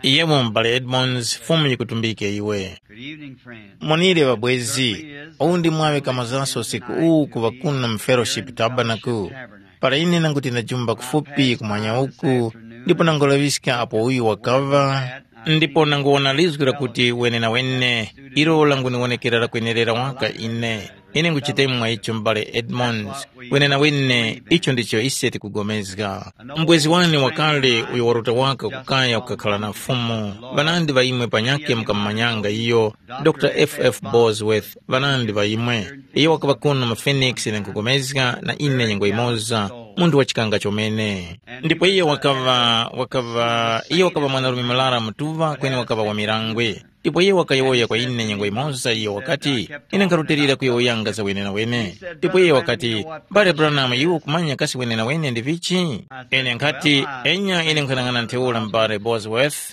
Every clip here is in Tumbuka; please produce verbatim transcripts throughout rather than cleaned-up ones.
Yemo m'bale Edmonds, Fumu yikutumbike iwe. Good evening, friends. Monire ŵabwezi, uwu ndi mwaŵe kamazanso usiku uwu kuŵa kuno mu Fellowship Tabernacle. Para ine nanguti ndajumba kufupi kumwanya uku, ndipo nangulaŵiska apo uyu wakaŵa, ndipo nanguwona lizgu lakuti wenenawene, ilo languniwonekera lakwenerera waka ine. Ine nguchitemwa icho m'bale Edmonds, wenenawene, icho ndicho ise tikugomezga. Mbwezi wane wakale uyo waruta waka kukaya kukakhala na Fumu, ŵanandi ŵa imwe panyakhe mukamumanyanga iyo, Dr F F Bosworth, ŵanandi ŵa imwe. Iyo wakaŵa kuno mu Phoenix ine nkugomezga na ine nyengo yimoza, munthu wa chikanga chomene. Ndipo iyo wakaŵa, wakaŵa, iyo wakaŵa mwanarume murara mutuŵa kweni wakaŵa wa mirangwe. Ndipo iyo wakayowoya kwa ine nyengo yimoza iyo wakati, ine nkharutilira kuyowoyanga za wenenawene. Ndipo iyo wakati, mbale Branham, iwe ukumanya kasi wenenawene ndi vichi? Ine nkhati, enya ine nkhanang'ana ntheura mbale Bosworth.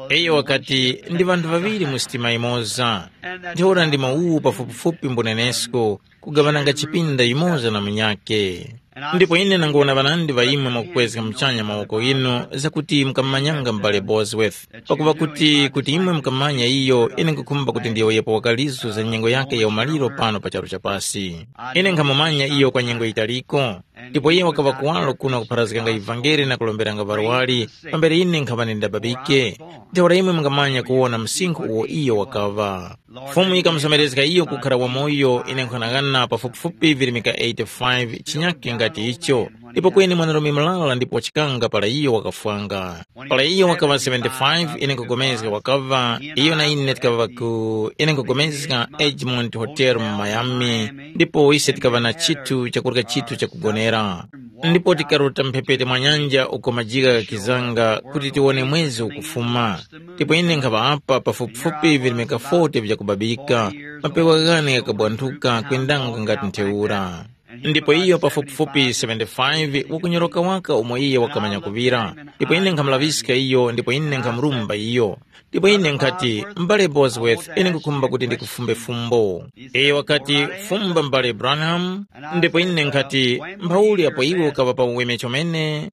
Iyo wakati, ndi vanthu ŵaŵiri mu sitima yimoza. Ntheura ndi mawuwu pafupifupi mbunenesko, kugaŵananga chipinda yumoza na munyakhe. Ndipo ine nangona ŵanandi ŵa imwe mwakukwezga muchanya mawoko ghinu zakuti mukamumanyanga m'bale Bosworth, pakuva kuti kuti imwe mukamanya iyo, ine nkukhumba kuti ndiyowoyepo wakalizo za nyengo yakhe ya umaliro pano pa charu cha pasi. Ine nkhamumanya iyo kwa nyengo yitaliko, ndipo iye wakaŵa kuwaro kuno kupharazganga ivangeli na kulomberanga ŵarwari, pambere ine nkhaŵa ndindababike. Ntheura imwe mungamanya kuwona msinkhu uwo iyo wakaŵa. Fumu yikamuzomerezga iyo kukhara wamoyo ine nkhanang'ana pafupifupi virimika eighty-five chinyakhe ngati icho, ndipo kweni mwanarume mulala ndipo wachikanga para iyo wakafwanga. Para iyo wakaŵa seventy-five ine nkugomezga wakaŵa, iyo na ine tikaŵa ku ine nkugomezga Egmont Hotel mu Miami, ndipo ise tikaŵa na chithu chakurya chithu chakugonera. Ndipo tikaruta mphepete mwa nyanja uko majigha ghakizanga kuti tiwone mwezi ukufuma. Ndipo ine nkhaŵa apa pafupifupi virimika forty vyakubabika, mapewa ghane ghakabwanthuka kwendanga ngati ntheura. Ndipo iyo pafupifupi seventy-five wakunyoroka waka umo iye wakamanya kuŵira. Ndipo ine nkhamulaŵiska iyo ndipo ine nkhamurumba iyo. Ndipo ine nkhati, mbale Bosworth, ine nkukhumba kuti ndikufumbe fumbo. Iyo wakati, fumba mbale Branham. Ndipo ine nkhati, mphauli apo iwe ukaŵa pa uweme chomene?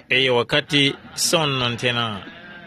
Iyo wakati, sono nthena.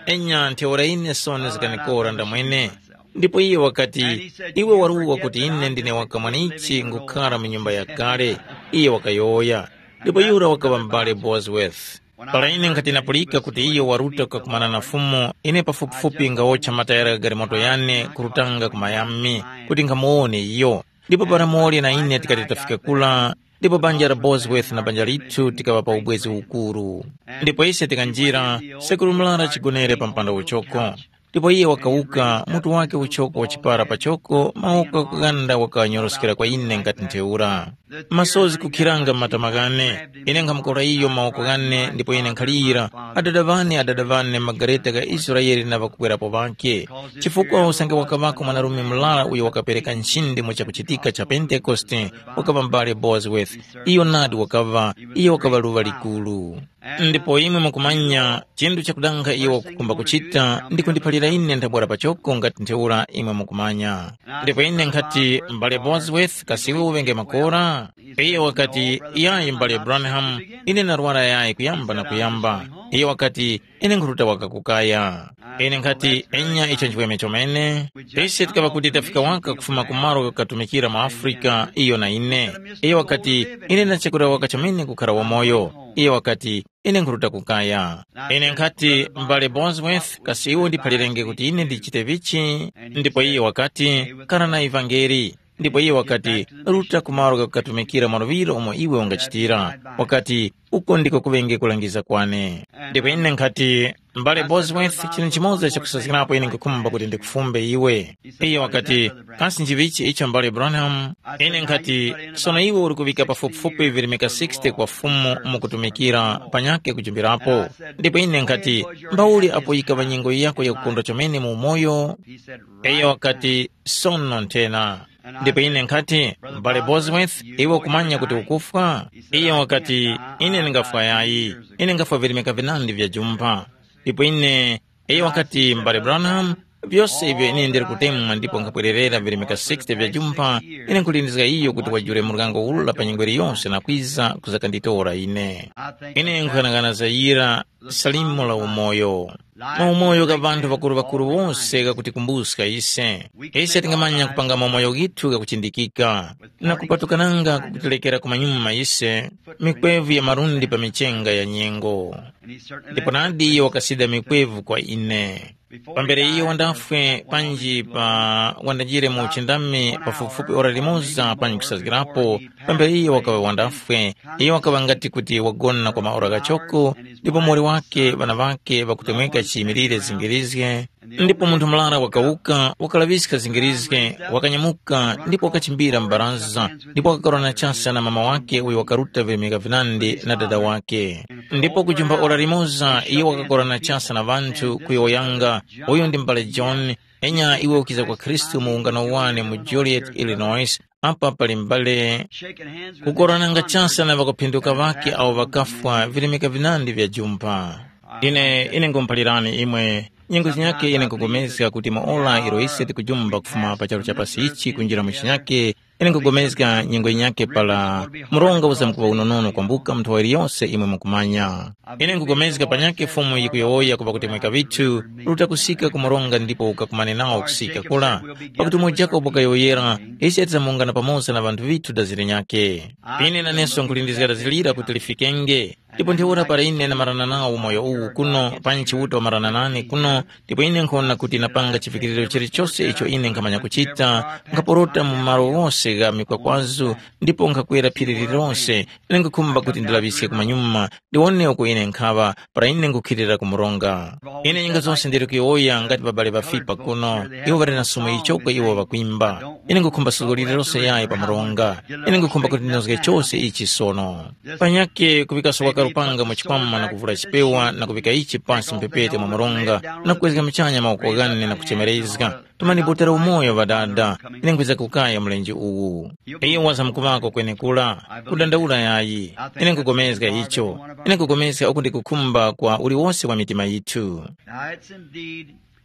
Enya ntheura ine sono zikanikora ndamwene. Ndipo iye wakati, iwe waruwa kuti ine ndine wakamwanichi ngukhara mu nyumba yakale. Iye wakayowoya. Ndipo yura wakaŵa m'bale Bosworth. Para ine nkhati napulika kuti iyo waruta kukakumana na Fumu, ine pafupifupi ngawocha matayara gha galimoto yane kurutanga ku Miami kuti nkhamuwone iyo. Ndipo para Moli na ine tikati tafika kura, ndipo banja la Bosworth na banja lithu tikaŵa pa ubwezi ukuru. Ndipo ise tikanjira, sekuru Mlara chigonere pa mpanda uchoko. Ndipo iye wakawuka, mutu wake uchoko wachipara pachoko, mawoko ghakughanda wakanyoroskera kwa ine ngati ntheura. Masozi kukhiranga m'matama ghane, ine nkhamukora iyo mawoko ghane ndipo ine nkhalira, adada ŵane, adada ŵane, magareta gha Israele na ŵakukwerapo ŵakhe. Chifukwa usange wakaŵako mwanarume murara uyo wakapereka nchindi mu chakuchitika cha Pentekoste, wakaŵa m'bale Bosworth. Iyo nadi wakaŵa, iyo wakaŵa luŵa likuru. Ndipo imwe mukumanya, chinthu chakudanga iwo wakukhumba kuchita ndi kundiphalira ine nthabwara pachoko ngati ntheura imwe mukumanya. Ndipo ine nkhati, m'bale Bosworth, kasi iwe uŵenge makora? Iyo wakati, yayi m'bale Branham, ine narwara yayi kuyamba na kuyamba. Iyo wakati, ine nkhuruta waka kukaya. Ine nkhati, enya icho nchiweme chomene. Ise tikaŵa kuti tafika waka kufuma ku malo katumikira mu Afrika, iyo na ine. Iyo wakati, ine ndachekura waka chomene kukhara wamoyo. Iyo wakati, ine nkhuruta kukaya. Ine nkhati, m'bale Bosworth, kasi iwe undiphalirenge kuti ine ndichite vichi? Ndipo iye wakati, kara na ivangeli. Ndipo iye wakati, ruta ku malo ghakukatumikira mwaluŵiro umo iwe ungachitira. Wakati, uko ndiko kuŵenge kulangiza kwane. Ndipo ine nkhati, m'bale Bosworth, chinthu chimoza chakusazgirapo ine nkukhumba kuti ndikufumbe iwe. Iye wakati, kasi nchivichi icho m'bale Branham? Ine nkhati, sono iwe uli kuŵika pafupifupi virimika sixty kwa Fumu mukutumikira panyakhe kujumbirapo. Ndipo ine nkhati, mbauli apo yikaŵa nyengo yako yakukondwa chomene mu umoyo? Iyo wakati, sono nthena. Ndipo ine nkhati, m'bale Bosworth, iwe ukumanya kuti ukufwa? Iyo wakati, ine ndingafwa yayi, ine ngafwa virimika vinandi vya jumpha. Ndipo ine, iyo wakati, m'bale Branham, vyose ivyo ine ndili kutemwa ndipo nkhapwererera virimika sixty vya jumpha, ine nkhulindizga iyo kuti wajule muryango ula pa nyengo iliyonse na kwiza kuzakanditora ine. Ine nkhughanaghana za yira salimo la umoyo. Maumoyo gha ŵanthu ŵakuru-ŵakuru wose ghakuti kumbuska ise. Ise tingamanya kupanga maumoyo ghithu ghakuchindikika, na kupatukananga kukutilekera kumanyuma ise, mikwevu ya malundi pa michenga ya nyengo. Ndipo nadi iyo wakasida mikwevu kwa ine. Pambere iyo wandafwe panji pa wandajire mu uchindami pafupifupi ora limoza panji kusazgirapo, pambere iyo wakaŵa wandafwe, iyo wakaŵa ngati kuti wagona kwa maora ghachoko, ndipo muwoli wake ŵana ŵake ŵakutemweka chiyimilire zingirizge. Ndipo munthu murara wakawuka, wakalaŵiska zingirizge, wakanyamuka ndipo wakachimbira m'baraza, ndipo wakakarwana chasa na mama wake uyo wakaruta virimika vinandi na dada wake. Ndipo kujumba ora limoza iyo wakakorana chasa na ŵanthu kuyowoyanga, uyu ndi m'bale John, enya iwe ukiza kwa Khristu mu ungano wane mu Joliet, Illinois, apa pali m'bale. Kukorananga chasa na ŵakuphinduka ŵake awo ŵakafwa virimika vinandi vya jumpa. Ine ine ngumuphalirani imwe, nyengo zinyake ine nkupulikana kuti maora iro ise tikujumba kufuma pa charu cha pasi ichi kunjira mu chinyake, ine nkupulikana nyengo yinyake para mronga uzamkuŵa unonono kwambuka mu nthowa yiliyose imwe mukumanya. Ine nkupulikana panyakhe Fumu yikuyowoya ku ŵakutemweka ŵithu, ruta kusika ku mronga ndipo ukakumane nawo kusika kura, pakuti umo Jakobo wakayowoyera, ise tizamuwungana pamoza na ŵanthu ŵithu dazi linyakhe. Ine naneso nkhulindizga dazi lira kuti lifikenge. Ndipo ntheura para ine namarana nawo umoyo uwu kuno, panyi Chiuta wamarana nane kuno, ndipo ine nkhona kuti napanga chivikiriro chilichose icho ine nkhamanya kuchita, nkhaporota mu malo ghose gha mikwakwazu, ndipo nkhakwera phiri lililonse, ine nkhukhumba kuti ndilaŵiske kumanyuma, ndiwone uko ine nkhaŵa, para ine nkhukhilira ku mronga. Ine nyinga zose ndili kuyowoya ngati babale ŵafipa kuno, iwo ŵali na sumo yichoko iwo ŵakwimba. Ine nkhukhumba suzgo lililose yayi pa mronga. Ine nkhukhumba kuti ndinozge chose ichi sono. Panyakhe kuŵikaso waka lupanga mu chikwama na kuvula chipewa na kuŵika ichi pasi mphepete mwa mronga na kukwezga muchanya mawoko ghane na kuchemerezga, tumani botera umoyo ŵadada, ine nkwiza kukaya mlenje uwu. Iyo wazamkuŵako kwenekura, kudandaula yayi. Ine nkupulikana icho. Ine nkupulikana uku ndi kukhumba kwa uliwose wa mitima yithu.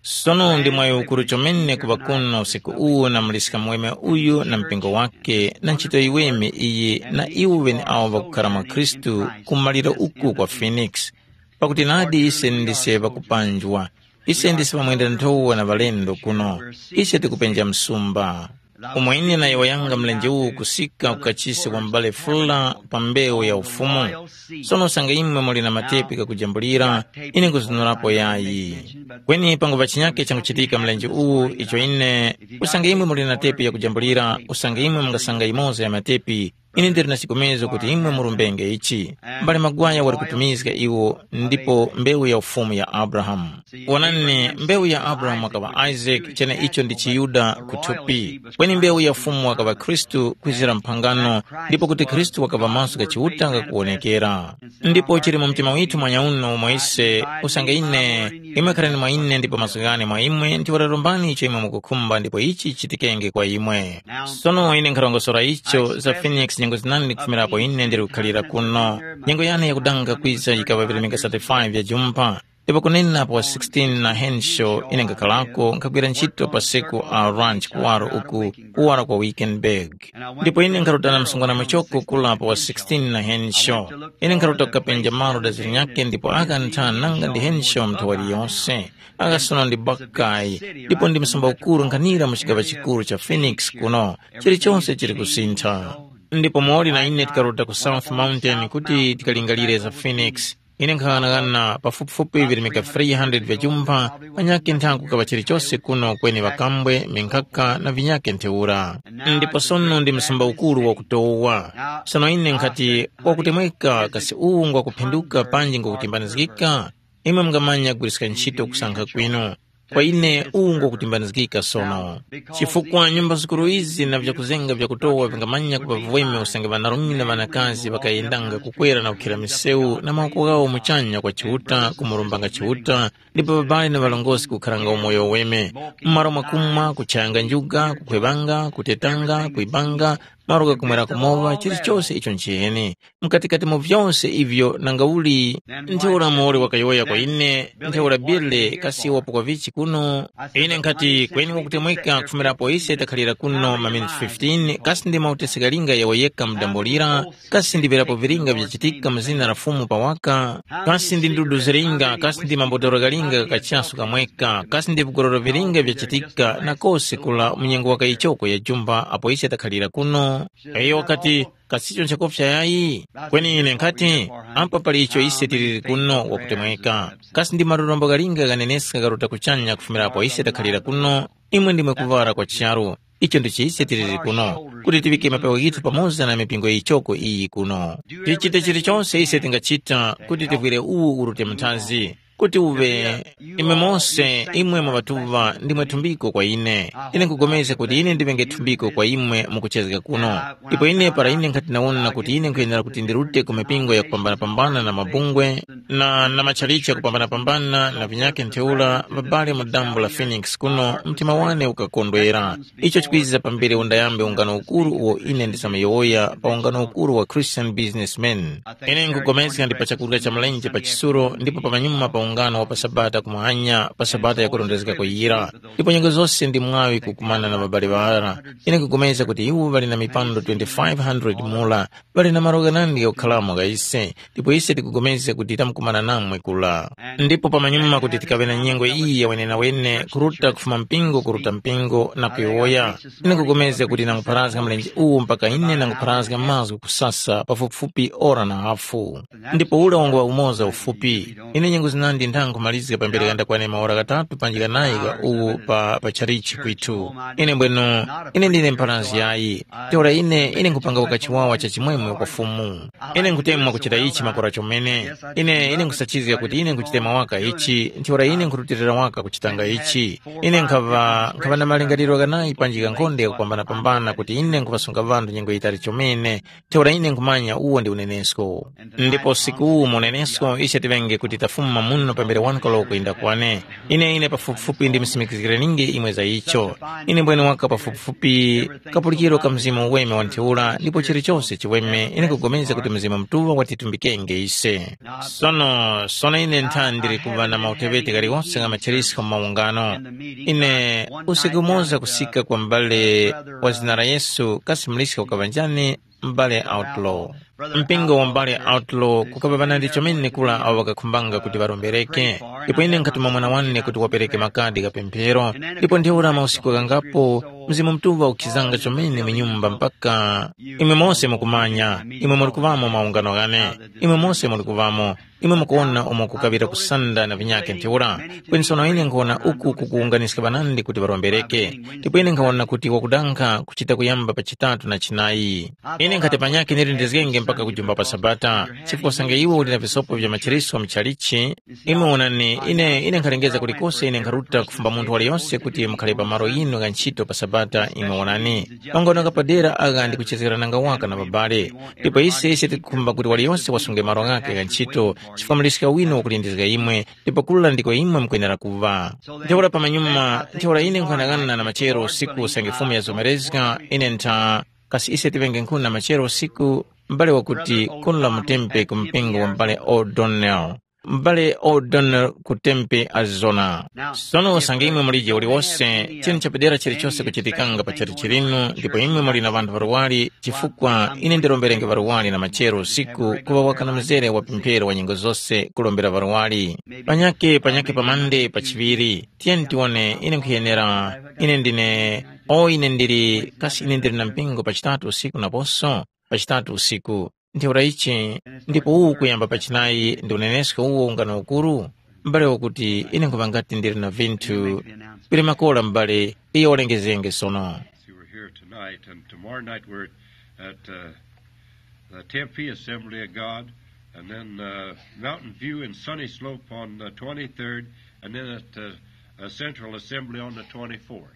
Sono ndi mwayi ukuru chomene kuŵa kuno usiku uwu na muliska muweme uyu na mpingo wake na ntchito yiweme iyi na iwo ŵeneawo ŵakukhara mwa Khristu ku maliro uku kwa Phoenix. Pakuti nadi ise ndise ŵakupanjwa, ise ndise ŵamwenda nthowa na ŵalendo kuno, ise tikupenja msumba. Umo ine nayowoyanga mlenje uwu kusika ku kachisi wa m'bale Fuller pa mbewu ya Ufumu. Sono usange imwe muli na matepi ghakujambulira, ine nkuzunurapo yayi. Kweni panguŵa chinyake changuchitika mlenje uwu icho ine, usange imwe muli na tepi yakujambulira, usange imwe mungasanga yimoza ya matepi, ine ndili na chikomezo kuti imwe murumbenge ichi. M'bale Magwaya wali kutumizga iwo ndipo mbewu ya Ufumu ya Abrahamu. Wonani, mbewu ya Abrahamu wakaŵa Isaac, cheneicho ndi chiYuda kuthupi, kweni mbewu ya Fumu wakaŵa Khristu kwizira mphangano, ndipo kuti Khristu wakaŵa maso gha Chiuta ghakuwonekera. Ndipo chili mu mtima withu mwanyauno umo ise, usange ine, imwe kharani mwa ine ndipo mazgu ghane mwa imwe, ntheura rombani icho imwe mukukhumba ndipo ichi chichitikenge kwa imwe. Sono ine nkharongosora icho za Phoenix nyengo zinandi kufumirapo ine ndili kukhalira kuno. Nyengo yane yakudanga kwiza yikaŵa virimika thirty-five ya jumpa. Ndipo kunena pa wa sixteen na Henshaw ine nkakhalako nkhagwira ntchito pa siku a ranch kuwaro uku kuwara kwa Wickenburg. Ndipo ine nkharutana msungwana muchoko kula pa wa sixteen na Henshaw. Ine nkharuta kukapenja malo da zilinyakhe ndipo aka nthana nanga ndi Henshaw mnthawi yose. Aka sono ndi Buckeye, ndipo ndi msumba ukuru nkhanira mu chigaŵa chikuru cha Phoenix kuno. Chilichonse chili kusintha. Ndipo muli na ine tikaruta ku South Mountain kuti tikalingalire za Phoenix. Ine nkhaghanaghana pafupifupi virimika three hundred vya jumpha, panyakhe nthaku kaŵa chilichose kuno kweni ŵakambwe, minkhaka na vinyakhe ntheura. Ndipo sono ndi msumba ukuru wakutowa. Sono ine nkhati wakutemweka kasi uwu ngwakuphinduka panji ngwakutimbanizgika? Imwe mungamanya kugwiriska ntchito kusankha kwinu. Kwa ine uwu ngwakutimbanizgika sono. Chifukwa nyumba zikuru izi na vyakuzenga vyakutowa vingamanya kuŵa vweme usange ŵanarume na ŵanakazi ŵakayendanga kukwera na kukhira misewu na mawoko ghawo muchanya kwa Chiuta kumurombanga Chiuta, ndipo ŵabali na ŵalongosi kukharanga umoyo weme, m'malo mwakumwa, kuchayanga njuga, kukhwevanga, kutetanga, kwibanga, malo ghakumwerako mowa, chilichose icho nchiheni. Mukatikati mu vyose ivyo nangauli, ntheura muwoli wakayowoya kwa ine, ntheura Birle kasi wapo kwa vichi kuno? Ine nkhati, kweni wakutemweka kufumirapo ise takhalira kuno maminiti fifteen, kasi ndi mautesi ghalinga yawo yekha mudambo lira? Kasi ndi virapo vilinga vyachitika mu zina la Fumu pawaka? Kasi ndi ndudu zilinga, kasi ndi mabotolo ghalinga gha kachasu kamweka, kasi ndi vigororo vilinga vyachitika na kose kula mu nyengo waka ichoko ya jumba apo ise takhalira kuno? Iyo wakati, kasicho nchakopsa yayi? Kweni ine nkhati, ampa pali icho ise tiliri kuno wakutemweka. Kasi ndi malurombo ghalinga ghaneneska garuta kuchanya kufumira apo ise takhalira kuno? Imwe ndimwe kuvara kwa charu. Icho ndicho ise tiliri kuno, kuti tiŵike mapewa ghithu pamoza na mipingo yichoko iyi kuno. Tichite chilichonse ise tingachita kuti tivwire uwu urute muthazi, kuti uŵe imwe mose, imwe mwa ŵatuŵa ndimwe thumbiko kwa ine. Ine nkupulikana kuti ine ndiŵenge thumbiko kwa imwe mukuchezga kuno. Ndipo ine para ine nkhati nawona kuti ine nkhuyenera kuti ndirute ku mipingo yakupambanapambana na mabungwe, na, na matchalichi yakupambanapambana na vinyakhe ntheura, ŵabale mu dambo la Phoenix kuno, mtima wane ukakondwera. Icho chikwiza pambere undayambe ungano ukuru uwo ine ndisamuyowoya pa ungano ukuru wa Christian Businessmen. Ine nkupulikana ndi pa chakurya cha mlenje pa chisuro ndipo pamanyuma pa ungano wa pa Sabata kumwanya pa Sabata yakurondezgako yira. Ndipo nyengo zose ndi mwaŵi kukumana na ŵabale ŵara. Ine nkupulikana kuti iwo ŵali na mipando twenty-five hundred mura, ŵali na malo ghanandi ghakukharamo gha ise, ndipo ise tikupulikana kuti tamkumana namwe kula. Ndipo pamanyuma kuti tikaŵe na nyengo iyi ya wenenawene kuruta kufuma mpingo kuruta mpingo na kuyowoya, ine nkupulikana kuti nangupharazga mlenje uwu mpaka ine nangupharazga mazgu kusasa pafupifupi ora na hafu. Ndipo ule wangu wa umoza ufupi, ine nyengo zinandi ntha nkhumalizga pambere ghandakwane maora ghatatu panji ghanayi gha uwu pa, pa chalichi kwithu. Ine mbwenu, ine ndine mpharanzi yayi, ntheura ine, ine nkhupanga waka chiwawa cha chimwemwe kwa Fumu. Ine nkhutemwa kuchita ichi makora chomene. Ine, ine nkhusachizga kuti ine nkhuchitema waka ichi, ntheura ine nkhurutilira waka kuchitanga ichi. Ine nkhaŵa, nkhaŵa na malingaliro ghanayi panji ghankhonde ghakupambanapambana kuti ine nkhuŵasunga ŵanthu nyengo yitali chomene, ntheura ine nkhumanya uwo ndi unenesko. Ndipo usiku uwu mu unenesko ise tiŵenge kuti tafuma muno pambere wani koloko kuyenda kwane. Ine ine pafupifupi ndimsimikizgireninge imwe za icho. Ine mbwene waka pafupifupi kapulikiro ka Mzimu Uweme wa ntheura ndipo chilichose chiweme ine nkupulikana kuti Mzimu Mutuŵa watitumbikenge ise. Sono, sono ine ntha ndili kuŵa na mauteŵeti ghaliwonse gha macherisko mu maungano. Ine usiku umoza kusika kwa m'bale wa zina la Yesu kasi muliska ukaŵa njani? M'bale Outlaw. Mpingo wa m'bale Outlaw kukaŵa ŵanandi chomene kula awo ŵakakhumbanga kuti ŵarombereke. Ndipo ine nkhatuma mwana wane kuti wapereke makadi gha pemphero, ndipo ntheura mausiku ghangapo Mzimu Mutuŵa ukhizanga chomene mu nyumba mpaka imwe mose mukumanya, imwe muli kuŵamo maungano ghane, imwe mose muli kuŵamo, imwe mukuwona umo kukaŵira kusanda na vinyakhe ntheura. Kweni sono ine nkhuwona uku kukuwunganiska ŵanandi kuti ŵarombereke, ndipo ine nkhawona kuti wakudankha kuchita kuyamba pa chitatu na chinayi. Ine nkhati panyakhe nilindizgenge mpaka kujumba pa Sabata, chifukwa usange iwe uli na visopo vya machiriswa muchalichi, imwe wonani, ine, ine nkhalengeza kulikose ine nkharuta kufumba munthu waliyonse kuti mukhale pa malo yinu gha ntchito pa Sabata, imwe wonani. Maungano ghapadera agha ndikuchezgerananga waka na ŵabale, ndipo ise ise tikukhumba kuti waliyonse wasunge malo ghakhe gha ntchito, chifukwa muliska winu wakulindizga imwe, ndipo kula ndiko imwe mukwenera kuŵa. Ntheura pamanyuma, ntheura ine nkhanang'ana na machero usiku usange Fumu yazomerezga, ine ntha, kasi ise tiŵenge nkhuni na machero usiku, m'bale wakuti kuno la mutempe ku mpingo wa m'bale O'Donnell. M'bale O'Donnell ku Tempe, Arizona. Sono usange imwe mulije uliwose, chinthu chapadera chilichose kuchitikanga pa chalichi linu, ndipo imwe muli na ŵanthu ŵaluwali, chifukwa ine ndiromberenge ŵaluwali na machero usiku kuŵa waka na mzere wa pemphero wa nyengo zose kulombera ŵaluwali. Panyake, panyake pamande pa chiŵiri, tiyeni tiwone, ine nkhuyenera, ine ndine, o ine ndili, kasi ine ndili na mpingo pa chitatu usiku naposo? Pa chitatu usiku. Ntheura ichi, ndipo uwu kuyamba pa chinayi ndi unenesko uwo ungano ukuru? M'bale wakuti ine nkhuŵa ngati ndili na vinthu vili makora m'bale, iyo walengezenge sono. See, we're here tonight, and tomorrow night we're at uh, the Tempe Assembly of God, and then uh, Mountain View and Sunny Slope on the twenty-third, and then at uh, a Central Assembly on the twenty-fourth.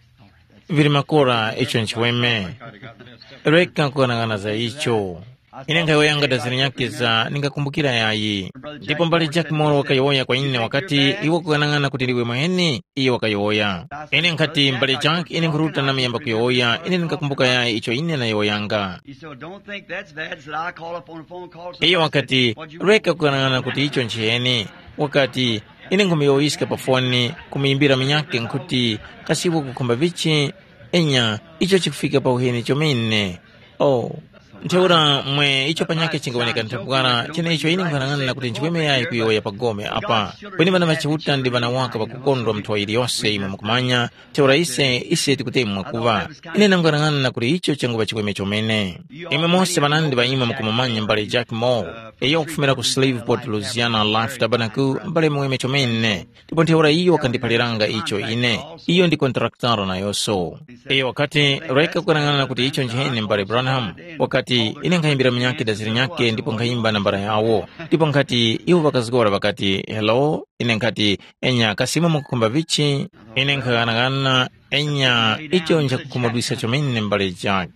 Vili makora icho nchiweme. Reka kukangana za icho. Ine nkhayowoyanga dazira nyakhe za ndingakumbukira yayi. Ndipo mbale Jack Moore wakayowoya kwa ine wakati, iwe kukang'ana kuti ndiwe mwene? Iye wakayowoya. Ine nkhati, mbale Jack, ine nkhuruta namuyamba kuyowoya, ine ndingakumbuka yayi icho ine nayowoyanga. He said, "Well, don't think that's bad." He said, "I call up on a phone call." Iyo wakati, reka kukang'ana kuti icho nchiyeni. Wakati, ine nkumuyowoyiska pa foni, kumuyimbira munyakhe nkhuti, kasi iwe kukhumba vichi? Enya, icho chikufika pa uheni chomene. Oh, ntheura mwe icho panyakhe chingawoneka nthabwara, chenecho ine nkhanang'ana kuti nchiweme yayi kuyowoya pa gome apa. Kweni ŵana ŵa Chiuta ndi ŵana waka ŵakukondwa mnthowa yiliyose imwe mukumanya, ntheura ise, ise tikutemwa kuŵa. Ine nangwanang'ana kuti icho changuŵa chiweme chomene. Imwe mose ŵanandi ŵa imwe mukumumanya mbale Jack Moore, iyo wakufumira ku Shreveport, Louisiana, Life Tabernacle, mbale muweme chomene. Ndipo ntheura iyo wakandiphaliranga icho ine. Iyo ndi kontrakitaro nayonso. Iyo wakati, reka kukang'ana kuti icho nchiheni mbale Branham. Wakati, ine nkhayimbira munyakhe daziri nyakhe ndipo nkhayimba nambala yawo. Ndipo nkhati, iwo ŵakazgora ŵakati, hello? Ine nkhati, enya kasi imwe mukukhumba vichi? Ine nkhaghanaghana, enya icho nchakukhumudwisa chomene mbale Jack.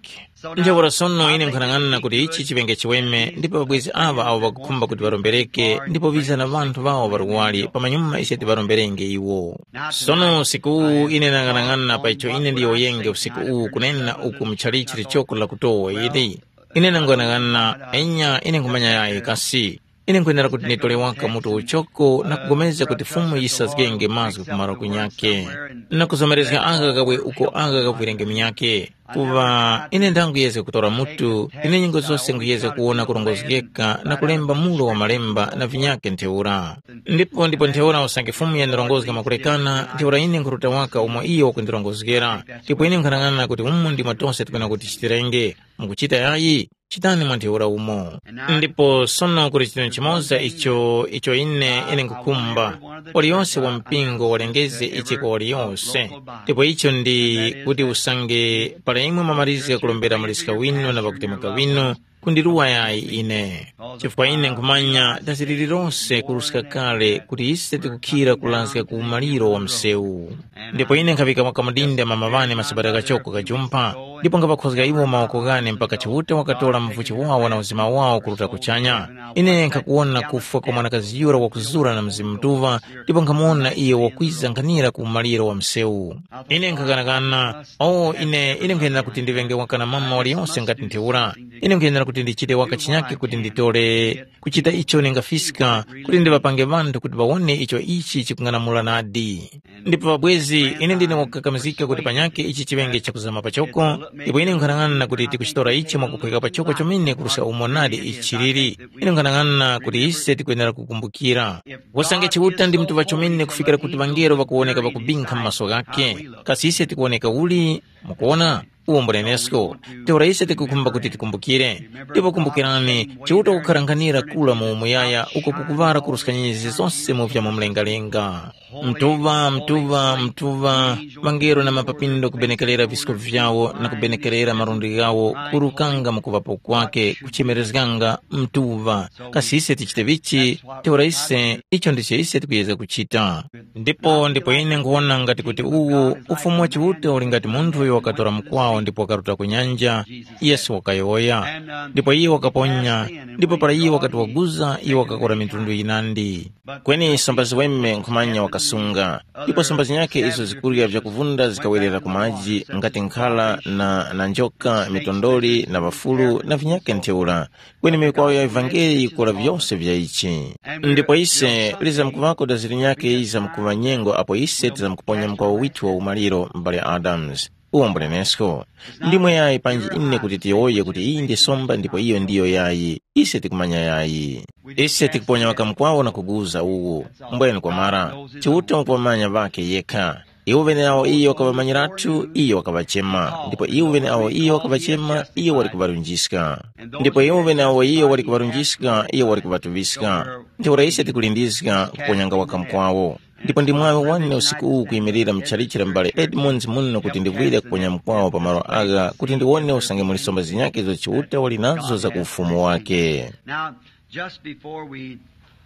Ntheura sono ine nkhanang'ana kuti ichi chiŵenge chiweme ndipo ŵabwezi aŵa awo ŵakukhumba kuti ŵarombereke ndipo ŵiza na ŵanthu ŵawo ŵaluwali pamanyuma ise tiŵaromberenge iwo. Sono usiku uwu ine nang'anang'ana pa icho ine ndiyowoyenge usiku uwu kunena uku muchalichi lichoko lakutowa ili. Ine nang'anang'ana, enya ine nkhumanya yayi kasi. Ine nkhwenera kuti nditole waka mutu uchoko na kugomezga kuti Fumu yisazgenge mazgu ku malo kunyakhe, na kuzomerezga aka kabwe uko aka kavwirenge munyakhe. Kuŵa ine ndanguyezga kutora mutu, ine nyengo zose nguyezga kuwona kurongozgeka na kulemba mulo wa malemba na vinyakhe ntheura. Ndipo ndipo ntheura usange Fumu yandirongozga mwakulekana, ntheura ine nkhuruta waka umo iyo wakundirongozgera. Ndipo ine nkhanang'ana kuti umu ndimo tose tikwena kuti tichitirenge. Mukuchita yayi? Chitani mwa ntheura umo. Ndipo sono kuli chinthu chimoza icho icho ine ine nkhukhumba, waliyonse wa mpingo walengeze ichi kwa waliyonse. Ndipo icho ndi kuti usange para imwe mwamalizga kulombera muliska winu na ŵakutemuka winu, kundiruwa yayi ine. Chifukwa ine nkhumanya dazi lililonse kuruska kale kuti ise tikukhira kulazga ku umaliro wa msewu. Ndipo ine nkhaŵika kamudinda mama ŵane masabata kachoko kajumpha, ndipo nkhaŵakhozga iwo mawoko ghane mpaka Chiuta wakatora mvuchi wawo na uzima wawo kuruta kuchanya. Ine nkhakuwona kufwa kwa mwanakazi yura wakuzura na Mzimu Mutuŵa, ndipo nkhamuwona iyo wakwiza nkhanira ku umaliro wa msewu. Ine nkhakanakana, o ine, ine nkhayenera kuti ndiŵenge waka na mama waliyonse ngati ntheura. Ine nkhayenera kuti ndichite waka chinyakhe kuti nditore kuchita icho ningafiska kuti ndiŵapange ŵanthu kuti ŵawone icho ichi chikung'anamula nadi. Ndipo pabwezi, ine ndine wakukakamizika kuti panyakhe ichi chiŵenge chakuzama pachoko, ndipo ine nkhanang'ana kuti tikuchitora ichi mwakuphweka pachoko chomene kuruska umo nadi ichi chiliri. Ine nkhanang'ana kuti ise tikwenera kukumbukira. Usange Chiuta ndi mutuŵa chomene kufikira kuti ŵangelo ŵakuwoneka ŵakubinkha mu maso ghakhe, kasi ise tikuwoneka uli? Mukuwona? Uwo mbulenesko. Ntheura ise tikukhumba kuti tikumbukire. Ndipo kumbukirani, Chiuta wakukharanganira kula mu umuyaya uko kukuŵara kuruska nyenyezi zose mu vya mu mlengalenga. Mtuŵa, mtuŵa, mtuŵa, ŵangelo na mapapindo kubenekerera visko vyawo na kubenekerera malundi ghawo kurukanga mu kuŵapo kwake, kuchemerezganga, mtuŵa. Kasi ise tichite vichi? Ntheura ise, icho ndicho ise tikuyezga kuchita. Ndipo ndipo ine nkuwona ngati kuti uwu Ufumu wa Chiuta uli ngati munthu uyo wakatora mukwawo ndipo wakaruta ku nyanja, Yesu wakayowoya. Ndipo iye wakaponya, ndipo para iye wakati waguza, iye wakakora mitundu yinandi. Kweni somba ziweme nkhumanya wakasunga, ndipo somba zinyakhe izo zikurya vyakuvunda zikawerera ku maji ngati nkhala na, na njoka, mitondoli na ŵafulu na vinyakhe ntheura. Kweni mikwawo ya ivangeli yikora vyose vya ichi. Ndipo ise lizamkuŵako dazi linyakhe yizamkuŵa nyengo apo ise tizamkuponya mukwawo withu wa umaliro, m'bale Adams. Uwo mbulenesko. Ndimwe yayi panji ine kuti tiyowoye kuti iyi ndi somba ndipo iyo ndiyo yayi. Ise tikumanya yayi. Ise tikuponya waka mukwawo na kuguza uwu. Mbwenu kwamara, Chiuta wakuŵamanya ŵakhe yekha. Iwo ŵeneawo iyo wakaŵamanyiratu, iyo wakaŵachema, ndipo iwo ŵeneawo iyo wakaŵachema, iyo wali kuŵarunjiska. Ndipo iwo ŵeneawo iyo wali kuŵarunjiska, iyo wali kuŵatuŵiska. Ntheura ise tikulindizga kuponyanga waka mukwawo. Ndipo ndi mwaŵi wane usiku uwu kuyimirira mu tchalitchi la m'bale Edmonds muno kuti ndivwire kuponya mukwawo pa malo agha kuti ndiwone usange muli somba zinyakhe izo Chiuta wali nazo za ku ufumu wake. Now, just before we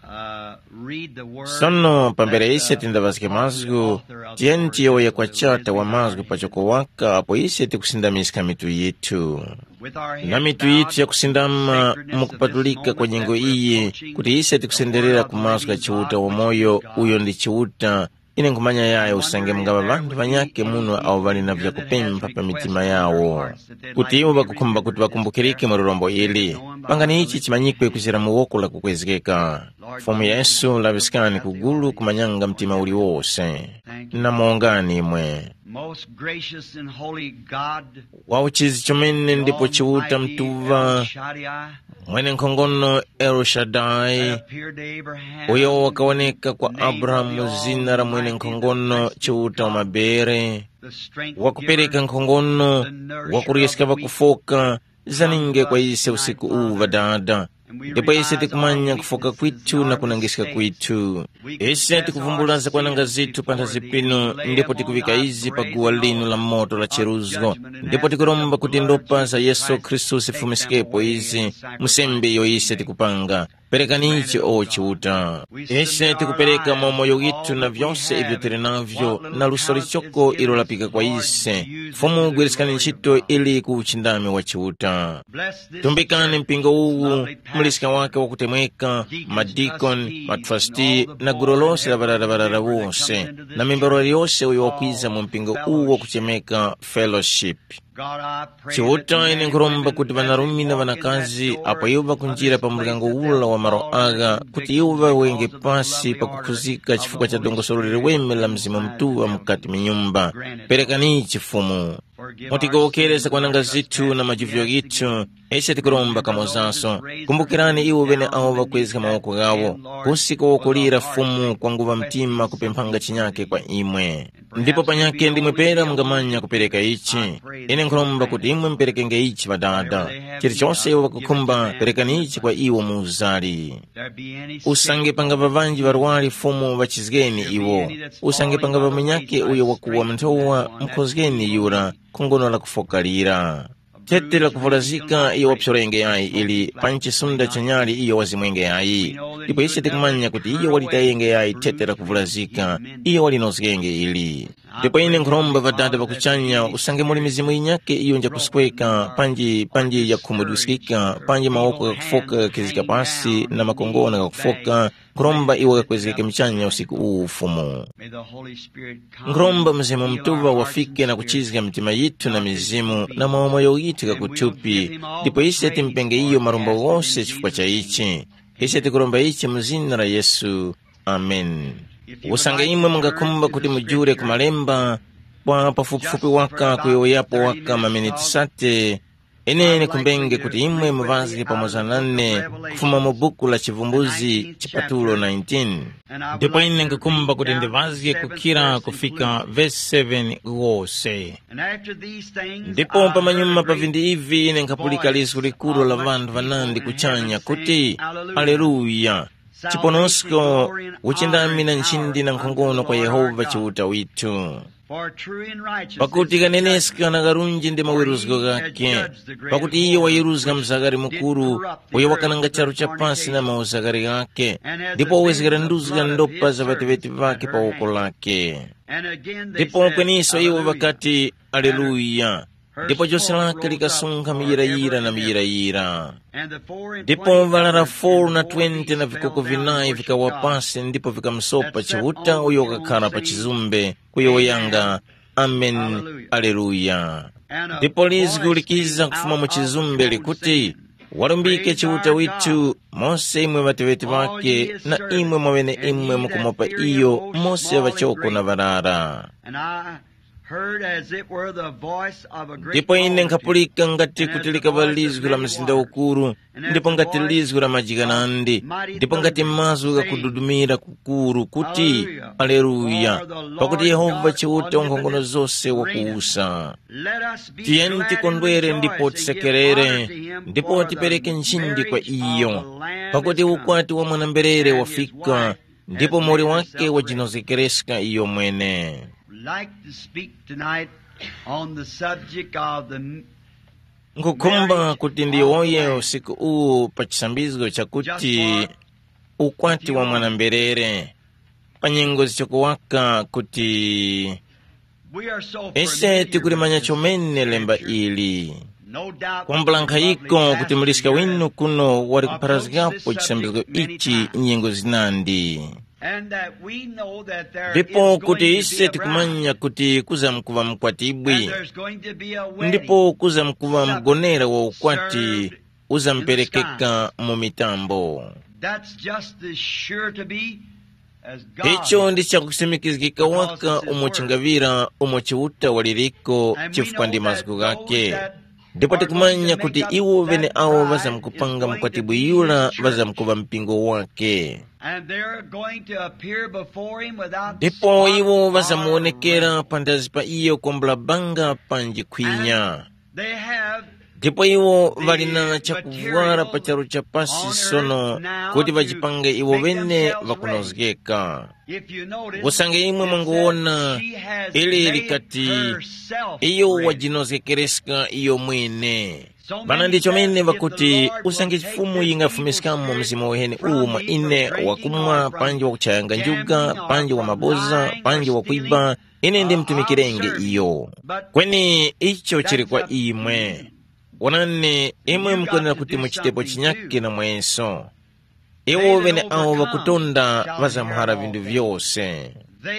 uh, read the word, sono pambere ise tindaŵazge mazgu, tiyeni tiyowoye kwa Chata wa mazgu pachoko waka apo ise tikusindamiska mitu yithu. Na mitu yithu yakusindama mukupatulika kwa nyengo iyi, kuti ise tikusenderera ku mazgu gha Chiuta wamoyo, uyo ndi Chiuta. Ine nkhumanya yaya usange mungaŵa ŵanthu ŵanyakhe muno awo ŵali na vyakupempha pa mitima yawo, kuti iwo ŵakukhumba kuti ŵakumbukirike mu lirombo ili. Pangani ichi chimanyikwe kuzira mu woko lakukwezgeka. Fumu Yesu, laŵiskani ku gulu kumanyanga mtima uliwose. Namongani imwe. Most gracious and holy God, wa uchizi chomene ndipo Chiuta Almighty Mtuŵa, El Shaddai, mwene nkhongono El Shaddai, appeared to Abraham, uyo wakawoneka kwa Abrahamu mu zina la mwene nkhongono Chiuta wa mabere, the strength wakupereka giver, nkhongono, the nourisher wakuryeska of the weak, ŵakufoka, zaninge kwa ise usiku uwu ŵadada. Ndipo ise tikumanya kufoka kwithu na kunangiska kwithu. Ise tikuvumbula zakwananga zithu panthazi pinu, ndipo tikuŵika izi pa guwa linu la moto la cheruzgo. Ndipo tikuromba kuti ndopa za Yesu Khristu zifumisikepo izi, musembe iyo ise tikupanga. Perekani ichi o Chiuta. Ise tikupereka mwa moyo withu na vyose ivyo tili navyo, na luso lichoko ilo lapika kwa ise. Fumu, gwiriskani ntchito ili ku uchindami wa Chiuta. Tumbikani mpingo uwu, muliska wake wakutemweka, madikoni, matrasti, na gulu lose la ŵarara ŵarara wose, na membero yose uyo wakwiza mu mpingo uwu wakuchemeka fellowship. Chiuta, ine nkhuromba kuti ŵanarume na ŵanakazi apo iwo ŵakunjira pa muryango ula wa malo agha, kuti iwo ŵawenge pasi pakukhuzika chifukwa cha dongosolo liweme la Mzimu Mutuŵa mukati mu nyumba. Perekani chifumu. Mutigowokere zakwananga zithu na majuvyo ghithu, ise tikuromba kamozaso. Kumbukirani iwo ŵene awo ŵakwezga mawoko ghawo, kusi kuwokolera Fumu kwanguŵa mtima kupemphanga chinyake kwa imwe. Ndipo panyake ndimwe pera mungamanya kupereka ichi. Ine nkhuromba kuti imwe muperekenge ichi Ŵadada. Chilichose iwo ŵakukhumba, perekani ichi kwa iwo mu uzali. Usange pangava ŵanji ŵarwari Fumu ŵachizgeni iwo. Usange pangava munyakhe uyo wakuwa mnthowa, mukhozgeni yura, khongono la kufoka lira. Thete la kuvulazika iyo waphyolenge yayi ili pa nchisunda chanyali iyo wazimwenge yayi. Ndipo ise tikumanya kuti iyo walitayenge yayi thete la kuvulazika, iyo walinozgenge ili. Ndipo ine nkhuromba Ŵadada ŵa kuchanya usange muli mizimu yinyakhe iyo njakusweka panji panji yakhumudwiskika panji mawoko ghakufoka ghakhizika pasi na makongona ghakufoka, nkhuromba iwo ghakwezgeke muchanya usiku uwu Fumu. May the Holy Spirit come. Nkhuromba Mzimu Mutuŵa wafike na kuchizga mitima yithu na mizimu na mawomoyo yithu ghakuthupi, ndipo ise timpenge iyo marumbo ghose chifukwa cha ichi. Ise tikuromba ichi mu zina la Yesu. Amen. Usange imwe mungakhumba kuti mujule ku malemba kwa pafupifupi waka kuyowoyapo waka maminiti sate, ine ndikhumbenge kuti imwe muŵazge pamoza nane kufuma mu buku la Chivumbuzi chipatulo nineteen. Ndipo ine ndikukhumba kuti ndiŵazge kukhira kufika vesi seven wose. Ndipo pamanyuma pa vinthu ivi ine nkhapulika lizgu likuru la ŵanthu ŵanandi kuchanya kuti, Aleluya! Chiponosko, uchindami na nchindi na nkhongono kwa Yehova Chiuta withu. Pakuti kaneneska na karunji ndi maweruzgo ghakhe, pakuti iyo wayeruzga mzakari mukuru, uyo wakananga charu cha pasi na mauzakari ghakhe, ndipo wawezgera nduzga ndopa za ŵateŵeti ŵakhe pa woko lakhe. Ndipo kweniso iwo ŵakati, Aleluya! Ndipo jose lake likasunkha miyirayira na miyirayira. Ndipo ŵarara four na twenty na vikoko vinayi vikawa pasi ndipo vikamusopa Chiuta uyo wakakhala pa chizumbe, kuyowoyanga, Amen, Aleluya. Ndipo lizgu likiza kufuma mu chizumbe likuti, Walumbike Chiuta withu, mose imwe ŵateŵeti ŵakhe, na imwe mwaŵeneimwe mukumopa iyo mose ŵachoko na ŵarara. Heard as it were the voice of a great Ndipo ine multitude, nkhapulika ngati kuti likaŵa lizgu la mzinda ukuru, ndipo ngati lizgu la majikanandi, ndipo ngati mazgu ghakududumira kukuru kuti, Aleluya! Pakuti Yehova Chiuta unkhongono zose wakuwusa. Tiyeni tikondwere ndipo tisekerere, ndipo tipereke nchindi kwa iyo, pakuti ukwati wa mwana-mberere wafika, ndipo muwoli wake wajinozgekereska iyo mwene. Like to speak tonight on the subject of the m- Nkhukhumba kuti ndiyowoye usiku uwu pa chisambizgo chakuti ukwati wa mwana-mberere, pa nyengo zichokuwaka kuti we are so ise familiar tikulimanya with this chomene lemba scripture. Ili. Kwambula nkhayiko kuti muliska winu kuno wali kupharazgapo chisambizgo ichi nyengo zinandi. And that we know that there ndipo is kuti going to ise be a bride, tikumanya kuti kuzamkuŵa and mkwatibwi, there's going to be a wedding. Ndipo kuzamkuŵa mgonera wa ukwati uzamperekeka mu mitambo. That's just as sure to be as God. Icho ndi chakusimikizgika waka umo chingaŵira umo Chiuta waliriko, chifukwa ndi mazgu ghake. Ndipo tikumanya kuti iwo ŵeneawo ŵazamkupanga mkwatibwi yura ŵazamkuŵa mpingo wake. And they're going to appear before him without Ndipo spot iwo or ŵazamuwonekera wrinkle. Pandazi pa iyo kwambula banga panji khwinya. They have ndipo iwo ŵali na chakuvwara pa charu cha pasi sono, kuti ŵajipange iwo ŵene ŵakunozgeka. If you notice, usange imwe mwanguwona, ili likati iyo wajinozgekereska iyo mwene. Bana ndicho mene ŵakuti, usange chifumu yingafumiskamo mzimu uheni uwu mwa ine, wakumwa panji wakuchayanga njuga panji wa mabuza panji wakwiba, ine ndimtumikirenge iyo. Kweni icho chili kwa imwe. Wonani, imwe mukwenera kuti muchitepo chinyake na mweso. Iwo ŵeneawo ŵakutonda ŵazamhara vinthu vyose.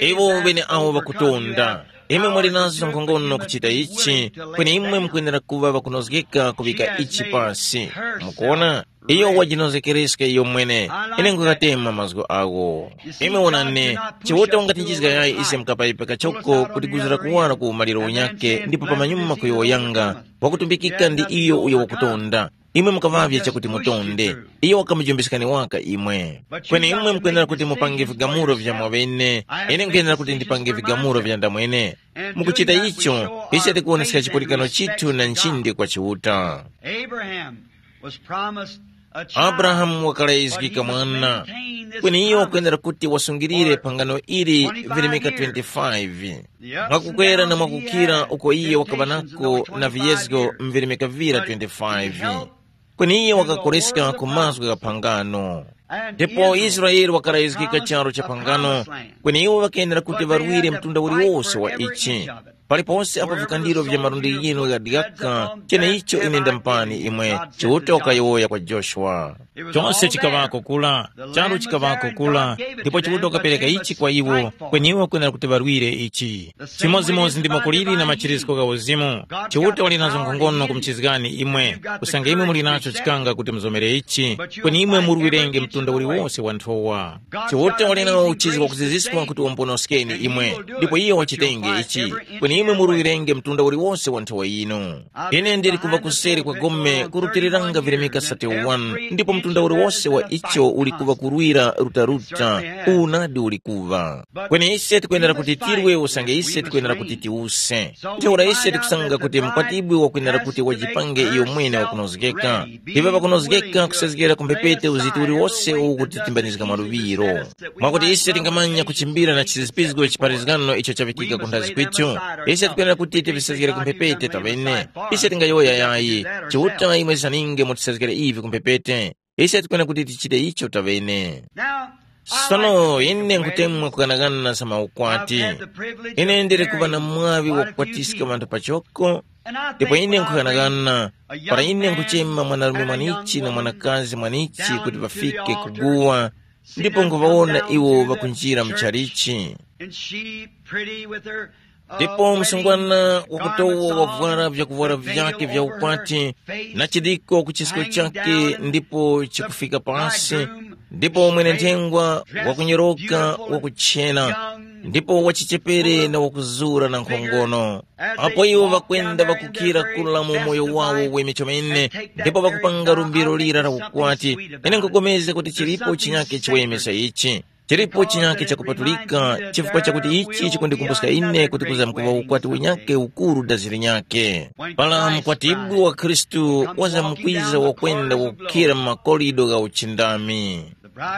Iwo ŵeneawo ŵakutonda, imwe muli nazo nkhongono kuchita ichi, kweni imwe mukwenera kuŵa ŵakunozgeka kuŵika ichi pasi. Mukuona, iyo wajinozgekereska iyo mwene. Ine nkukatema mazgu awo. Imwe wonani, Chiuta wangatinjizga yayi ise mkapayipa kachoko kuti kuzira kuwara ku umaliro unyake ndipo pamanyuma kuyowoyanga, wakutumbikika ndi iyo uyo wakutonda. Imwe mukaŵavye chakuti mutonde. Iyo wakamujumbiskani waka imwe. Kweni imwe mukwenera kuti mupange vigamulo vya mwaŵene. Ine nkwenera kuti ndipange vigamulo vya ndamwene. Mukuchita icho, ise tikuwoneska chipulikano chithu na nchindi kwa Chiuta. Abraham was promised a child, abrahamu wakalayizgika mwana. Kweni iyo wakwenera kuti wasungirire phangano ili virimika twenty-five, mwakukwera na mwakukira uko iye wakaŵa nako na viyezgo mvirimika vira twenty-five. Kweni iye wakakoleska ku mazgu gha phangano. Ndipo Israele wakarayizgika charu cha phangano, kweni iwo ŵakayendera kuti ŵarwire mtunda uliwose wa ichi. Paliponse apo vikandiro vya malundi yinu ghadikaka, cheneicho ine ndampani imwe, Chiuta wakayowoya kwa Joshua. Chose chikaŵako kula, charu chikaŵako kula, ndipo Chiuta wakapereka ichi kwa iwo, kweni iwo kwenera kuti ŵarwire ichi. Chimodzimodzi ndi makuliri na machiriziko gha uzimu, Chiuta wali nazo nkhongono kumuchizgani imwe, kusanga imwe muli nacho chikanga kuti muzomere ichi, kweni imwe murwirenge mtunda uliwose wa nthowa. Chiuta wali nawo uchizi wakuziziska kuti wamponoskeni imwe, ndipo iyo wachitenge ichi, kweni imwe murwirenge mtunda uliwose wa nthowa yinu. Ine ndili kuva kuseri kwa gome kurutiliranga virimika thirty-one, ndipo mtunda uliwose wa icho uli kuva kurwira rutaruta, uwu nadi uli kuva. Kweni ise tikwenera kuti tirwe usange ise tikwenera kuti tiuse. Ntheura ise tikusanga kuti mkwatibwi wakwenera kuti wajipange iyo mwene wakunozgeka. Iwe pakunozgeka kusezgera ku mphepete uzitu uliwose uwu kutitimbanizga maluŵiro. Mwakuti ise tingamanya kuchimbira na chizipizgo chipharizgano icho chaŵikika ku nthazi kwithu, ise tikwenera kuti tivisezgere ku mphepete taŵene. Ise tingayowoya yayi, Chiuta imwe zaninge mutisezgere ivi ku mphepete. Ise tikwenera kuti tichite icho taŵene. Sono ine nkhutemwa kukanakana za maukwati. Ine ndili kuŵa na mwaŵi wakukwatiska ŵanthu pachoko, ndipo ine nkhukanakana, para ine nkhuchema mwanarume mwanichi na mwanakazi mwanichi kuti ŵafike kuguwa, ndipo nkhuŵawona iwo ŵakunjira mu chalichi. Ndipo msungwana wakutowa wavwara vyakuvwara vyake vya ukwati, na chidiko ku chisko chake ndipo chikufika pasi, ndipo mwene nthengwa wakunyoroka wakuchena, ndipo wachichepere na wakuzura na nkhongono. Apo iwo ŵakwenda ŵakukhira kula mu umoyo wawo weme chomene, ndipo ŵakupanga lumbiro lira la ukwati, ine nkupulikana kuti chilipo chinyake chiweme cha ichi. Chilipo chinyake chakupatulika, chifukwa chakuti ichi chikundikumbuska ine kuti kuzamkuŵa ukwati unyake ukuru daziri nyake. Para mukwatibwi wa Khristu wazamkwiza wakwenda wakukhira mu makorido gha uchindami.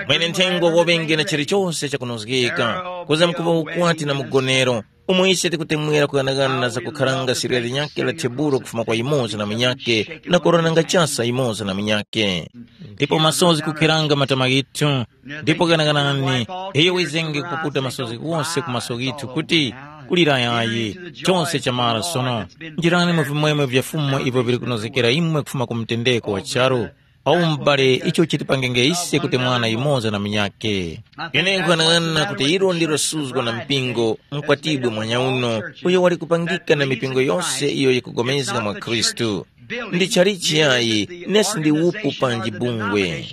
Mwene nthengwa waŵenge na chilichose chakunozgeka, kuzamkuŵa ukwati na mugonero, umo ise tikutemwera kughanaghana za kukharanga sirya linyakhe la tebulo kufuma kwa yumoza na munyakhe, na kuronanga chasa yumoza na munyakhe. Ndipo masozi kukheranga matama ghithu, ndipo ghanaghanani, iyo wizenge kupukuta masozi ghose ku maso ghithu kuti, Kulira yayi, chose chamara sono. Njirani mu vimwemwe vya Fumu ivyo vili kunozgekera imwe kufuma ku mutendeko wa charu. Awu m'bale icho chitipangenge ise kuti mwana yumoza na munyakhe. Ine nkuyang'ana kuti ilo ndilo suzgo na mpingo, mkwatibwi mwanyauno, uyo wali kupangika na mipingo yose iyo yikupulikana mwa Khristu. Ndi chalichi yayi, nesi ndi upu panji bungwe.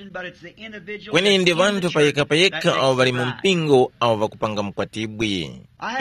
Kweni ndi ŵanthu payekha-payekha awo ŵali mu mpingo awo ŵakupanga mkwatibwi.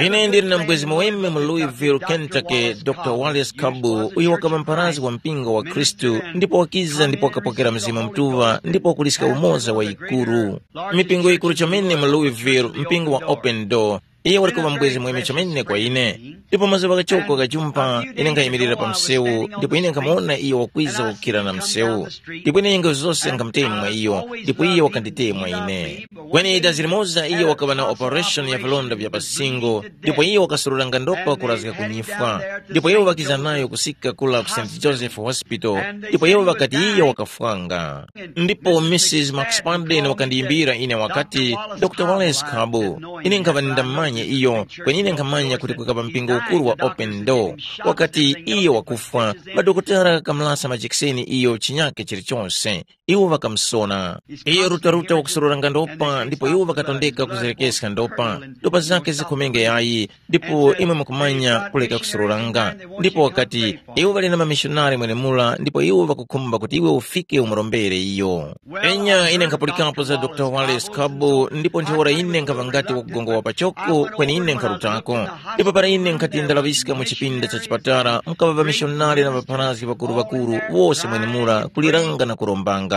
Ine ndili na mbwezi muweme mu Louisville, Kentucky, Dr Wallace Kabu, uyo wakaŵa mpharazgi wa mpingo wa Khristu, ndipo wakiza ndipo wakapokera Mzimu Mutuŵa ndipo wakuliska umoza wa yikuru. Mipingo yikuru chomene mu Louisville, mpingo wa Open Door, iye wali kuŵa mbwezi muweme chomene kwa ine. Ndipo mazuŵa ghachoko ghajumpa, ine nkhayimirira pa msewu, ndipo ine nkhamuwona iyo wakwiza kukhira na msewu. Ndipo ine nyengo zose nkhamutemwa iyo, ndipo iye wakanditemwa ine. Kweni dazi limoza iye wakaŵa na operation ya vilonda vya pa singo, ndipo iye wakasururanga ndopa kurazga ku nyifwa. Ndipo iwo ŵakiza nayo kusika kula ku St Joseph Hospital, ndipo iwo ŵakati iye wakafwanga. Ndipo Mrs Max Padden wakandiyimbira ine wakati, Dr Wallace Kabu, ine nkhaŵa ndindamumanya iyo, kweni ine nkhamanya kuti kukaŵa mpingo ukuru wa Open Door. Wakati iye wakufwa, madokotala ghakamalasa majekiseni iyo chinyake chilichonse. Iwo ŵakamusona. Iye rutaruta wakusororanga ndopa ndipo iwo ŵakatondeka kuzerekeska ndopa. Ndopa zakhe zikhomenge yayi, ndipo imwe mukumanya kuleka kusororanga. Ndipo wakati, iwo ŵali na mamishonari mwenemura ndipo iwo ŵakukhumba kuti iwe ufike umurombere iyo. Enya ine nkhapulikapo za Dr Wallace Kabu ndipo ntheura ine nkhava ngati wakugongowa pachoko kweni ine nkharutako. Ndipo para ine nkhati ndalaŵiska mu chipinda cha chipatala mukaŵa ŵamishonari na ŵapharazgi ŵakuru-ŵakuru wose mwenemura kuliranga na kurombanga.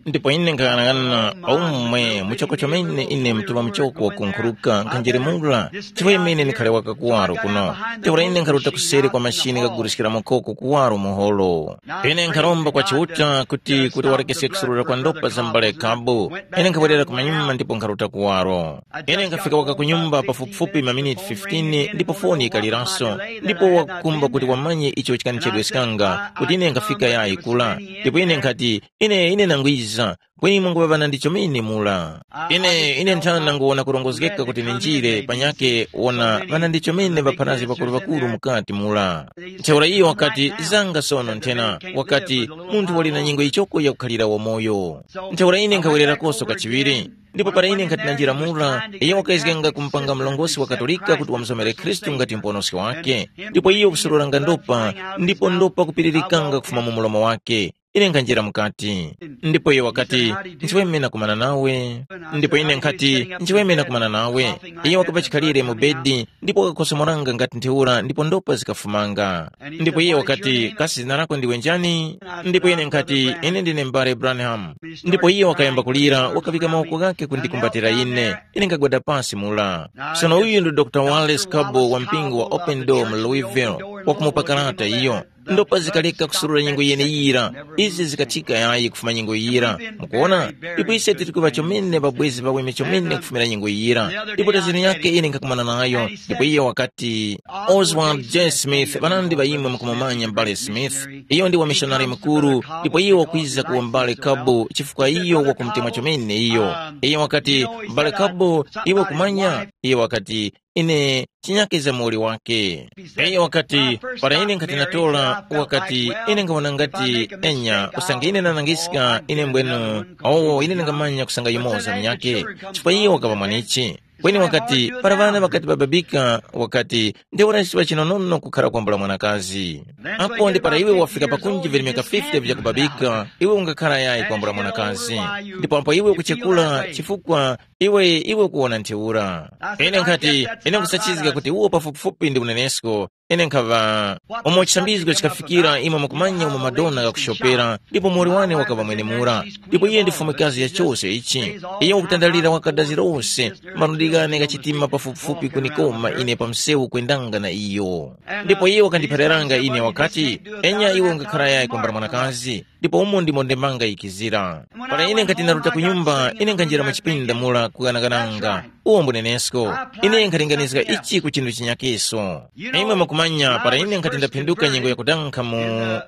Ndipo ine nkhang'anang'ana pa umwe muchoko chomene ine mtuŵa muchoko wakunkhuruka nkhanjeremula chifukwa imene ndikhale waka kuwaro kuno. Ntheura ine nkharuta kuseri kwa mashini ghaguliskira makoko kuwaro muholo. Ine nkharomba kwa Chiuta kuti kuti warekeske kusurura kwa ndopa za mbale Kabu. Ine nkhawerera kumanyuma ndipo nkharuta kuwaro. Ine nkhafika waka ku nyumba pafupifupi maminiti fifteen ndipo foni yikaliranso, ndipo wakukhumba kuti wamanye icho chikanichedweskanga kuti ine nkhafika yayi kula. Ndipo ine nkhati, ine ine nangwiza, kweni mwanguŵa ŵanandichomene mura. Ine ine nthana nanguwona kurongozgeka kuti ninjire panyake wona ŵanandichomene ŵapharazgi ŵakuru-ŵakuru mukati mura. Ntheura iyo wakati, zanga sono nthena, wakati, munthu wali na nyengo yichoko yakukhalira wamoyo. Ntheura ine nkhawererakoso kachiŵiri. Ndipo para ine nkhati nanjira mura, iyo wakayezganga kumupanga mlongosi wa Katolika kuti wamusomere Khristu ngati muponoski wake. Ndipo iyo kusururanga ndopa, ndipo ndopa kupiririkanga kufuma mu mulomo wake. Ine nkhanjira mukati. Ndipo iyo wakati, nchiweme nakumana nawe. Ndipo ine nkhati, nchiweme nakumana nawe. Iyo wakapa chikhalire mu bedi, ndipo wakakhosomoranga ngati ntheura ndipo ndopa zikafumanga. Ndipo iye wakati, kasi zina lako ndiwe njani? Ndipo ine nkhati, ine ndine mbale Branham. Ndipo iye wakayamba kulira, wakavika mawoko ghake kundikumbatira ine. Ine nkagwada pasi mula. Sono uyu ndi Dr Wallace Cabo wa mpingo wa Open Door mu Louisville, wakumupa karata iyo. Ndopa zikaleka kusurura nyengo yeneyira. Izi zikathika yayi kufuma nyengo yira. Mukuona? Ndipo ise tili kuŵa chomene ŵabwezi ŵaweme chomene kufumira nyengo yira. Ndipo tazini yake ine nkhakumana nayo, ndipo iye wakati, Oswald J Smith, ŵanandi ŵa imwe mukumumanya m'bale Smith. Iyo ndi wamishonari mukuru, ndipo iyo wakwiza ku mbale Kabu chifukwa iyo wakumutemwa chomene iyo. Iyo wakati, m'bale Kabu, iwe kumanya? Iyo wakati, ine chinyake za muwoli wake. Iyo wakati, para ine nkhati natora, wakati, ine nkhawona ngati enya usange ine nanangiska ine mbwenu, owo ine ndingamanya kusanga yumoza munyake, chifukwa iyo wakaŵa mwanichi. Kweni wakati, para ŵana ŵakati ŵababika, wakati, ntheura chiŵa chinonono kukhara kwambula mwanakazi. Apo ndi para iwe wafika pakunji virimika fifty vyakubabika, iwe ungakhara yayi kwambula mwanakazi. Ndipo apo iwe ukuchekula chifukwa iwe iwe ukuwona ntheura. Ine nkhati, ine nkusachizga kuti uwo pafupifupi ndi unenesko. Ine nkhaŵa, umo chisambizgo chikafikira imwe mukumanya umo Madonna ghakushopera, ndipo muwoli wane wakaŵa mwenemura. Ndipo iye ndi fumikazi ya chose ichi. Iye wakutandalira wakadazi lose, malundi ghane ghachitima pafupifupi kunikoma ine pa msewu kwendanga na iyo. Ndipo iye wakandiphaliranga ine wakati, enya iwe ungakhara yayi kwambala mwanakazi. ndipo umo ndimo ndemanga yikizira. Para ine nkhati ndaruta ku nyumba, ine nkhanjira mu chipinda mura kuganagananga. Uwo mbunenesko. Ine nkhalinganiska ichi ku chinthu chinyakeso. Imwe mukumanya, para ine nkhati ndaphinduka nyengo yakudankha mu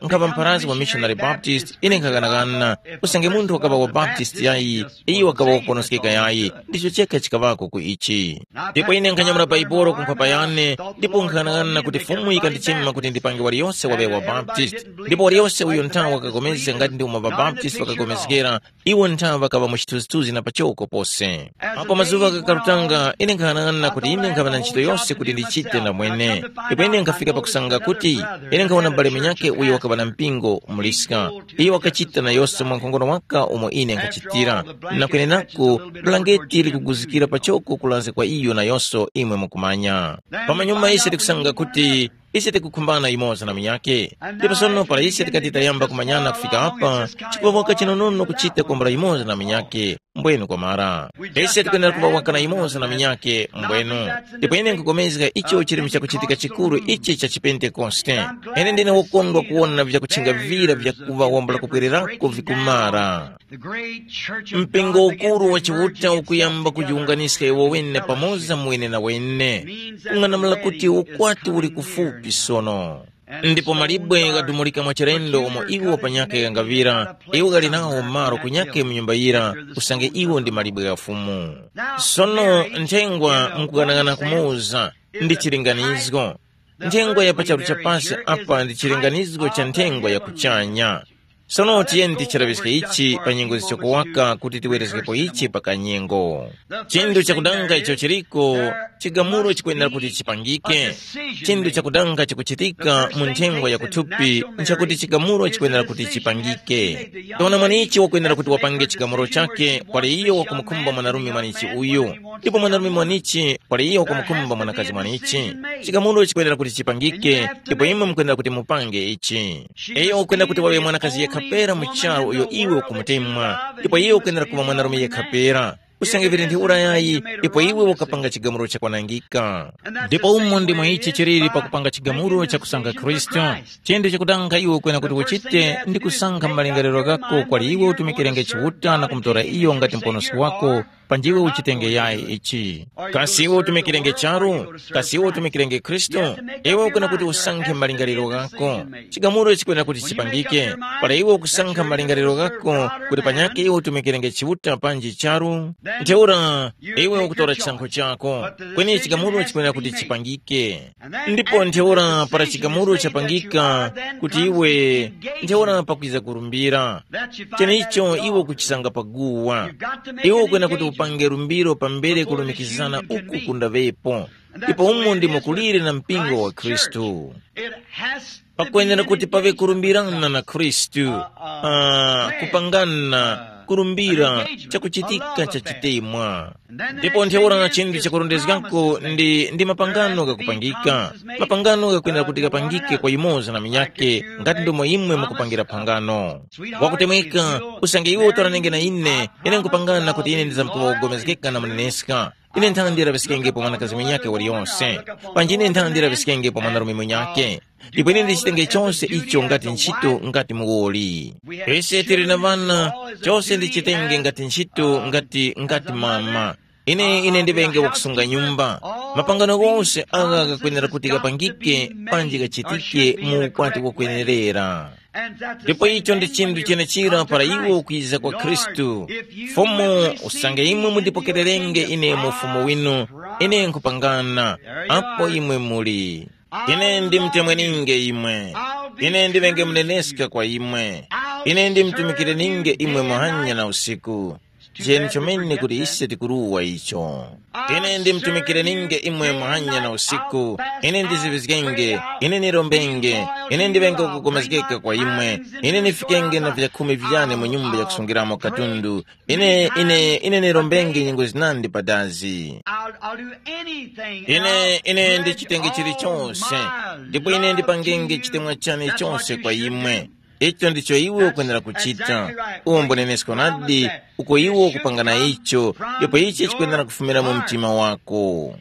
nkhapa mpharazgi wa Missionary Baptist, ine nkhaganagana, usange munthu wakaŵa wa Baptist yayi, iyo wakaŵa wakuponoskeka yayi, ndicho chekha chikaŵako ku ichi. Ndipo ine nkhanyamula Baibolo ku nkhwapa yane, ndipo nkhaganagana kuti Fumu yikandichema kuti ndipange waliyose waŵe wa Baptist. Ndipo waliyose uyo nthawa wakapulikana ngati ndi umo ŵaBaptist ŵakapulikana, iwo nthawe ŵakaŵa mu chithunzithunzi na pachoko pose. Apo mazuŵa ghakarutanga, ine nkhanang'ana kuti ine nkhaŵa na ntchito yose kuti ndichite ndamwene. Ndipo ine nkhafika pakusanga kuti ine nkhawona m'bale munyakhe uyo wakaŵa na mpingo muliska. Iyo wakachita na yose mwankhongono waka umo ine nkhachitira. Na kwenenaku, bulangeti likuguzikira pachoko kulanza kwa iyo na yose imwe mukumanya. Pamanyuma ise tikusanga kuti ise tikukhumbana yumoza na munyakhe. Ndipo sono para ise tikati tayamba kumanyana kufika apa, chikuŵa waka chinonono kuchita kwambula yumoza na munyakhe, mbwenu kwamara. Ise tikwenera kuŵa waka na yumoza na munyakhe, mbwenu. Ndipo ine nkupulikana icho chili chakuchitika chikuru ichi cha chipentekoste. Ine ndine wokondwa kuwona vyakuchingavira vyakuŵa wambula kupwererako vikumara. Mpingo ukuru wa Chiuta ukuyamba kujiwunganiska iwo wene pamoza mwene na wene. Kung'anamula kuti ukwati uli kufupi sono. Ndipo malibwe ghadumulika mwachilendo umo iwo panyakhe ghangaŵira, iwo ghali nawo malo kunyakhe mu nyumba yira, usange iwo ndi malibwe gha Fumu. Sono nthengwa nkughanaghana kumuza ndi chilinganizgo. Nthengwa ya pa charu cha pasi apa ndi chilinganizgo cha nthengwa ya kuchanya. Sono tiyeni tichiraŵiske ichi pa nyengo zichoko waka kuti tiwerezgepo ichi pa kanyengo. Chinthu chakudanga icho chiriko, chigamulo chikwenera kuti chipangike. Chinthu chakudanga chikuchitika mu nthengwa ya kuthupi nchakuti chigamulo chikwenera kuti chipangike. Taona mwanichi wakwenera kuti wapange chigamulo chake kwali iyo wakumukhumba mwanarume mwanichi uyu. Ndipo mwanarume mwanichi kwali iyo wakumukhumba mwanakazi mwanichi. Chigamulo chikwenera kuti chipangike, ndipo imwe mukwenera kuti mupange ichi. Iyo ukwenera kuti waŵe mwanakazi yekha pera mu charu uyo iwe ukumutemwa, ndipo iyo ukwenera kuŵa mwanarume yekha pera. Usange vili ntheura yayi, ipo iwe ukapanga chigamulo chakwanangika. Ndipo umo ndimo ichi chiliri pakupanga chigamulo chakusankha Khristu. Chinthu chakutanga iwe ukwena kuti uchite ndi kusankha malingaliro ghako kwali iwe utumikirenge Chiuta na kumutora iyo ngati muponoski wako, panjiwe uchitenge yayi ichi. Kasi iwe utumikirenge charu? Kasi iwe utumikirenge Khristu? Iwe ukwenera kuti usankhe malingaliro ghako. Chigamulo chikwena kuti chipangike. Para iwe ukusankha malingaliro ghako kuti panyakhe iwe utumikirenge Chiuta panji charu, ntheura iwe ukutora chisankho chako. Kweni chigamulo chikwena kuti chipangike. Ndipo ntheura para chigamulo chapangika kuti iwe, ntheura pakwiza kurumbira. Chenicho iwe ukuchisanga paguwa. Iwe ukwena kuti upange rumbiro pambere kulumikizana uku kundaŵepo. Ndipo umo ndimo kulire na mpingo wa Khristu. Pakwenera kuti paŵe kurumbirana na Khristu, ah, kupangana, kurumbira chakuchitika cha chitemwa. Ndipo ntheura chinthu chakurondezgako ndi, ndi mapangano ghakupangika. Mapangano ghakwenera kuti ghapangike kwa yumoza na munyakhe, ngati ndomo imwe mukupangira phangano. Wakutemweka, usange iwe utoranenge na ine, ine nkupangana kuti ine ndizamkuŵa kugomezgeka na muneneska. Ine nthandi laŵiskengepo mwanakazi munyakhe waliyonse. Panji ine nthandi laŵiskengepo mwanarume munyakhe. Ndipo ine ndichitenge chose icho ngati ntchito ngati muwoli. Ise tili na ŵana, chose ndichitenge ngati ntchito ngati, ngati mama. Ine, ine ndiŵenge wakusunga nyumba. Mapangano ghose agha ghakwenera kuti ghapangike panji ghachitike mu ukwati wakwenerera. Ndipo icho ndi chinthu chenechira para iwo kwiza kwa Khristu. Fumu, usange imwe mundipokererenge ine mu ufumu winu, ine nkupangana, apo imwe muli. Ine ndimtemweninge imwe. Ine ndiŵenge muneneska kwa imwe. Ine ndimtumikireninge imwe muhanya na usiku. Jeni chomene kuti ise tikuruwa icho. Ine ndimtumikireninge imwe muhanya na usiku. Ine ndizivizgenge, ine nirombenge, ine ndiŵenge kugomezgeka kwa imwe. Ine nifikenge na vyakhumi vyane mu nyumba yakusungiramo katundu. Ine, ine, ine nirombenge nyengo zinandi padazi. I'll, I'll do anything. Ine, ine ndichitenge chilichonse. Ndipo ine ndipangenge chitemwa chane chonse kwa imwe. Icho ndicho iwe ukwenera kuchita. Uwo mbunenesko nadi, uko iwe ukupangana icho, ndipo ichi chikwenera kufumira mu mtima wako.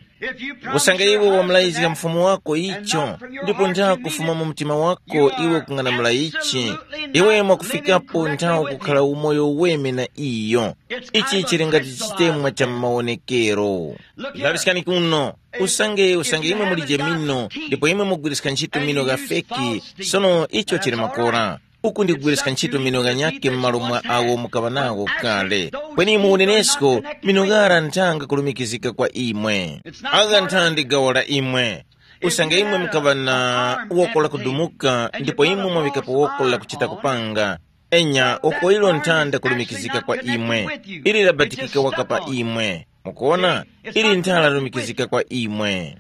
Usange iwe wamlayizga mfumu wako icho, ndipo nthawe kufuma mu mtima wako iwe kung'anamula ichi, iwe mwakufikapo nthawe kukhala umoyo weme na iyo. Ichi chili ngati chitemwa cha m'mawonekero. Laŵiskani kuno. Usange usange imwe mulije mino, ndipo imwe mugwiriska ntchito mino ghafeki, sono icho chili makora. Uku ndi kugwiriska ntchito mino ghanyakhe m'malo mwa awo mukaŵa nawo kale. Kweni mu unenesko, mino ghara nthanga kulumikizika kwa imwe. Agha nthandi gawo la imwe. Usange imwe mukaŵa na woko lakudumuka ndipo imwe mwaŵikapo woko lakuchita kupanga, enya woko ilo nthanda kulumikizika kwa imwe. Ili labatikika waka pa imwe. Mukuona, ili nthala lumikizika kwa imwe.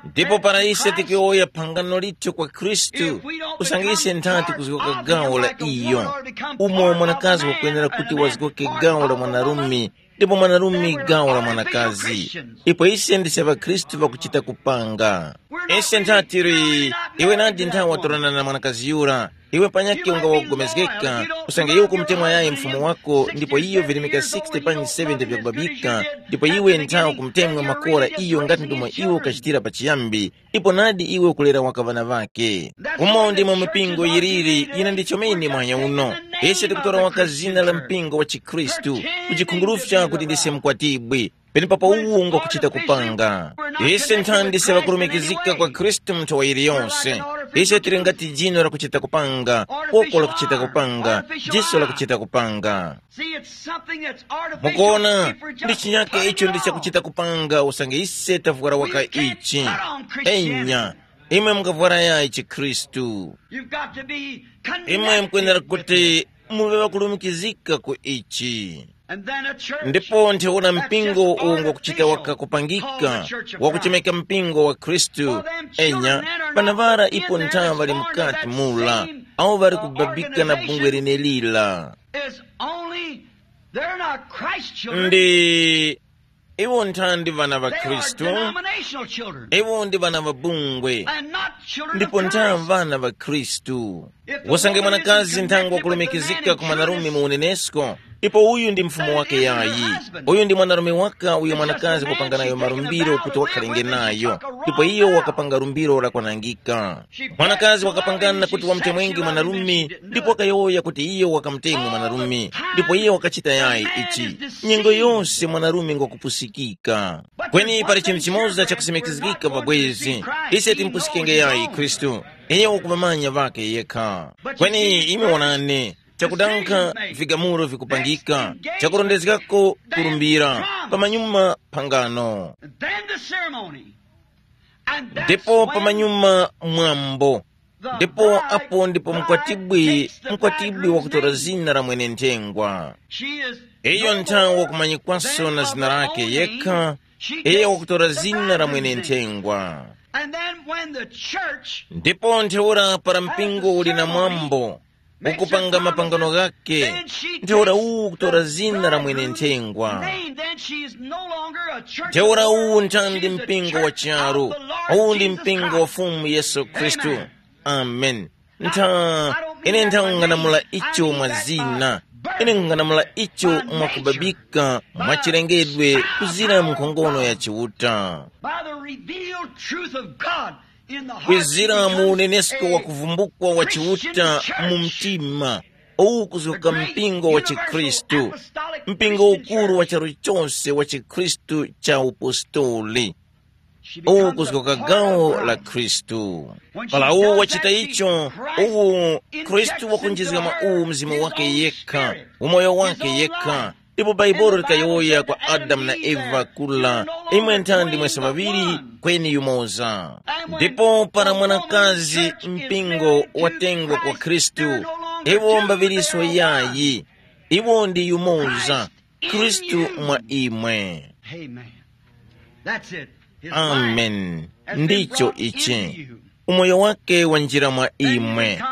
Ndipo para ise tikiwoya phangano lithu kwa Khristu, usange ise ntha tikuzgoka gawo la iyo, umo mwanakazi wakwenera kuti wazgoke gawo la mwanarume, ndipo mwanarume gawo la mwanakazi. Ipo ise ndise ŵakhristu ŵakuchita kupanga. Ise ntha tili, iwe nadi nthawi watorana na mwanakazi yura, iwe panyakhe unga wakupulikana, usange iwe ukumutemwa yayi mfumu wako ndipo iyo virimika sixty panyi seventy vyakubabika, ndipo iwe ntha ukumutemwa makora iyo ngati ndomwe iwe ukachitira pachiyambi, ipo nadi iwe ukulera waka ŵana ŵake. Umo ndimo mipingo yiliri yina ndi chomene mwanya uno. Ise tikutora waka zina la mpingo wa chikhristu, kuchikhungurufya kuti ndise mkwatibwi, penepapo uwu ngwakuchita kupanga. Ise nthandise ŵakulumikizika kwa Khristu mu nthawi yiliyonse. Ise tili ngati jino lakuchita kupanga, woko lakuchita kupanga, jiso lakuchita kupanga. See, it's something that's artificial. Mukuona, ndi chinyake icho ndi chakuchita kupanga usange ise tavwara waka ichi. Enya, imwe mukavwara yayi chikhristu. You've got to be imwe mukwenera kuti muve ŵakulumikizika ku ichi. And then a church ndipo ntheura mpingo uwo ngwakuchita wakakupangika, wakuchemeka mpingo wa khristu. Enya, vana ŵara ipo nthaŵa ŵali mukati mula, awo ŵali kubabika na bungwe lenelira. Is only, they're not Christ children. Ndi iwo nthandi vana ŵa They are khristu. Denominational children. Iwo ndi vana ŵa bungwe. And not children ndipo of nthandi Christ. Vana ŵa khristu. Usange mwanakazi nthango wakulumikizika ku mwanarume mu unenesko, ndipo uyu ndi mfumu wake yayi. Uyu ndi mwanarume waka uyo mwanakazi wakupanga nayo malumbiro kuti wakhalenge nayo, ndipo iyo wakapanga lumbiro lakwanangika. Mwanakazi wakapangana kuti wamutemwenge mwanarume, ndipo wakayowoya kuti iyo wakamutemwa mwanarume, ndipo iyo wakachita yayi ichi. Nyengo yose mwanarume ngwakupusikika. Kweni pali chinthu chimoza chakusimikizgika pabwezi. Ise timpusikenge yayi khristu. Iye wakumamanya ŵake yekha. Kweni imwe wonani, chakudankha vigamulo vikupangika, chakurondezgako kulumbira, pamanyuma phangano. And then the ceremony. And that's ndipo when pamanyuma mwambo. Ndipo apo ndipo mkwatibwi mkwatibwi wakutora zina la mwenenthengwa. Iyo nthawi wakumanyikwaso na zina lake yekha. Iyo wakutora zina la mwenenthengwa. And then when the church ndipo ntheura para mpingo uli na mwambo ukupanga mapangano ghake, ntheura uwu ukutora zina la mwenenthengwa. Name, then she is no longer a church. Ntheura uwu ntandi mpingo wa charu. Uwu ndi mpingo wa Fumu Yesu Khristu. Amen. Ntha ine nthang'anamula icho mwa zina. Ine nkung'anamula icho mwakubabika mwachilengedwe kuzira mu nkhongono ya Chiuta. By the revealed truth of God in the heart kwizira mu unenesko wa kuvumbukwa wa Chiuta mu mtima, uwu kuzoka mpingo wa chikhristu, mpingo ukuru wa charu chose wa chikhristu cha upostoli. Uwu kuzgoka gawo la Khristu. Para uwu wachita icho, uwu Khristu wakunjizga mwa uwu mzimu wake yekha, umoyo wake yekha. Ndipo Bhaibuli likayowoya kwa Adamu na Eva kula, imwe nthandi mwese ŵaŵiri, kweni yumoza. Ndipo para mwanakazi mpingo watengwa kwa Khristu, iwo mbaŵiriso yayi, iwo ndi yumoza, Khristu mwa imwe. Amen. That's it. His life amen has been ndicho brought ichi into you. Umoyo wake wanjira mwa imwe.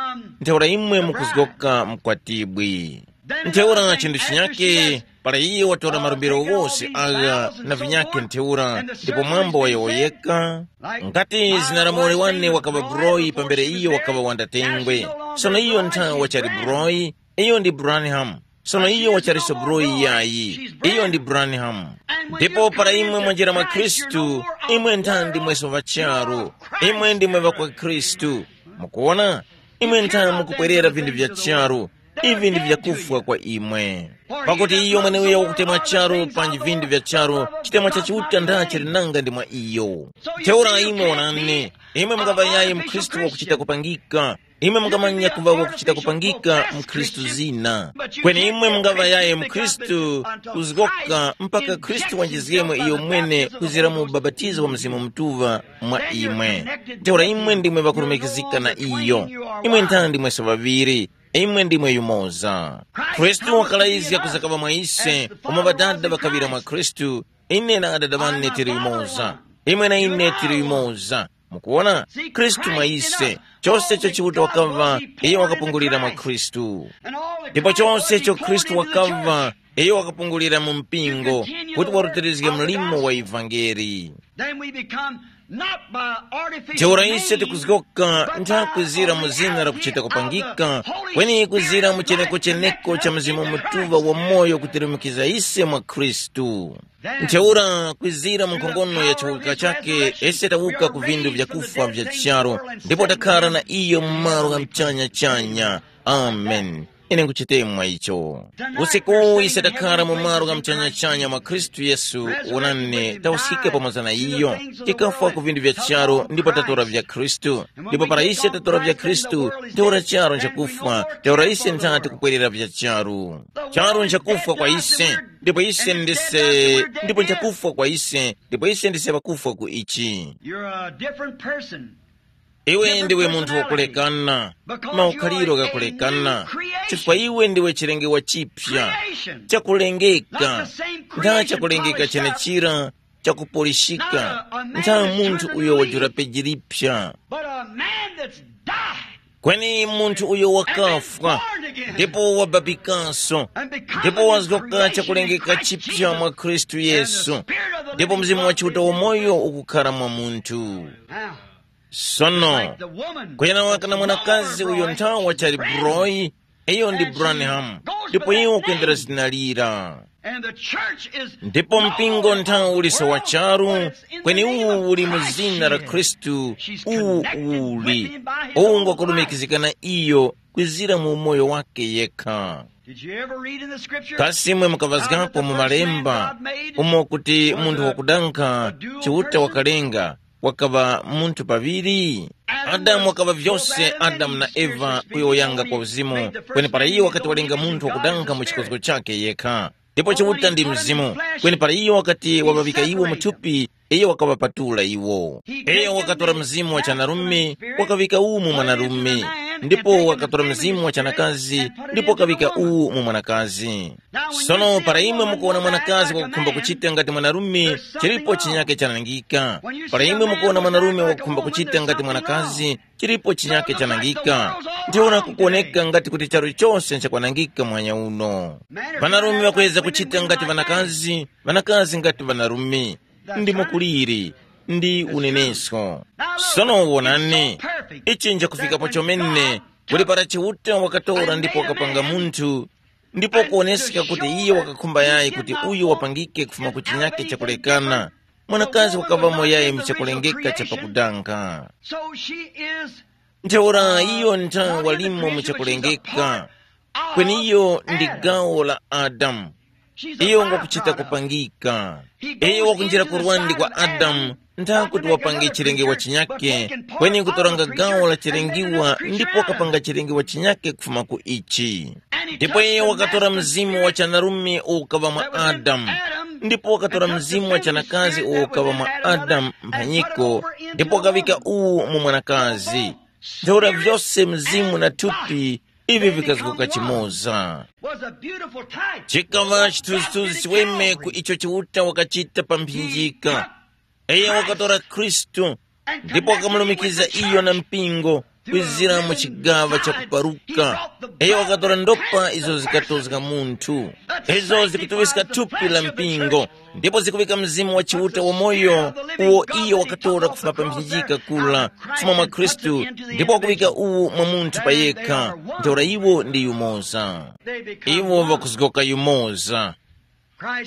Ntheura imwe mukuzgoka mkwatibwi. Ntheura chinthu chinyake, para iye watora malumbiro ghose agha na vinyake ntheura, ndipo mwambo wayowoyeka, ngati zina la muwoli wane wakaŵa buroyi pambere iyo wakaŵa wandatengwe. Sono iyo nthawi wachali buroyi, iyo ndi branham. Sono iyo wachaliso Broyi yayi, iyo ndi Branham. Ndipo para imwe mwanjira mwa Khristu, imwe nthandi mweso ŵa charu, imwe ndimwe ŵakwa Khristu. Mukuwona, imwe nthandi mukupwerera vinthu vya charu, ivi ndi vyakufwa kwa imwe. Pakuti iyo mweneuyo wakutemwa charu panji vinthu vya charu, chitemwa cha Chiuta ndachi linanga ndi mwa iyo. Ntheura imwe wonani, imwe mungaŵa yayi mkhristu wakuchita kupangika, imwe mungamanya kuŵa wakuchita kupangika mkhristu zina. Kweni imwe mungaŵa yayi mkhristu kuzgoka mpaka Khristu wanjizgemo iyo mwene kuzira mu ubapatizo wa Mzimu Mutuŵa mwa imwe. Ntheura imwe ndimwe ŵakulumikizika na iyo. Imwe nthandi mweso ŵaŵiri, imwe ndimwe yumoza. Khristu wakalayizga kuzakaŵa mwa ise, umo Ŵadada ŵakaŵira mwa Khristu, ine na Adada ŵane tili yumoza. Imwe na ine tili yumoza. Mukuwona, Khristu mwa ise, chose icho Chiuta wakaŵa, iyo wakapungulira mwa Khristu. Ndipo chose icho Khristu wakaŵa, iyo wakapungulira mu mpingo, kuti warutilizge mlimo wa ivangeli. Then we become not by artificial Ntheura ise names, tikuzgoka but by nthakuzira mu the zina la kuchita idea of kupangika, the Holy kweni kuzira mu Spirit cheneko life cheneko connecting cha us Mzimu into Mutuŵa Christ. Wa moyo kutilumikiza ise mwa Khristu. Then Ntheura kwizira mu nkhongono ya chiwuka chake, ese tawuka ku vindu vyakufwa vya charo, ndipo takhala na iyo mu malo gha mchanya-chanya. Amen. Ine nkuchitemwa icho. Usiku ise takhala mu malo gha mchanya-chanya mwa Khristu Yesu, wonani, tawuskika pamoza na iyo. Tikafwa ku vindu vya charo ndipo tatora vya Khristu. Ndipo para ise tatora vya Khristu, ntheura charo nchakufwa, ntheura ise nthati kupwerera vya charo. Charo nchakufwa kwa ise, ndipo ise ndise, ndipo nchakufwa kwa ise, ndipo ise ndise pakufwa ku ichi. You're a different person. Iwe ndiwe munthu wakulekana, maukhaliro ghakulekana, chifukwa iwe ndiwe chilengewa chipya, chakulengeka, ntha chakulengeka chenechira, chakupulishika, ntha munthu uyo wajula peji lipya. But a man that's died Kweni munthu uyo wakafwa ndipo wababikanso, ndipo wazgoka chakulengeka chipya mwa Khristu Yesu, ndipo Mzimu wa Chiuta wamoyo ukukhala mwa munthu. Sono, kuyana waka na mwanakazi uyo nthawa chali Broyi, iyo ndi Branham, ndipo iwo kwendera zina lira. Ndipo mpingo nthawo uliso wa charu, kweni uwu uli mu zina la Khristu, uwu uli, uwu ngwakulumikizika na iyo kwizira mu umoyo wake yekha. Kasi imwe mukavazgapo mu malemba umo kuti munthu wakudankha Chiuta wakalenga, wakaŵa munthu paŵiri? Adamu wakaŵa vyose Adamu na Eva kuyowoyanga kwa uzimu, kweni para iyo wakati walenga munthu wakudankha mu chikozgo chakhe yekha. Ndipo Chiuta ndi Mzimu, kweni para iyo wakati waŵavika iwo mu thupi, iyo wakaŵapatula iwo. Iyo wakatora mzimu wa chanarume, wakaŵika uwu mu mwanarume, ndipo wakatora mzimu wa chanakazi, ndipo wakaŵika uwu mu mwanakazi. Sono para imwe mukuwona mwanakazi wakukhumba kuchita ngati mwanarume, chilipo chinyake chanangika. Para imwe mukuwona mwanarume wakukhumba kuchita ngati mwanakazi, chilipo chinyake chanangika. Ndiona kukuoneka ngati kuti charu chose nchakwanangika mwanya uno. Ŵanarume ŵakweza kuchita ngati ŵanakazi, ŵanakazi ngati ŵanarume. Ndi mukuliri, ndi unenesko. Sono wonani, ichi nchakufikapo chomene, kuti para Chiuta wakatora ndipo wakapanga munthu, ndipo kuoneska kuti iye wakakhumba yayi kuti uyu wapangike kufuma ku chinyake chakulekana, mwanakazi wakaŵamo yayi mu chakulengeka cha pakudanga. So she is Ntheura iyo nthawi walimo mu chakulengeka, kweni iyo ndi gawo la Adamu. Iyo ngakuchita kupangika. Iyo wakunjira ku rwandi kwa Adamu, nthakuti wapange chilengewa chinyake, kweni kutoranga gawo la chilengiwa ndipo wakapanga chilengewa chinyake kufuma ku ichi. Ndipo iyo wakatora mzimu wa chanarume uwo ukaŵa mwa Adamu, ndipo wakatora mzimu wa chanakazi uwo ukaŵa mwa Adamu mphanyiko, ndipo wakaŵika uwu mu mwanakazi. Ntheura vyose mzimu na thupi ivi vikazguka chimoza. Chikaŵa chithunzithunzi chiweme ku icho Chiuta wakachita pa mphinjika. Iye wakatora Khristu ndipo wakamulumikiza iyo na mpingo, kwizira mu chigaŵa cha kuparuka. Iyo wakatora ndopa izo zikatozga munthu. Izo zikutuŵiska thupi la mpingo, ndipo zikuŵika Mzimu wa Chiuta wamoyo, uwo iyo wakatora kufuma pa mphinjika kula, kufuma mwa Khristu, ndipo wakuŵika uwu mwa munthu pa yekha. Ntheura iwo ndi yumoza. Iwo ŵakuzgoka yumoza.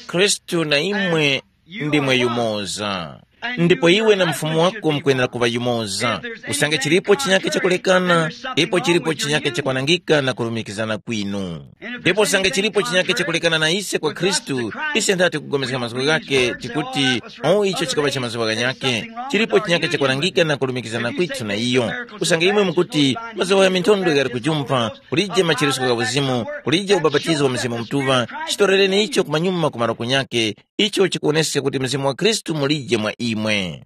Khristu na imwe ndimwe yumoza. Ndipo iwe na mfumu wako mukwenera kuŵa yumoza. Usange chilipo chinyake chakulekana, ipo chilipo chinyake chakwanangika na kulumikizana kwinu. Ndipo usange chilipo chinyake chakulekana na ise kwa Khristu, ise nthati kupulikana mazgu ghake tikuti, o icho chikaŵa cha mazuŵa ghanyake. Chilipo chinyake chakwanangika na kulumikizana kwithu na iyo. Usange imwe mukuti, mazuŵa gha minthondwe ghali kujumpha, kulije machiritso gha uzimu, kulije ubapatizo wa Mzimu Mutuŵa, chitorereni icho kumanyuma ku malo kunyake, icho chikuwoneska kuti Mzimu wa Khristu mulije mwa imwe.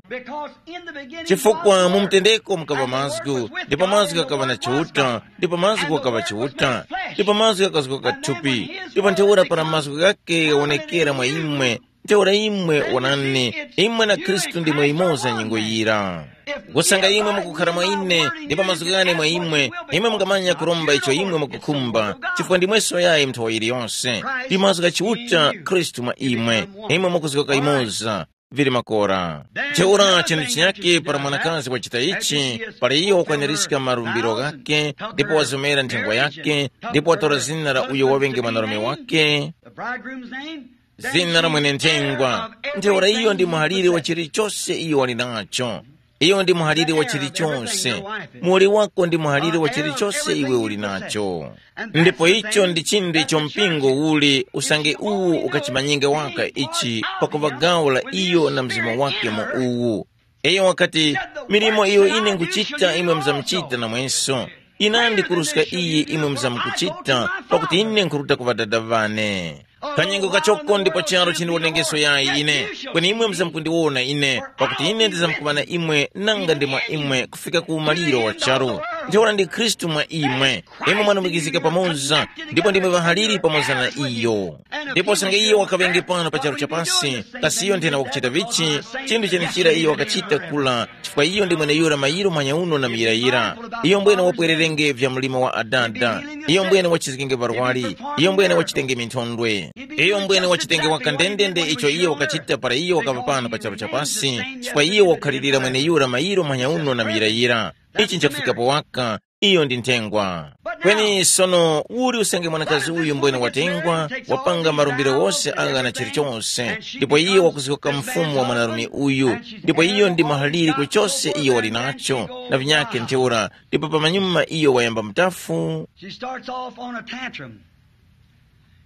Because in the beginning chifukwa was mu the mtendeko mukaŵa Word, and the Word mazgu was with ndipo God, mazgu and the akaŵa na Word was chiuta God, ndipo mazgu and the akaŵa Word was chiuta made flesh. Ndipo mazgu akazgoka thupi ndipo ntheura para mazgu ghake ghawonekera mwa imwe. Ntheura imwe wonani, imwe na Khristu ndimwe imoza nyengo yira. Kusanga imwe mukukhara mwa ine ndipo mazgu ghane mwa imwe, imwe mungamanya kuromba icho imwe mukukhumba, chifukwa ndimweso yayi mnthowa yiliyonse. Ndi mazgu gha Chiuta Khristu mwa imwe, imwe mukuzgoka imoza. Vili makora. Ntheura chinthu chinyake para mwanakazi wachita ichi, para iyo wakwaniska malumbiro ghake, ndipo wazomera nthengwa yake, ndipo watora zina la uyo waŵenge mwanarume wake, The bridegroom's name? Zina la mwene nthengwa. Ntheura iyo ndi muhalire wa chilichose iyo wali nacho. Iyo ndi muhalire wa chilichose. Muwoli wako ndi muhalire wa chilichose iwe uli nacho. Ndipo icho ndi chinthu icho mpingo uli usange uwu ukachimanyenge waka ichi, pakuŵa gawo la iyo na mzimu wake mu uwu. Iyo wakati, milimo iyo ine nkuchita imwe mzamuchita namwenso. Ine ndikuruska iyi imwe mzamukuchita, pakuti ine nkuruta ku Ŵadada ŵane. Kanyengo kachoko ndipo charo chindiwonekeso yayi ine, kweni imwe mzamkundiwona ine, pakuti ine ndizamkuŵana imwe nanga ndi mwa imwe kufika ku umaliro wa charu. Ntheura ndi Khristu mwa imwe, imwe mwanumikizika pamoza, ndipo ndimwe ŵahaliri pamoza na iyo. Ndipo sanga iyo wakaŵenge pano pa charu chapasi, kasi iyo nthena wakuchita vichi? Chinthu chenechira iyo wakachita kula, chifukwa iyo ndi mweneyura mayiro manyauno na muyirayira. Iyo mbwene wapwererenge vya mlimo wa adada. Iyo mbwene wachizgenge varwari. Iyo mbwene wachitenge minthondwe. Iyo mbwene wachitenge waka ndendende icho iyo wakachita para iyo wakaŵa pano pa charu chapasi, chifukwa iyo wakukhalirira mweneyura mayiro manyauno na muyirayira. Ichi nchakufikapo waka. Iyo ndi nthengwa. Kweni sono uli usenge mwanakazi uyu mbwene watengwa, wapanga malumbiro wose agha na chilichonse, ndipo iyo wakuzgoka mfumu wa mwanarume uyu, ndipo iyo ndi mahaliri kuchose iyo wali nacho, na vinyakhe ntheura, ndipo pamanyuma iyo wayamba mutafu. She starts off on a tantrum.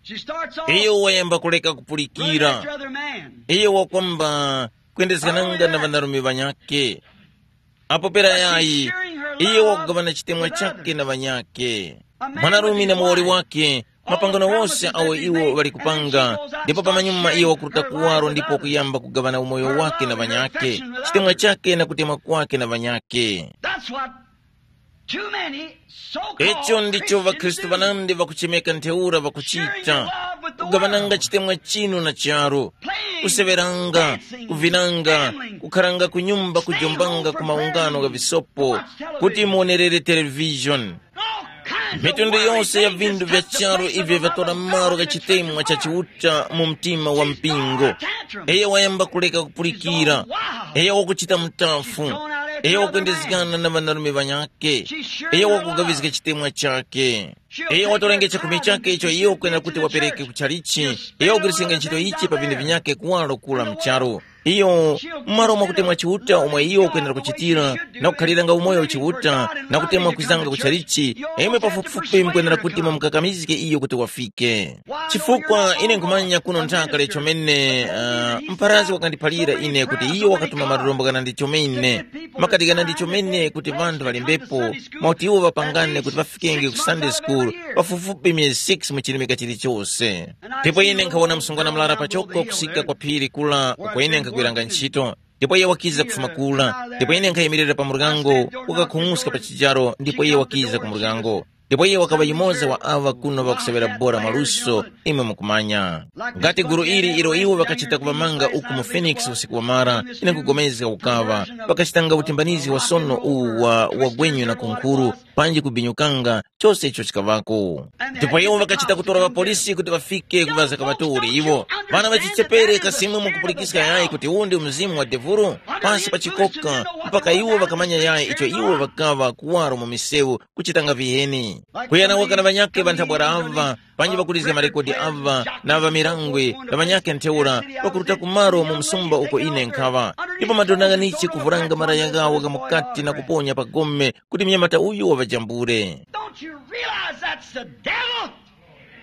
She starts off iyo wayamba kuleka running kupulikira. After other man. Iyo wakwamba kwendezgananga na vanarume vanyake. Apo pera yayi, iyo wakugaŵana chitemwa chake na ŵanyakhe. Mwanarume na muwoli wake, mapangano wose awo iwo ŵali kupanga, ndipo pamanyuma iyo wakuruta kuwaro ndipo kuyamba kugaŵana umoyo wake na ŵanyakhe, chitemwa chake na kutemwa kwake na ŵanyakhe. That's what too many so-called Icho ndicho Christians ŵakhristu do. Ŵanandi ŵakuchemeka ntheura ŵakuchita, kugaŵananga chitemwa chinu na charu, kuseŵeranga, kuvinanga, kukharanga ku nyumba kujombanga ku maungano gha visopo, kuti muonerere televishoni. Mitundu yonse ya vinthu vya charu ivyo vyatora malo gha chitemwa cha Chiuta mu mtima wa mpingo. Iyo wayamba kuleka kupulikira. Iyo wakuchita mutafu. Iyo wakwendezgana na ŵanarume ŵanyakhe. Iyo wakugawizga chitemwa chakhe. Iyo watorenge chakhumi chakhe icho iyo kwena kuti wapereke ku chalichi. Iyo wagwirisenga ntchito ichi pa vinthu vinyakhe kuwaro kula mcharu. Iyo, mmalo mwa kutemwa Chiuta omwe iyo ukwenera kuchitira, na kukhaliranga umoyo Chiuta, na kutemwa kwizanga ku chalichi, imwe pafupifupi mukwenera kuti mumukakamizge iyo kuti wafike. Chifukwa ine nkhumanya kuno nthaka lechomene, uh, mparazi wakandiphalira ine kuti iyo wakatuma malombo ghanandi chomene, makati ghanandi chomene kuti vanthu ŵalembepo, mwakuti iwo ŵapangane kuti ŵafikenge ku Sunday school pafupifupi myezi six mu chilimika chilichonse. Ndipo ine nkhawona msungwana murara pachoko kusika kwa phiri kula uko ine nkhagwiranga ntchito, ndipo iye wakiza kufuma kula, ndipo ine nkhayimirira pa muryango, wakakhung'uska pa chijaro, ndipo iye wakiza ku muryango. Ndipo iye wakaŵa yumoza wa aŵa kuno ŵakusewera bora mwaluso, imwe mukumanya. Ngati gulu ili ilo iwo ŵakachita kuŵamanga uku mu Phoenix usiku wamara, ine nkupulikana ukaŵa, ŵakachitanga utimbanizgi wa sono uwu wa wagwenyu na kunkhuru, panji kubinyukanga, chose icho chikaŵako. Ndipo iwo ŵakachita kutora ŵapolisi kuti ŵafike kuŵaza kaŵatore iwo. Ŵana ŵachichepere kasi imwe mukupulikiska yayi kuti uwu ndi mzimu wa devulu? Pasi pa chikoka, mpaka iwo ŵakamanya yayi icho iwo ŵakaŵa kuwaro mu misewu kuchitanga viheni. Kuyana waka na ŵanyakhe ŵa nthabwara ava, panji ŵakulizga marekodi ava, na ŵamirangwe na ŵanyakhe ntheura, ŵakuruta kumaro mu msumba uko ine nkhaŵa. Ndipo madona ghanichi kuvuranga malaya ghawo gha mukati na kuponya pa gome kuti mnyamata uyu waŵajambule. Don't you realize that's the devil?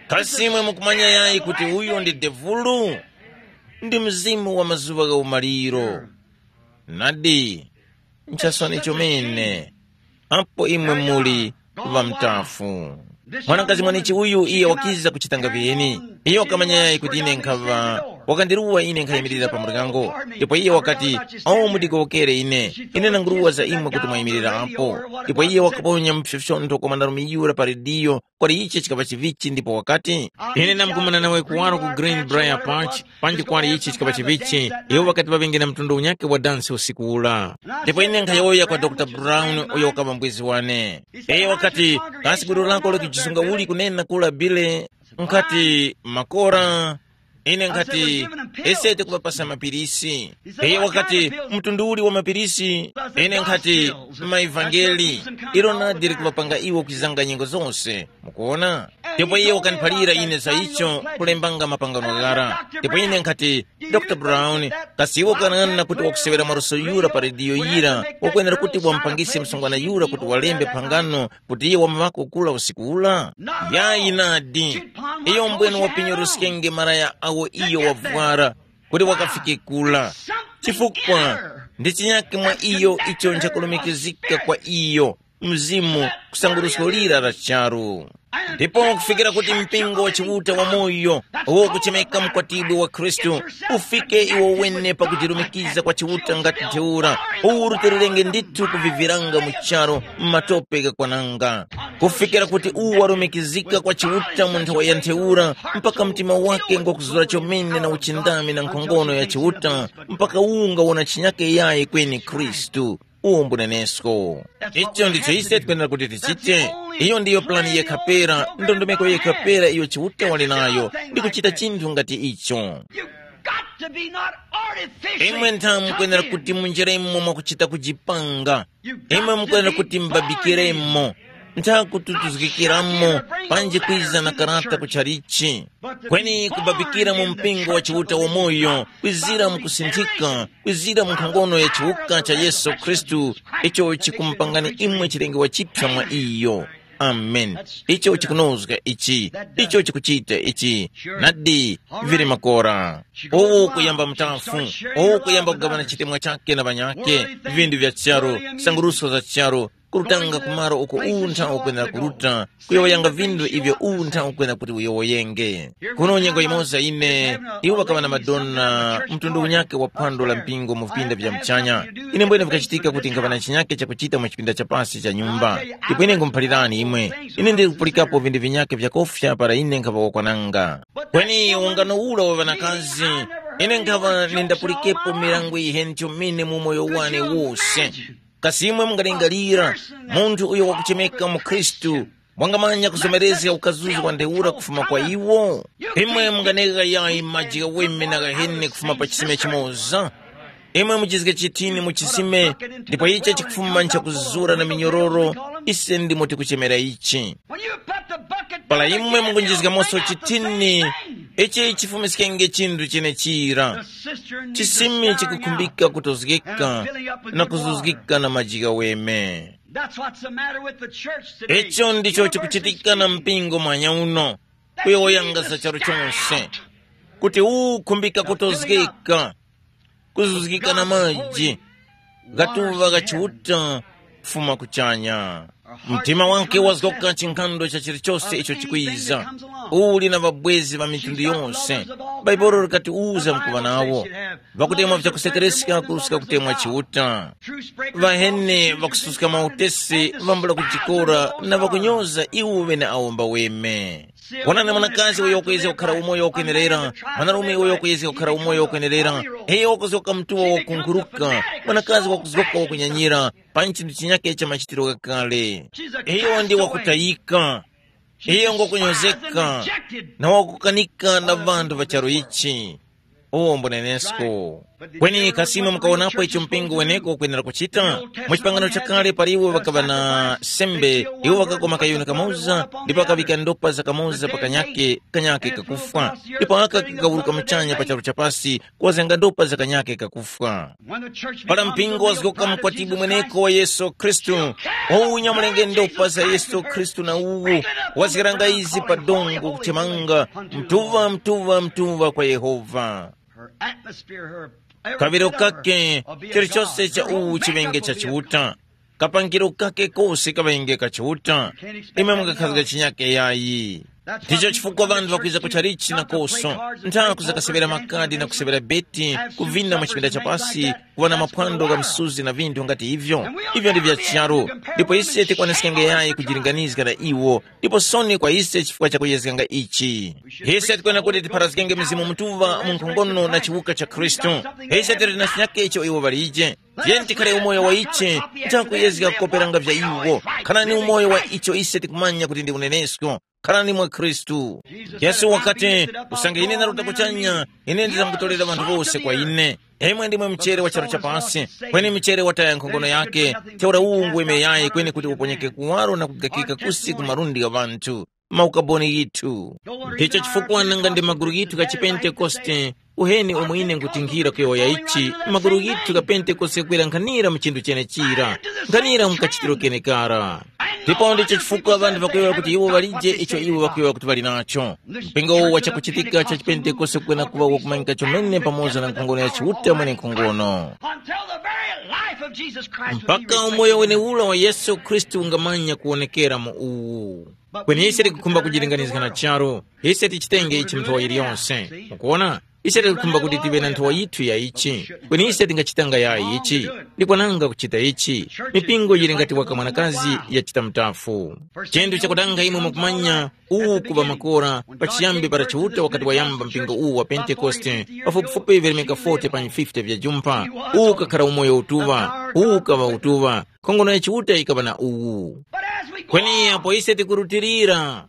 Kasi imwe mukumanya yayi kuti uyo ndi devulu? Ndi mzimu wa mazuŵa gha umaliro. Nadi, nchasoni chomene, apo imwe muli ŵamtafu. Mwanakazi mwanechi uyu iye wakiza kuchitanga viheni. Iye wakamanya yayi kuti ine nkhaŵa, wakandiruwa ine nkhayimirira pa muryango. Ndipo iye wakati, awo mudigowokere ine, ine nanguruwa za imwe kuti mwayimirira apo. Ndipo iye wakaponya mpsopsontho kwa mwanarume yura pa rediyo, kwali ichi chikaŵa chivichi ndipo wakati, ine ndamkumana nawe kuwaro ku Greenbrier Park, panji kwali ichi chikaŵa chivichi, iwo ŵakati ŵaŵenge na mtundu unyakhe wa dansi usiku ula. Ndipo ine nkhayowoya kwa Dr Brown uyo wakaŵa mbwezi wane. Iyo wakati, kasi gulu lako likijisunga uli kunena kula Bile? Nkhati, makora. Ine nkhati, ese tikuŵapasa mapirisi. Iyo wakati, mtundu uli wa mapirisi? Ine nkhati, maivangeli. Ilo nadi likuŵapanga iwo kwizanga nyengo zose. Mukuona? Ndipo iye wakandiphalira ine za icho, kulembanga mapangano ghara. Ndipo ine nkhati, Dr Brown, kasi iwe ukanang'ana kuti wakusewera maluso yura pa rediyo yira, wakwenera kuti wamupangise msungwana yura kuti walembe phangano kuti iye wamuvako kula usiku ula? Yayi nadi. Iyo mbwene wapinyuruskenge malaya awo iyo wavwara kuti wakafike kula. Chifukwa ndi chinyake mwa iyo icho nchakulumikizika kwa iyo, mzimu, kusangurusko lira la charu. Ndipo kufikira kuti mpingo wa Chiuta wamoyo, uwo kuchemeka mkwatibwi wa Khristu, ufike iwo wene pakujirumikiza kwa Chiuta ngati ntheura, uwu rutererenge ndithu kuviviranga mu charu m'matope ghakwananga. Kufikira kuti uwu warumikizika kwa Chiuta mu nthawi ya ntheura, mpaka mtima wake ngwakuzura chomene na uchindami na nkhongono ya Chiuta, mpaka uwu ngawona chinyake yayi kweni Khristu. Uwo mbunenesko. Icho ndicho ise tikwenera kuti tichite. Iyo ndiyo plani yekha pera, ndondomeko yekha pera iyo Chiuta wali nayo, ndi kuchita chinthu ngati icho. You've got to be not artificially imwe ntha mukwenera kuti munjeremo mwakuchita kujipanga. Imwe mukwenera kuti mubabikiremo. Ntha kututuzgikiramo, panji kwiza na karata kuchalichi. Kweni kubabikira mu mpingo wa Chiuta wamoyo, kwizira mu kusinthika, kwizira mu nkhongono ya chiwuka cha Yesu Khristu, icho chikumupangani imwe chilengedwe chipya mwa iyo. Amen. Icho chikunozga ichi, icho chikuchita ichi. Nadi, vili makora. Uwu kuyamba mutafu, uwu kuyamba kugawana chitemwa chake na ŵanyake, vindu vya charu, sanguruso za charu, kurutanga kumaro uko untha ukwenera kuruta, kuyowoyanga vindu ivyo untha ukwenera kuti uyowoyenge. Kuno nyengo yimoza ine, iwo ŵakaŵa na madona mtundu unyakhe wa phwando la mpingo mu vipinda vya muchanya. Ine mbwene vikachitika kuti nkhaŵa na chinyakhe chakuchita mu chipinda cha pasi cha nyumba. Ndipo ine nkhumuphalirani imwe, ine ndili kupulikapo vindu vinyakhe vyakofya para ine nkhaŵa wakwananga. Kweni ungano ula wa ŵanakazi, ine nkhaŵa nindapulikepo mirango yiheni chomene mu moyo wane wose. Kasi imwe mungalingalira, munthu uyo wakuchemeka mu Khristu, wangamanya kuzomerezga ukazuzu wa ntheura kufuma kwa iwo? Imwe munganegha yayi maji ghaweme na ghaheni kufuma pa chisime chimoza? Imwe muchizge chithini mu chisime, ndipo ichi chikufuma nchakuzura na minyororo, ise ndimo tikuchemera ichi. Para imwe mukunjizgamoso chithini, ichi chifumiskenge chinthu chenechira. Chisime chikukhumbika kutozgeka na kuzuzgika na maji ghaweme. That's what's the matter with the church today. Icho ndicho chikuchitika na mpingo mwanya uno, kuyowoyanga za charu chonse, kuti ukhumbika kutozgeka, kuzuzgika na maji, gatuŵa ga Chiuta kufuma kuchanya. Mtima wake wazgoka chinkhando cha chilichose icho chikwiza. Uli na ŵabwezi ŵa mitundu yonse. Bhaibuli likatiuza mkuŵa nawo. Ŵakutemwa vyakusekereska kuruska kutemwa Chiuta. Ŵaheni ŵakususka mautesi ŵambula kujikora na ŵakunyoza iwo ŵene awo mbaweme. Wonani mwanakazi uyo wakuyezga kukhara umoyo wakwenerera, mwanarume uyo wakuyezga kukhara umoyo wakwenerera, iyo wakuzgoka mtuwa wakunkhuruka, mwanakazi wakuzgoka wakunyanyira, pa chinthu chinyake cha machitiro ghakale. Iyo ndi wakutayika, iyo ngokunyozeka, na wakukanika na ŵanthu ŵa charu ichi. Uwo mbunenesko. Kweni kasi imwe mukawonapo icho mpingo weneko ukwenera kuchita? Mu chipangano chakale pali iwo ŵakaŵa na sembe, iwo ŵakakoma kayuni kamoza, ndipo ŵakaŵika ndopa za kamoza pa kanyake, kanyake kakufwa. Ndipo aka kakawuruka muchanya pa charu chapasi, kuwazanga ndopa za kanyake kakufwa. Para mpingo wazgoka mkwatibwi mweneko wa Yesu Khristu, uwunya mulenge ndopa za Yesu Khristu na uwu, wazgaranga izi pa dongo kuchemanga, mtuŵa, mtuŵa, mtuŵa kwa Yehova. Her atmosphere, her Kaŵiro kake, chilichose cha uwu chiŵenge cha Chiuta. Kapangiro kake kose kaŵenge ka Chiuta. Imwe mungakhazga chinyake yayi. Ndicho chifukwa ŵanthu ŵakwiza ku chalichi na koso, ntha kuzakaseŵera makadi na kuseŵera beti, kuvina mu chipinda cha pasi, kuŵa na maphwando gha msuzi na vinthu ngati ivyo. Ivyo ndi vya charu. Ndipo ise tikwaneskenge yayi kujilinganizga na iwo, ndipo soni kwa ise chifukwa cha kuyezganga ichi. Ise tikwena kuti tipharazgenge Mzimu Mutuŵa mu nkhongono na chiwuka cha Khristu. Ise tili na chinyakecho iwo ŵalije. Tiyeni tikhale umoyo wa ichi, nchakuyezga kukoperanga vya iwo. Khalani umoyo wa icho ise tikumanya kuti ndi unenesko. Khalani mwa Khristu. Yesu wakati, usange ine ndaruta kuchanya, ine ndizamkutolera ŵanthu wose kwa ine. Imwe ndimwe mchere wa charu chapansi, kweni mchere wataya nkhongono yake, ntheura uwu ngweme yayi kweni kuti uponyeke kuwaro na kugakika kusi ku malundi gha ŵanthu. Maukaboni ghithu. Ndicho chifukwa nanga ndi magulu ghithu gha chipentekoste, uheni umo ine nkutingira kuyowoya ichi, magulu ghithu gha pentekoste ghakwera nkhanira mu chinthu chenechira, nkhanira mu kachitiro kenekara. Ndipo ndicho chifukwa ŵanthu ŵakuyowoya kuti iwo ŵalije icho iwo ŵakuyowoya kuti ŵali nacho. Mpingo uwu wa chakuchitika cha chipentekoste kukwena kuŵa wakumanyika chomene pamoza na nkhongono ya Chiuta mwenenkhongono. Until the very life of Jesus Christ will be mpaka umoyo wenewura wa Yesu Khristu ungamanya kuwonekera mu uwu. Kweni ise tikukhumba kujilinganizga na charu. Ise tichitenge ichi nthowa yiliyonse. Mukuona? Ise tikukhumba kuti tive na nthowa yithu ya ichi. Kweni ise tingachitanga yayi ichi. Ndikwananga kuchita ichi. Mipingo yili ngati waka mwanakazi yachita mutafu. Chinthu chakutanga imwe mukumanya, uwu kuŵa makora, pachiyambi para Chiuta wakati wayamba mpingo uwu wa Pentekoste, pafupifupi vilemeka forty pa fifty vya jumpha, uwu ukakhara umoyo utuŵa, uwu ukaŵa utuŵa, nkhongono ya Chiuta yikaŵa na uwu. Kweni apo ise tikurutilira,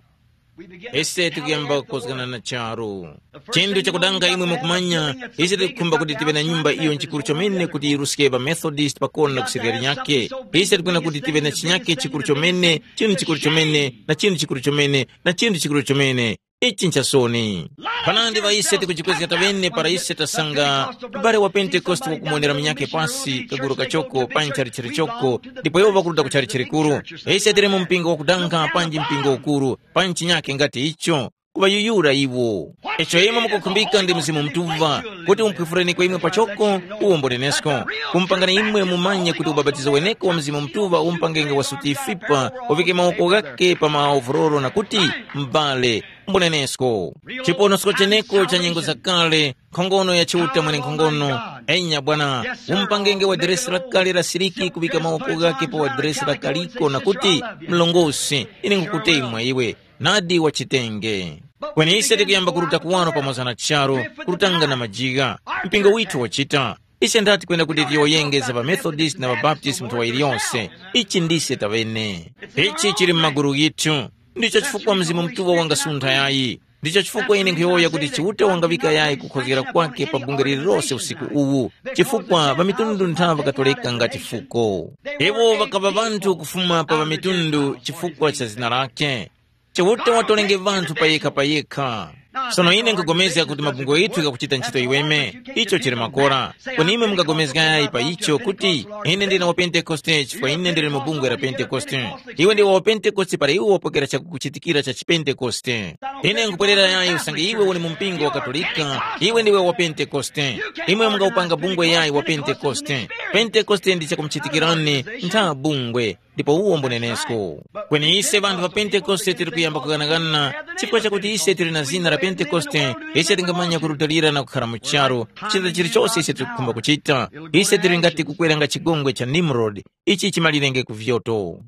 ise tikuyamba kukozgana na charu. Chinthu chakudanga imwe mukumanya, ise tikukhumba kuti tive na nyumba iyo nchikuru chomene kuti yiruske pa Methodist pakona na kusirikali nyake. Ise tikwena kuti tive na chinyake chikuru chomene, chinthu chikuru chomene, na chinthu chikuru chomene, na chinthu chikuru chomene. Ichi nchasoni. Panandi ŵa ise tikujikwezga taŵene para ise tasanga m'bale wa Pentekoste wakumonera munyakhe pasi kaguru kachoko pa nchalichiri choko, ndipo iwo ŵakuruta ku chalichiri kuru. Ise tili mu mpingo wakudanga panji mpingo ukuru, pa nchinyakhe ngati icho, kuŵayuyura iwo. Icho imwe mukukhumbika ndi Mzimu Mutuŵa, kuti umphwifureni kwa imwe pachoko, uwombolenesko. Kumupangani imwe mumanye kuti ubapatizo weneko wa Mzimu Mutuŵa umpangenge wa sutifipa, uvike mawoko ghake pa maovuroro na kuti, m'bale, mbunenesko. Chiponosko cheneko cha nyengo zakale, nkhongono ya Chiuta mwenenkhongono. Enya bwana, umupangenge wa deresi lakale la siliki kuŵika mawoko ghake pa wa deresi lakaliko na kuti, mlongosi, ine nkukutemwa iwe, nadi wachitenge. Kweni ise tikuyamba kuruta kuwaro pamoza na charu, kurutanga na majiga. Mpingo withu wachita. Ise ndati kwenda kuti tiyowoyenge za ŵaMethodist na ŵaBaptist mu nthowa yiliyonse. Ichi ndise taŵene. Ichi chili m'magulu ghithu. Ndicho chifukwa Mzimu Mutuŵa wangasuntha yayi. Ndicho chifukwa ine nkhuyowoya kuti Chiuta wangaŵika yayi kukhozgera kwake pa bungwe lililose usiku uwu, chifukwa ŵamitundu ntha ŵakatoleka ngati fuko. Iwo ŵakaŵa ŵanthu kufuma pa ŵamitundu chifukwa cha zina lake. Chiuta watolenge ŵanthu payekha payekha. Sono ine nkupulikana kuti mabungwe ghithu ghakuchita ntchito yiweme, icho chili makora. Kweni imwe mungapulikana yayi pa icho kuti, ine ndine wa Pentekoste chifukwa ine ndili mu bungwe la Pentekoste. Iwe ndiwe wa Pentekoste para iwe wapokera chakukuchitikira cha chipentekoste. Ine nkupwerera yayi usange iwe uli mu mpingo wa Katolika, iwe ndiwe wa Pentekoste. Imwe mungawupanga bungwe yayi wa Pentekoste. Pentekoste ndi chakumuchitikirani ntha bungwe. Ndipo uwo mbunenesko. Kweni ise vanthu va Pentekoste tili kuyamba kughanaghana, chifukwa chakuti ise tili na zina la Pentekoste, ise tingamanya kurutilira na kukhara mu charu, chinthu chilichose ise tikukhumba kuchita. Ise tili ngati kukweranga chigongwe cha Nimrod, ichi chimalirenge ku vyoto.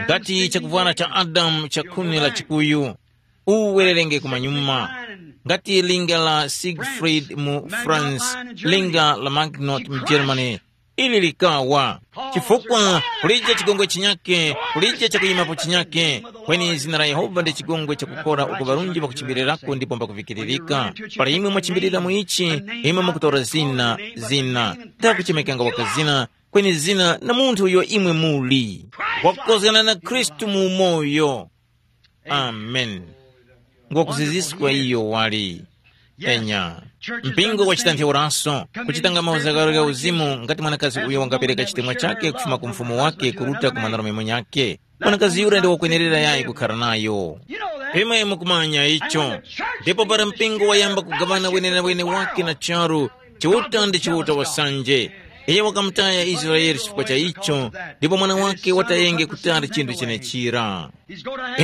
Ngati chakuvwara cha Adamu cha khuni la chikuyu, uwererenge kumanyuma. Ngati linga la Siegfried mu France, linga la Magnot mu Germany, ili likawa. Chifukwa kulije chigongwe chinyake, kulije chakuyimapo chinyake, kweni zina la Yehova ndi chigongwe chakukora uko ŵarunji ŵakuchimbirirako ndipo mbakuvikiririka. Para imwe mwachimbilira mu ichi, imwe mukutora zina, zina, ndakuchemekanga wakazina, kweni zina na munthu uyo imwe muli, wakukozgana na Khristu mu umoyo. Amen. Ngwakuziziskwa iyo wali. Enya. Mpingo wachita ntheuraso, kuchitanga mauzakaro gha uzimu ngati mwanakazi uyo wangapereka chitemwa chake kufuma ku mfumu wake kuruta ku mwanarume munyake. Mwanakazi yura ndi wakwenerera yayi kukhara nayo. Imwe mukumanya icho. Ndipo para mpingo wayamba kugaŵana wenewene wake na charu, Chiuta ndi Chiuta wasanje. Iye wakamutaya Israele chifukwa cha icho, ndipo mwana wake watayenge kutali chinthu chenechira.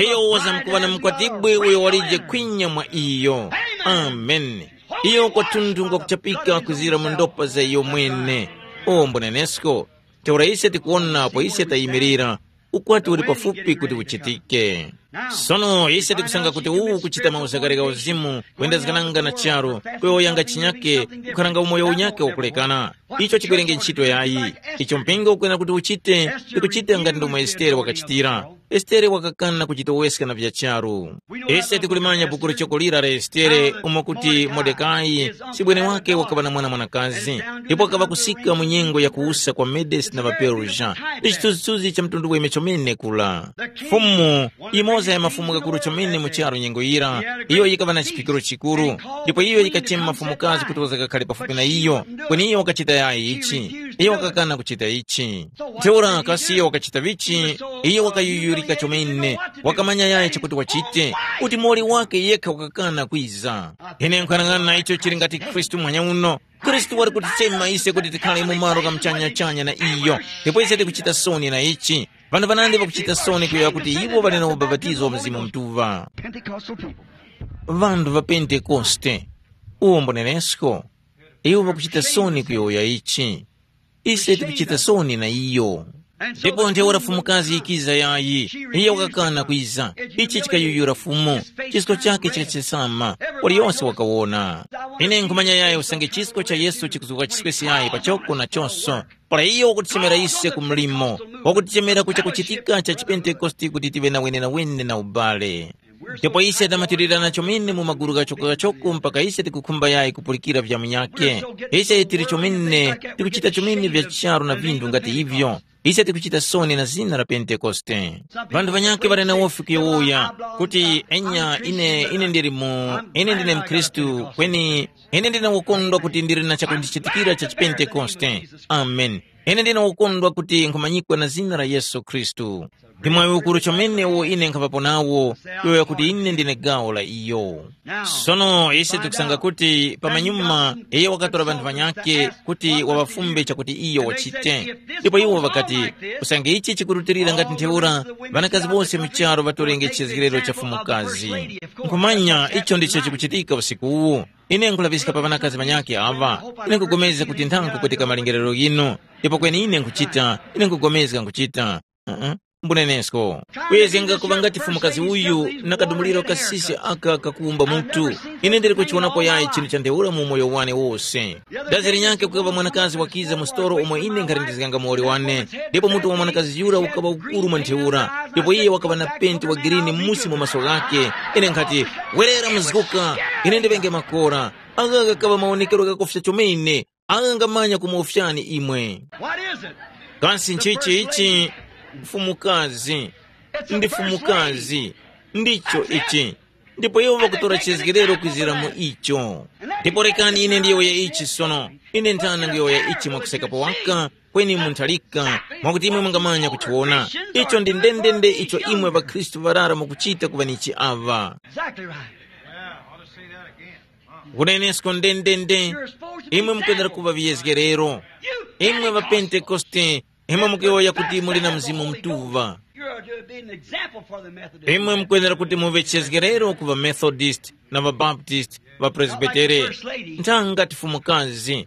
Iyo wazamkuŵa na mukwatibwi uyo walije kwinya mwa iyo. Amen. Iyo kwathunthu ngwakuchapika kuzira mu ndopa za iyo mwene. O mbunenesko, ntheura ise tikuwona apo ise tayimirira, ukwati uli pafupi kuti uchitike. Sono ise tikusanga kuti uwu kuchita mauzagarika uzimu, kwendezekananga na charu, kuyowoyanga chinyake, kukharanga umoyo unyake wakulekana. Icho chikwerenge ntchito yayi. Icho mpingo ukwena kuti uchite, tikuchita ngati ndomwe Estere wakachitira. Estere wakakana kuchitoweska na vya charu. Ise tikulimanya buku lichokolira la Estere umo kuti Modekai, sibwene wake wakaŵa na mwana mwanakazi, ndipo wakaŵa kusika mu nyengo ya kuwusa kwa Medesi na ŵaPerusia. Ndi chithunzithunzi cha mtundu weme chomene kula. Fumu, imoza ya mafumu ghakuru chomene mu charu nyengo yira, iyo yikaŵa na chiphikiro chikuru, ndipo iyo yikachema mafumukazi kuti wazakakhale pafupi na iyo, kweni iyo wakachita yayi ichi. Iyo wakakana kuchita ichi. Ntheura kasi iyo wakachita vichi? Iyo wakayuyurika chomene, wakamanya yayi chakuti wachite, kuti muwoli wake yekha wakakana kwiza. Ine nkhanang'ana icho chili ngati Khristu muhanya uno. Khristu wali kutichema ise kuti tikhale mu malo gha muchanyachanya na iyo, ndipo ise tikuchita soni na ichi. Vanthu vanandi ŵakuchita soni kuyowoya kuti iwo ŵali na ubapatizo wa Mzimu Mutuŵa. Pentecostal people. Vanthu va Pentekoste, uwo mbonenesko, iwo ŵakuchita soni kuyowoya ichi. Ise tikuchita soni na iyo. Ndipo ntheura fumukazi yikiza yayi, iyo wakakana kwiza. Ichi chikayuyura Fumu. Chisko chake chikachesama, waliyonse wakawona. Ine nkhumanya yayi usange chisko cha Yesu chikuzuka chiswesi yayi pachoko na chonso. Para iyo wakutichemera ise ku mlimo, wakutichemera ku chakuchitika cha chipentekoste kuti tive na wenenawene na ubale. Ndipo ise tamatirirana chomene mu magulu ghachoko-ghachoko mpaka ise tikukhumba yayi kupulikira vya munyakhe. Ise tili chomene, tikuchita chomene vya charu na vinthu ngati ivyo. Ise tikuchita soni na zina la Pentekoste. Vanthu vanyakhe ŵali na wofi kuyowoya kuti, enya, ine, ine ndili mu, ine ndine mkhristu, kweni ine ndine wokondwa kuti ndili na chakundichitikira cha chipentekoste. Amen. Ine ndine wokondwa kuti nkhumanyikwa na zina la Yesu Khristu. Ndi mwayi ukuru chomene uwo ine nkhapapo nawo, yoya kuti ine ndine gawo la iyo. Sono ise tikusanga kuti pamanyuma iyo wakatora vanthu vanyakhe kuti waŵafumbe chakuti iyo wachite. Ndipo iwo ŵakati, usange ichi chikurutilira ngati ntheura, ŵanakazi bose mu charu ŵatorenge chizgiriro cha fumukazi. Nkhumanya icho ndicho chikuchitika usiku uwu. Ine nkulaŵiska pa ŵanakazi ŵanyakhe aŵa. Ine nkugomezga kuti nthankhu kutika malingerero ghinu. Ndipo kweni ine nkhuchita, ine nkugomezga nkhuchita. Uh-uh. Mbunenesko. Kuyezgenga kuŵa ngati fumukazi uyu na kadumuliro kasisi aka kakuwumba mutu. Ine ndili kuchiwonapo yayi chinthu cha ntheura mu umoyo wane wose. Dazi linyakhe kukaŵa mwanakazi wakiza mu sitolo umo ine nkhalindizganga muwoli wane, ndipo mutu wa mwanakazi yura ukaŵa ukuru mwa ntheura, ndipo iye wakaŵa na penti wa girini m'musi mu maso ghakhe. Ine nkhati, werera mzguka, ine ndiŵenge makora. Agha ghakaŵa mawonekero ghakofya chomene. Agha ngamanya kumuwofyani imwe. What is it? Kasi nchichi ichi? Mfumukazi. Ndi fumukazi. Ndicho ichi. Ndipo iwo ŵakutora chizgirero kwizira mu icho. Ndipo rekani ine ndiyowoye ichi sono. Ine nthana nguyowoya ichi mwakusekapo waka, kweni munthalika, mwakuti imwe mungamanya kuchiwona. Icho ndi ndendende icho imwe ŵakhristu ŵarara mukuchita kuŵanichi aŵa. Exactly right. Kunenesko ndendende. Imwe mukwenera kuŵa viyezgerero. Imwe ŵapentekoste, Imwe mukuyowoya kuti muli na Mzimu Mutuŵa. You're to be an example for the Methodists. Imwe mukwenera kuti muŵe chizgerero ku ŵamethodist na ŵabaptist, ŵapresbitere, nthanga tifumukazi.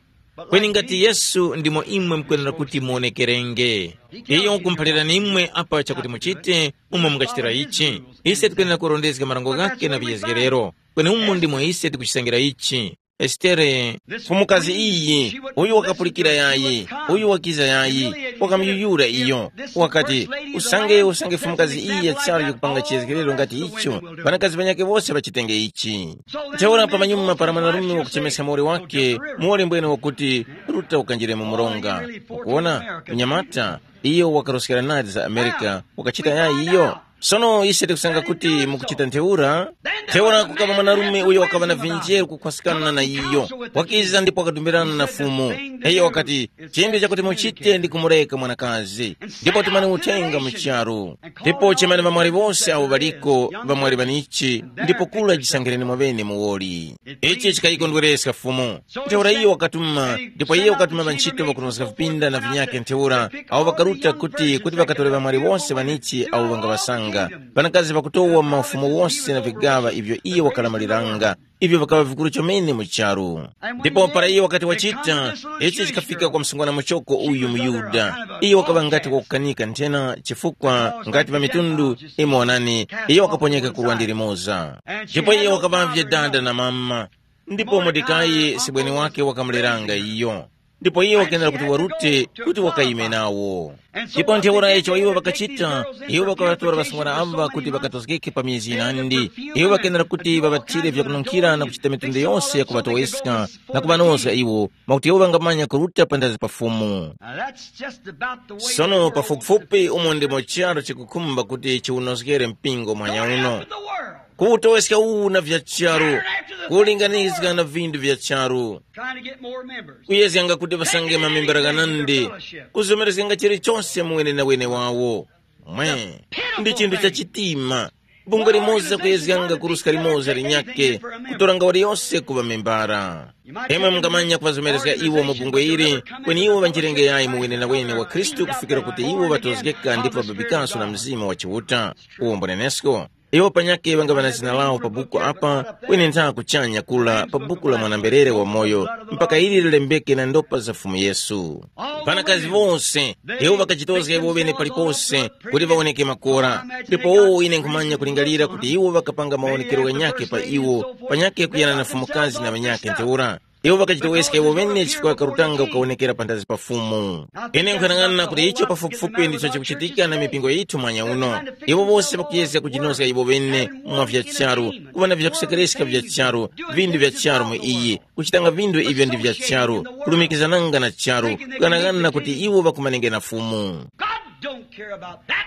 Kweni ngati Yesu ndimo imwe mukwenera kuti muonekerenge. Iyo wakumphalirani imwe apa chakuti muchite, umo mungachitira ichi. Ise tikwenera kurondezga marango ghake na viyezgerero. Kweni umu ndimo ise tikuchisangira ichi. Esitere, mfumukazi iyi, uyu wakapulikira yayi, uyu wakiza yayi, wakamuyuyura iyo. Wakati, usange usange mfumukazi iyi ya charu yikupanga chiyezgerero ngati icho, ŵanakazi ŵanyakhe wose ŵachitenge ichi. Ntheura pamanyuma para mwanarume wakuchemeska muwoli wake, muwoli mbwene wakuti, ruta ukanjire mu mronga. Ukuwona, mnyamata, iyo wakaroskera nadi za Amerika, wakachita yayi iyo. Sono ise tikusanga kuti mukuchita ntheura. Ntheura kukaba mwanarume uyo wakaŵa na vinjeru kukhwaskana na iyo, wakiza ndipo wakadumbirana na Fumu. Iyo wakati, chinthu chakuti muchite ndi kumureka mwanakazi, ndipo timani uthenga mu charu. Ndipo chemani ŵamwali wose awo ŵaliko, ŵamwali ŵanichi, ndipo kula jisangireni mwaŵene muwoli. Ichi chikayikondwereska Fumu. Ntheura iyo wakatuma, ndipo iye wakatuma ŵantchito ŵakunozga vipinda na vinyakhe ntheura, awo ŵakaruta kuti kuti ŵakatore ŵamwali wose ŵanichi awo ŵangaŵasanga. Ŵanakazi ŵakutowa mu mafumu wose na vigaŵa ivyo iye wakalamaliranga, ivyo vikaŵa vikuru chomene mu charu. Ndipo para iye wakati wachita, ichi chikafika kwa msungwana muchoko uyu muYuda. Iye wakaŵa ngati wakukanika nthena chifukwa ngati pa mitundu imo wanani, iye wakaponyeka ku lwandi limoza. Ndipo iye wakaŵavye dada na mama. Ndipo Mordekai sibweni wake wakamuleranga iyo. Ndipo iye wakenera kuti warute kuti wakayime nawo. Ndipo ntheura icho iwo ŵakachita, iwo ŵakaŵatora ŵasungwana amba kuti ŵakatozgeke pa mizi yinandi. Iwo ŵakenera kuti ŵaŵathire vyakununkhira na kuchita mitundu yose yakuŵatoweska na kuŵanozga iwo, mwakuti iwo ŵangamanya kuruta panthazi pa Fumu. Now that's just about the way Sono the world pafupifupi umo ndimo charo chikukhumba kuti chiwunozgere mpingo mwanya uno. Up in the world. Kuwutoweska uwu na vya charu, kulinganizga na vindu vya charu, Trying to get more members. Kuyezganga kuti ŵasange mamembera ghanandi, kuzomerezganga chilichonse mu wenewene wawo. Mwe, ndi chinthu cha chitima. Bungwe limoza kuyezganga kuruska limoza linyakhe, kutoranga waliyose kuŵa membara. Imwe mungamanya kuŵazomerezga iwo mu bungwe ili, kweni iwo ŵanjirenge yayi mu wenewene wa Khristu kufikira kuti iwo ŵatozgeka ndipo ŵababikaso na Mzimu wa Chiuta. Uwo mbonenesko. Iwo panyakhe ŵangaŵa na zina lawo pa buku apa, kweni ntha kuchanya kula pa buku la mwana-mberere wamoyo, mpaka ili lilembeke na ndopa za Fumu Yesu. Ŵanakazi wose, iwo ŵakachitozga iwo ŵene palipose kuti ŵawoneke makora. Ndipo wowo ine nkhumanya kulingalira kuti iwo ŵakapanga mawonekero ghanyakhe pa iwo, panyakhe kuyana na fumukazi na ŵanyakhe ntheura. Iwo ŵakachitoweska iwo ŵene chifukwa ŵakarutanga kukawonekera panthazi pa Fumu. Ine nkhanang'ana kuti icho pafupifupi ndicho chikuchitika na mipingo yithu mwanya uno. Iwo wose ŵakuyezga kujinozga iwo ŵene mwa vya charu, kuŵa na vyakusekereska vya charu, vindu vya charu mu iyi, kuchitanga vindu ivyo ndi vya charu, kulumikizananga na charu, kughanaghanana kuti iwo ŵakumanenge na Fumu. God don't care about that.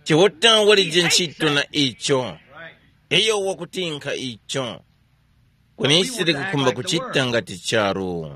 Chiuta walije ntchito na icho. Iyo wakutinkha icho. Kweni ise tikukhumba kuchita ngati charu.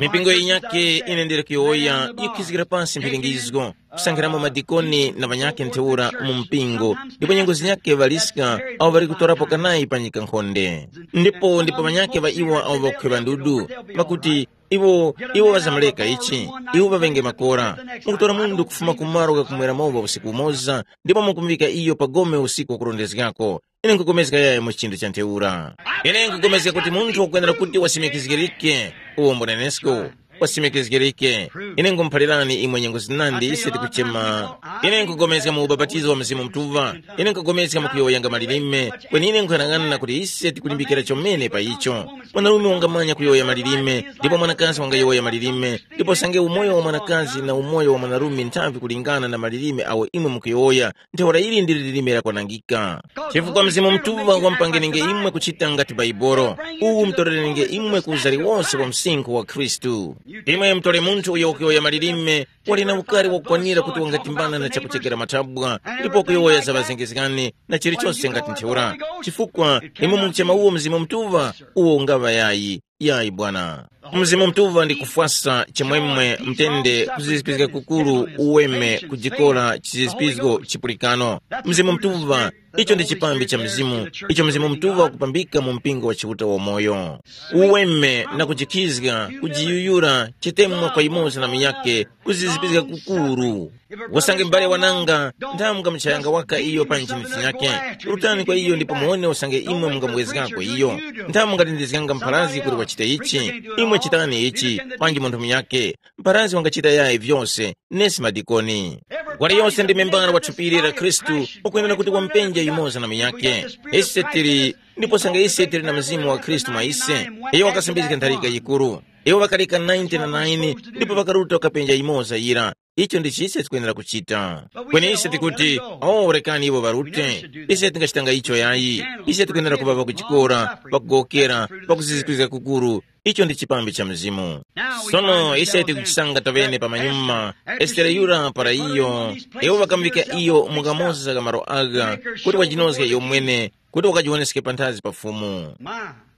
Mipingo yinyakhe ine ndili kuyowoya yikhizgira pansi mphiringizgo, kusankhiramo madikoni na ŵanyakhe ntheura mu mpingo, ndipo nyengo zinyakhe ŵaliska awo ŵali kutorapo kanayi pa nyika nkhonde. Ndipo ndipo ŵanyakhe ŵa iwo awo ŵakukhweva ndudu, ŵakuti, iwo iwo ŵazamuleka ichi, iwo ŵaŵenge makora. Mukutora mundu kufuma kumaro ghakumwera mowa usiku umoza, ndipo mukumuŵika iyo pa gome usiku wakurondezgako. Ine nkupulikana yaya mu chinthu cha ntheura. Ine nkupulikana kuti munthu wakwenera kuti wasimikizgirike. Uwo mbunenesko, wasimikizgirike. Ine nkumuphalirani imwe nyengo zinandi ise tikuchema. Ine nkupulikana mu ubapatizo wa Mzimu Mutuŵa. Ine nkupulikana mu kuyowoyanga malilime. Kweni ine nkuyang'ana kuti ise tikulimbikira chomene pa icho. Mwanarume wangamanya kuyowoya malilime, ndipo mwanakazi wangayowoya malilime, ndipo sange umoyo wa mwanakazi na umoyo wa mwanarume nthavi kulingana na malilime awo imwe mukuyowoya, ntheura ili ndi lilime lakwanangika. Chifukwa Mzimu Mutuŵa wampangenenge imwe kuchita ngati Baibolo, uwu mutorerenenge imwe ku uzari wose wa msinkhu wa Khristu. Imwe mutore munthu uyo wakuyowoya malilime, wali na ukari wakukwanira kuti wangatimbana na chakuchekera mathabwa, ndipo kuyowoya za ŵazengezgani na chilichonse ngati ntheura. Chifukwa imwe mukuchema uwo Mzimu Mutuŵa, uwo ungaŵa yayi. Yayi bwana. Mzimu Mutuŵa ndi kufwasa chimwemwe, mtende, kuzizipizga kukuru, uweme, kujikora, chizizipizgo, chipulikano. Mzimu Mutuŵa, icho ndi chipambi cha Mzimu, icho Mzimu Mutuŵa wakupambika mu mpingo wa Chiuta wamoyo. Uweme na kujikhizga, kujiyuyura, chitemwa kwa yumoza na munyakhe, kuzizipizga kukuru. Usange m'bale wananga, nthamu mukamuchayanga waka iyo pa nchinisi nyakhe. Rutani kwa iyo ndipo muwone usange imwe mungamubwezgako iyo. Nthamu mungatindizganga mpharazi kuti wachite ichi, imwe chitani ichi, panji munthu munyakhe. Mpharazi wangachita yayi vyose, nesi madikoni. Wali yose ndi membala wa thupi la Khristu, ukwenera kuti wamupenja yumoza na munyakhe. Ise tili, ndipo sanga ise tili na mzimu wa Khristu mwa ise. Iyo wakasambizga ntharika yikuru. Iwo ŵakaleka ninety na nine ndipo ŵakaruta kukapenja yimoza yira. Icho ndi chise tikwenera kuchita. Kweni ise tikuti, oh, rekani iwo ŵarute. Ise tingachitanga icho yayi. Ise tikwenera kuŵa ŵakuchikora, ŵakugowokera, ŵakuzizipizga kukuru. Icho ndi chipambi cha Mzimu. Sono ise tikuchisanga tavene pa manyuma, Estere yura para iyo, iwo ŵakamuvika iyo mu kamoza ka malo agha, kuti wajinozge iyo mwene, kuti wakajiwoneske panthazi pa Fumu.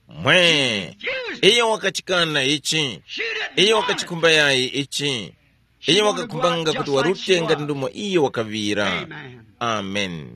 Mwe, iyo wakachikana ichi. Iyo wakachikhumba yayi ichi. Iyo wakakhumbanga kuti warute ngati ndumo iyo wakaŵira. Amen.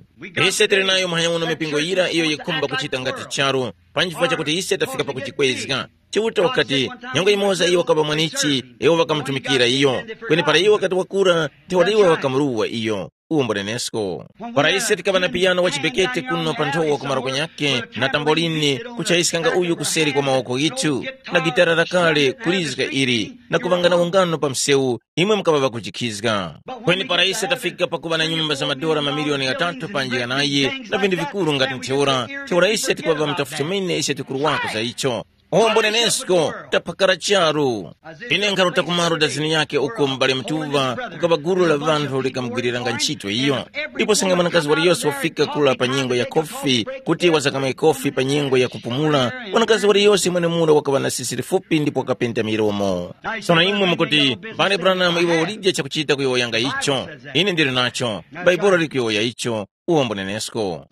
Ise tili nayo muhanya uno mipingo yira iyo yikhumba kuchita ngati charu, panji chifukwa chakuti ise tafika pakuchikwezga. Chiuta wakati, nyengo yimoza iyo wakaŵa mwanichi, iwo ŵakamutumikira iyo. Kweni para iyo wakati wakura, ntheura iwo ŵakamuruwa iyo. Uwo mbunenesko. Para ise tikaŵa na piyano wa chibekete kuno pa nthowa kumaro kunyakhe, na tambolini, kuchayiskanga uyu kuseri kwa mawoko ghithu, na gitara lakale kulizga ili, na kuŵangana ungano pa msewu, imwe mukaŵa ŵakujikhizga. Kweni para ise tafika pakuŵa na nyumba za madora mamiliyoni ghatatu panji ghanayi, na vinthu vikuru ngati ntheura, ntheura ise tikuŵa ŵamutafu chomene ise tikuruwako za icho. Ombo nenesko, taphakara charu. Ine nkharuta kumaro dazini yake uko m'bale Mtuva, kukaba gulu la ŵanthu likamugwiriranga ntchito iyo. Ndipo sanga mwanakazi waliyose wafika kula pa nyengo ya khofi, kuti wazakamwe khofi pa nyengo ya kupumula, mwanakazi waliyose mwenemura wakaŵa na sisi lifupi ndipo wakapenda milomo. Sono imwe mukuti, mbale Branham iwe ulije chakuchita kuyowoyanga icho. Ine ndili nacho. Bhaibuli likuyowoya icho. Uwombo nenesko.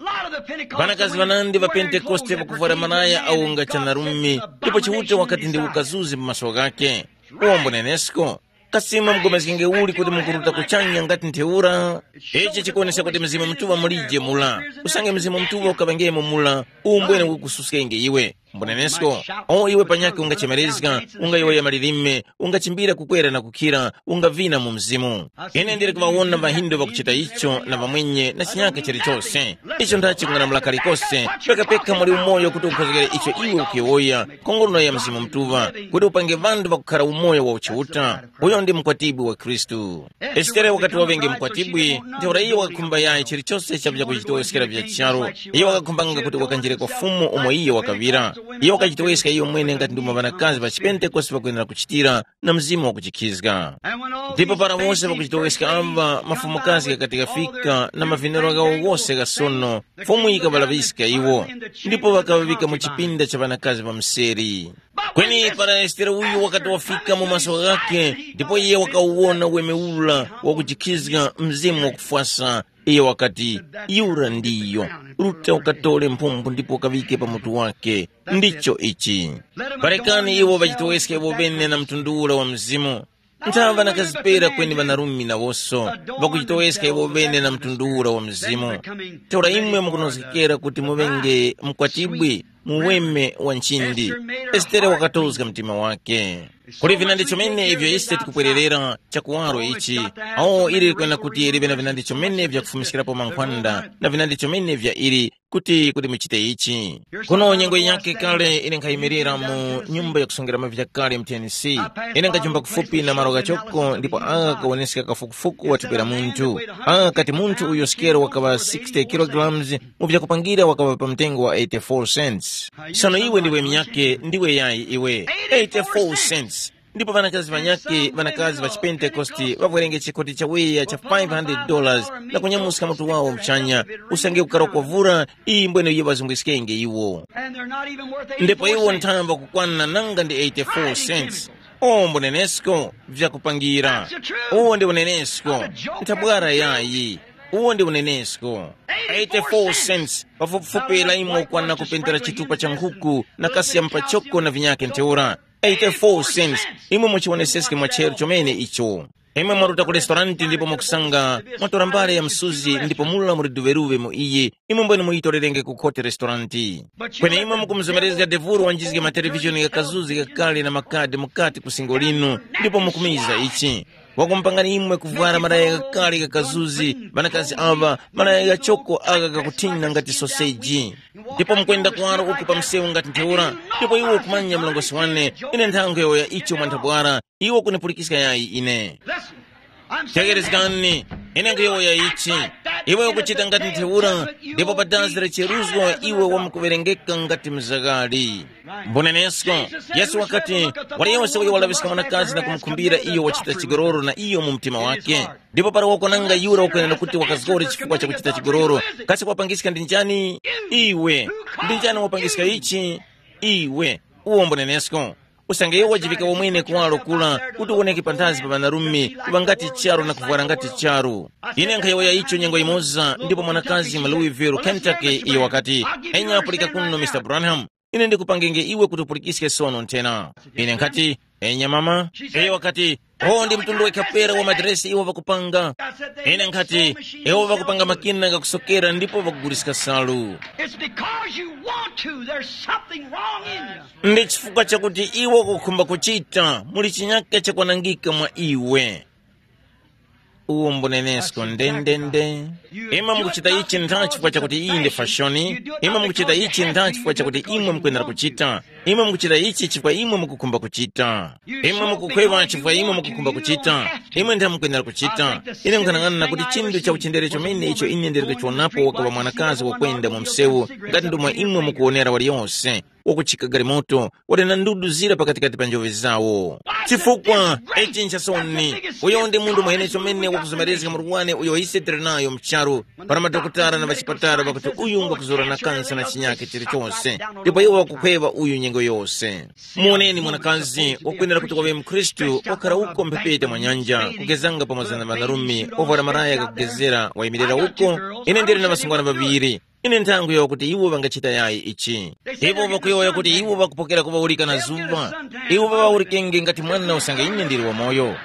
Ŵanakazi ŵanandi ŵa Pentekoste ŵakuvwara malaya awo nga chanarumi, ndipo Chiuta wakati ndi ukazuzi mu maso ghakhe. Uwombo nenesko. Kasima mugomezgenge uli kuti mukuruta kuchanya ngati ntheura? Ichi chikuwonesa kuti Mzimu Mutuŵa mulije mula. Usange Mzimu Mutuŵa ukaŵengemo mula, umbwene ukususkenge iwe. Mbunenesko, o iwe panyakhe ungachemerezga, ungayowoya malilime, ungachimbira kukwera na kukhira, ungavina mu mzimu. Ine ndili kuŵawona ŵahindu ŵakuchita icho na ŵamwenye na chinyaka chilichose. Icho ndachi kung'anamula kalikose, pekapeka muli umoyo kuti ukhozgere icho iwe ukuyowoya, nkhongono ya Mzimu Mutuŵa, kuti upange ŵanthu ŵakukhara umoyo wa uchiuta. Uyo ndi mukwatibwi wa Khristu. Estere wakati waŵenge mukwatibwi, ntheura iyo wakakhumba yayi chilichose chakuja kuchitoweskera vya charu. Iyo wakakhumbanga kuti wakanjire kwa Fumu umo iyo wakaŵira. Iyo wakachitoweska iyo mwene ngati ndimo ŵanakazi ŵa chipentekoste ŵakwenera kuchitira na mzimu wakuchikhizga. Ndipo para wose ŵakuchitoweska amba, mafumukazi ghakati ghafika na mavinero ghawo ghose gha sono, Fumu yikaŵalaŵiska iwo, ndipo ŵakaŵaŵika mu chipinda cha ŵanakazi ŵa mseri. Kweni para Estere uyu wakati wafika mu maso ghakhe, ndipo iye wakawuwona weme ura wakujikhizga mzimu wakufwasa, iye wakati, yura ndiyo, ruta ukatore mphumbu ndipo ukaŵike pa mutu wake. Ndicho ichi. Parekani iwo ŵachitoweske iwo ŵene na mtundu ura wa mzimu. Nthaŵa na kazipera kweni ŵanarumi nawoso, ŵakuchitoweska iwo ŵene na mtundu ura wa mzimu. Ntheura imwe mukunozgekera kuti muŵenge mkwatibwi, muweme wa nchindi. Estere wakatozga mtima wake. Kuli vinandi chomene ivyo ise tikupwererera chakuwaro ichi, awo ili likwena kuti live na vinandi chomene vyakufumiskirapo mankhwanda na vinandi chomene vya ili kuti kuti muchite ichi. Kuno nyengo yake kale ine nkhayimirira mu nyumba yakusungiramo vyakale mu Tennessee. Ine nkajumba kufupi na malo ghachoko ndipo agha kawoneska kafukufuku wa thupi la munthu. Agha kati munthu uyo sikero wakaŵa sixty kilograms, mu vyakupangira wakaŵa pa mtengo wa eighty-four cents. Sono iwe ndiwe myake ndiwe yayi iwe? Eighty-four cents. Ndipo ŵanakazi ŵanyakhe, ŵanakazi ŵa chipentekoste ŵavwerenge chikoti chawiya cha five hundred dollars na kunyamuska mutu wawo muchanya, usange kukarwa kwavura, iyi mbwene iyo ŵazungwiskenge iwo. Ndipo iwo nthamba kukwana nanga ndi eighty-four cents. Ombo nenesko vyakupangira. Uwo ndi unenesko. Nthabwara yayi. Uwo ndi unenesko. Eighty-four cents, pafupifupi la imwe ukwana kupendera chitupa cha nkhuku na kasi ya mpachoko na vinyake ntheura. Eighty-four cents, imwe muchiwoneseske mwa chero chomene icho. Imwe mwaruta ku restauranti ndipo mukusanga mwatora mbale ya msuzi ndipo mula muli duveruve mu iyi, imwe mbwene muyitorerenge ku khote restauranti. Kweni imwe mukumuzomerezga devuro wanjizge matelevishoni ghakazuzi ghakale na makadi mukati ku singo linu, ndipo mukumiza ichi. Wakumupangani imwe kuvwara malaya ghakale ghakazuzi, ŵanakazi aŵa, malaya ghachoko agha ghakuthina ngati soseji. Ndipo mukwenda kuwaro uku pa msewu ngati ntheura, ndipo iwo ukumanya mlongosi wane, ine nthankho yowoya icho mwa nthabwara, iwo kunipulikiska yayi ine. Tegerezgani, ine nkhuyowoya ichi. Iwe ukuchita ngati ntheura, ndipo pa dazi la cheruzgo iwe wamkuwerengeka ngati mzagari. Mbunenesko, Yesu wakati, waliyose uyo walaŵiska mwanakazi na kumukhumbira iyo wachita chigololo na iyo mu mtima wake. Ndipo para wakonanga yura wakwenera kuti wakazgore chifukwa cha kuchita chigololo, kasi kwapangiska ndi njani? Iwe. Ndi njani wapangiska ichi? Iwe. Uwo mbunenesko. Usange iwo wajivika wamwene kuwaro kula, kuti uwoneke panthazi pa ŵanarume kuŵa ngati charu na kuvwara ngati charu. Ine nkhayowoya icho nyengo yimoza, ndipo mwanakazi mu Louisville, Kentucky, iyo wakati, enya pulika kuno, Mr Branham, ine ndikupangenge iwe kuti upulikiske sono nthena. Ine nkhati, enya mama. Iyo wakati, oh, ndi mtundu wekha pera wa madiresi iwo ŵakupanga. Ine nkhati, iwo ŵakupanga makina ghakusokera ndipo ŵakuguliska salu. It's because you want to. There's something wrong in you. Ndi chifukwa chakuti iwo kukhumba kuchita, muli chinyaka chakwanangika mwa iwe. Uwo mbunenesko ndendende. Imwe mukuchita ichi ntha chifukwa chakuti iyi ndi fashoni. Imwe mukuchita ichi ntha chifukwa chakuti imwe mukwenera kuchita. Imwe mukuchita ichi chifukwa imwe mukukhumba kuchita. Imwe mukukhweŵa chifukwa imwe mukukhumba kuchita. Imwe ntha mukwenera kuchita. Ine nkhanang'ana kuti chinthu cha uchindere chomene icho ine ndiri kuchionapo wakaŵa mwanakazi wakwenda mu msewu, ngati ndomwe imwe mukuwonera waliyose, wakuchika galimoto, wali na ndudu zira pakatikati pa njoŵe zawo. Chifukwa, ichi nchasoni, uyo ndi munthu mwene chomene wakuzomerezga murwani uyo ise tili nayo mcharu, para madokotala na ŵachipatala ŵakuti uyu ngwakuzura na kansa na chinyake chilichose, ndipo iwo ŵakukhweŵa uyu nyengo yose. Muwoneni mwanakazi wakwenera kuti waŵe mkhristu, wakhala uko mphepete mwa nyanja, kugezanga pamoza na ŵanarume, ovwara maraya gakugezera, wayimirira uko. Ine ndili na ŵasungwana ŵaŵiri. Ine nthango yawo kuti iwo ŵangachita yayi ichi. Iwo ŵakuyowoya kuti iwo ŵakupokera kuŵawurika na zuŵa. Iwo ŵaŵawurikenge ngati mwana usange ine ndili wamoyo.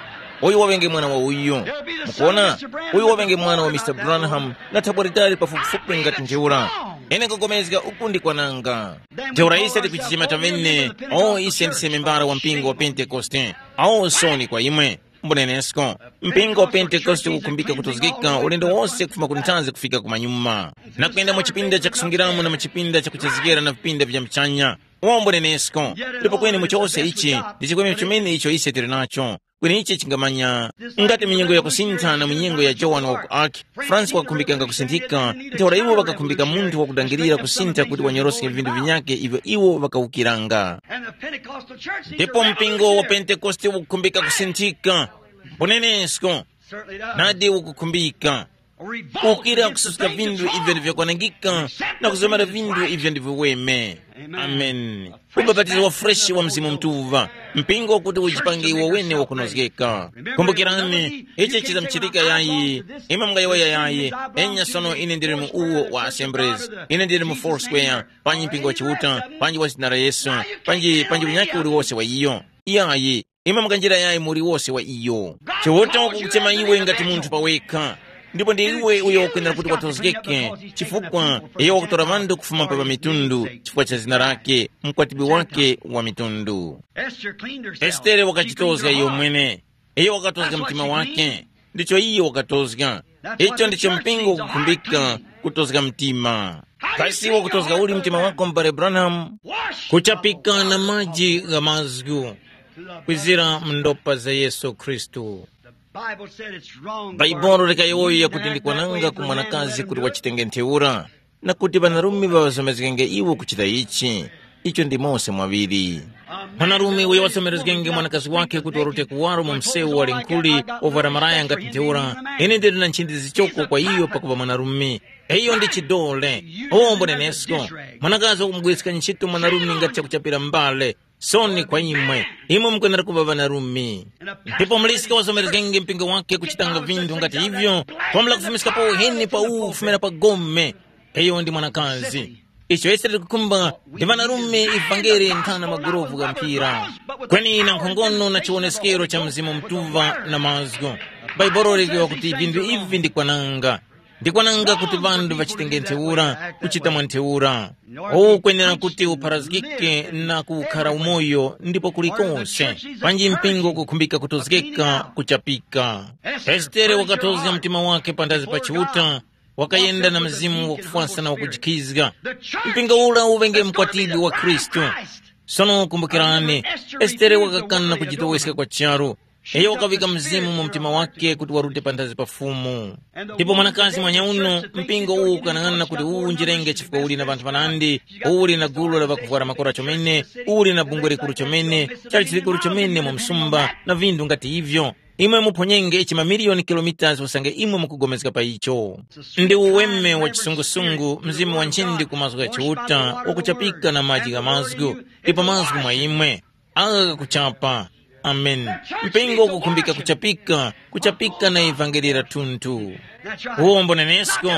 Uyu waŵenge mwana wa uyu. Mukuona? Uyu waŵenge mwana wa Mr Branham, na thabwa litali pafupifupi ngati ntheura. Ine nkupulikana uku ndi kwananga. Ntheura ise tikuchichima tamene, o ise ndise membara wa mpingo wa Pentekoste. Awo nsoni kwa imwe. Mbunenesko, mpingo wa Pentekoste ukukhumbika kutozgeka ulendo wose kufuma ku nthanzi kufika kumanyuma, na kuyenda mu chipinda chakusungiramo na mu chipinda chakuchezgera na vipinda vya mchanya. Umo mbunenesko, ndipo kweni mu chose ichi ndi chikwemero chimene icho ise tili nacho. Kweni ichi chingamanya ngati minyengo yakusintha na minyengo ya Jowane wa ku Arki, Fransi wakakhumbikanga kusinthika, ntheura iwo ŵakakhumbika munthu wakudangirira kusintha kuti wanyoroske vinthu vinyakhe ivyo iwo ŵakawukiranga. And the Pentecostal church is ndipo mpingo wa pentekoste ukukhumbika kusinthika. Mbunenesko, certainly does. Nadi ukukhumbika A revolt ukira against the kususka things vinthu of ivyo God. Ndivyo kwanangika na kuzomera vinthu ivyo ndivyo weme. Amen. Amen. Ubapatizo wa freshi wa Mzimu Mutuŵa, mpingo kuti ujipange iwo wene wakunozgeka. Kumbukirani, ichi chizamuchitika yayi, imwe mungayowoya yayi, enya sono ine ndili mu uwo wa Assemblies, ine ndili mu Foursquare, panji mpingo wa Chiuta, panji wa zina la Yesu, panji, panji unyakhe uliwose wa iyo. Yayi, imwe mukanjira yayi muli wose wa iyo. Chiuta wakukuchema iwe ngati munthu pawekha, ndipo ndi iwe uyo ukwenera kuti watozgeke, chifukwa iyo wakutora ŵanthu kufuma pa ŵamitundu chifukwa cha zina lake, mkwatibwi wake wa mitundu. Estere wakachitozga iyo mwene. Iyo wakatozga mtima wake. Ndicho iyo wakatozga. Icho ndicho mpingo ukukhumbika, kutozga mtima. Kasi wakutozga uli mtima wako, m'bale Branham? Kuchapika na maji gha mazgu, kwizira mu ndopa za Yesu Khristu. Baibulo likayowoya kuti ndikwananga ku mwanakazi kuti wachitenge ntheura, na kuti ŵanarume ŵaŵazomezgenge iwo kuchita ichi. Icho ndi mose mwaŵiri. Mwanarume uyo wasomerezgenge mwanakazi wake kuti warute kuwaro mu msewu wali nkhuli, ovwara maraya ngati ntheura, ine ndili na nchindi zichoko kwa iyo pakuva mwanarume. Iyo ndi chidole. Ombo nenesko, mwanakazi wakumugwiska ntchito mwanarume ngati chakuchapira mbale. Sono kwa imwe, imwe mukwenera kuŵa ŵanarume. Ndipo muliska wazomerezgenge mpingo wake kuchitanga vinthu ngati ivyo, kwambula kufumiskapo uheni pa uwu kufumira pa gome. Iyo ndi mwanakazi. Icho ise tikukhumba ndi ŵanarume ivangere nthana magurovu gha mpira. Kweni na nkhongono na chiwoneskero cha Mzimu Mutuŵa na mazgu. Bhaibuli likiwa kuti vinthu ivi ndi kwananga. Ndi kwananga kuti ŵanthu ŵachitenge ntheura, kuchita mwa ntheura. Uwu ukwenera kuti upharazgike na kukhara umoyo ndipo kulikonse. Panji mpingo ukukhumbika kutozgeka kuchapika. Estere wakatozga mtima wake panthazi pa Chiuta, wakayenda na mzimu wakufwasa na wakujikhizga. Mpingo ura uŵenge mkwatibwi wa Khristu. Sono kumbukirani, Estere wakakana kujitoweska kwa charu. Iyo wakavika mzimu mu mtima wake kuti warute panthazi pa Fumu. Ndipo mwanakazi mwanyauno, mpingo uwu ukanang'ana kuti uwu unjirenge chifukwa uli na ŵanthu ŵanandi, uwu uli na gulu la ŵakuvwara makora chomene, uwu uli na bungwe likuru chomene, chali chilikuru chomene mu msumba, na vinthu ngati ivyo. Imwe muphonyenge ichi mamiliyoni kilomitas usange imwe mukugomezga pa icho. Ndi uweme wa chisungusungu, mzimu wa nchindi ku mazgu gha Chiuta, wakuchapika na maji gha mazgu, ndipo mazgu mwa imwe. Agha ghakuchapa. Amen. Mpingo ukukhumbika kuchapika, kuchapika na ivangeli la thunthu. Uwombo nenesko,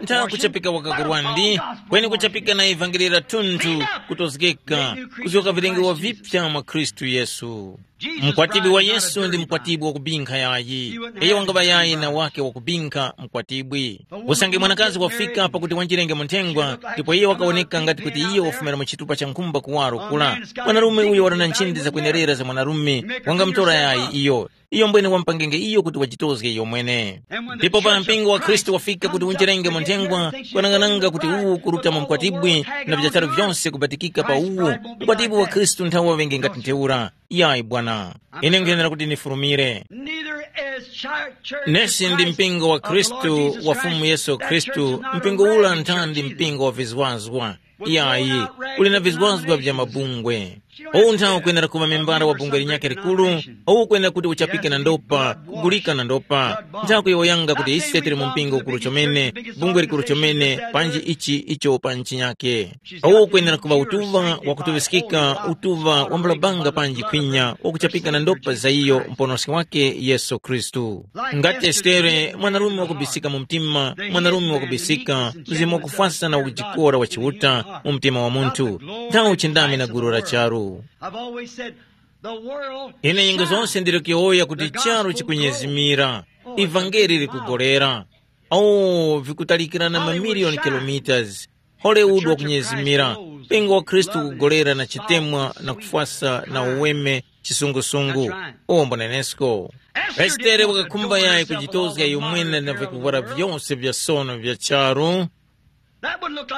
ntha kuchapika wakakurwandi, kweni kuchapika na ivangeli la thunthu, kutozgeka, kuzoka vilengewa vipya mwa Khristu Yesu. Mkwatibwi wa Yesu ndi mkwatibwi wakubinkha yayi. Iyo wangaŵa yayi na wake wakubinkha mkwatibwi. Usange mwanakazi wafika pakuti wanjirenge mu nthengwa, ndipo iyo wakawoneka ngati kuti iyo wafumira mu chitupa cha nkhumba kuwaro kula. Mwanarume uyo wali na nchindi zakwenerera za mwanarume, wangamutora yayi iyo. Iyo mbwene wampangenge iyo kuti wajitozge iyo mwene. Ndipo para mpingo wa Khristu wafika kuti unjerenge mu nthengwa, kwanang'ananga kuti uwu kuruta mu mkwatibwi, na vichacharu vyonse kubatikika pa uwu. Mkwatibwi wa Khristu nthawe waŵenge ngati ntheura. Yayi bwana, ine nkhenera kuti nifurumire. Neither is char- church of Nesi ndi Christ mpingo wa of the Lord Khristu Jesus wa Christ, Fumu Yesu not a Khristu, mpingo ula ntha ndi mpingo wa vizwazwa. Yayi, uli na vizwazwa vya mabungwe. Uwu nthawi ukwenera kuŵa membara wa bungwe linyakhe likuru, uwu ukwenera kuti uchapike na ndopa, kugulika na ndopa. Nthawi kuyowoyanga kuti ise tili mu mpingo ukuru chomene, bungwe likuru chomene, panji ichi icho pa nchinyakhe. Uwu ukwenera kuŵa utuŵa wakutuŵiskika, utuŵa wambula banga panji khwinya, wakuchapika na ndopa za iyo Muponoski wake Yesu Khristu. Ngati Estere, mwanarume wakubisika mu mtima, mwanarume wakubisika, mzimu wakufwasa na wakujikora wa Chiuta mu mtima wa munthu, nthawe uchindami na gulu la charu. I've always said, the world Ine nyengo zonse ndili kuyowoya kuti charu chikunyezimira, ivangeli likugolera. Oh, vikutalikirana mamiliyoni kilometers. Hollywood wakunyezimira, mpingo wa Khristu ukugolera na chitemwa na kufwasa na uweme, chisungusungu. Ombo nenesko. Estere wakakhumba yayi kujitozga iyo mwene na vikuvwara vyose vya sono vya charu.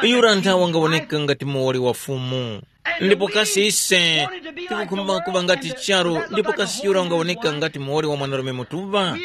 Yura nthawi wangawoneka ngati muwoli wa Fumu. Ndipo kasi ise tikukhumba kuŵa ngati charu, ndipo kasi yura wangawoneka ngati muwoli wa mwanarume mutuŵa?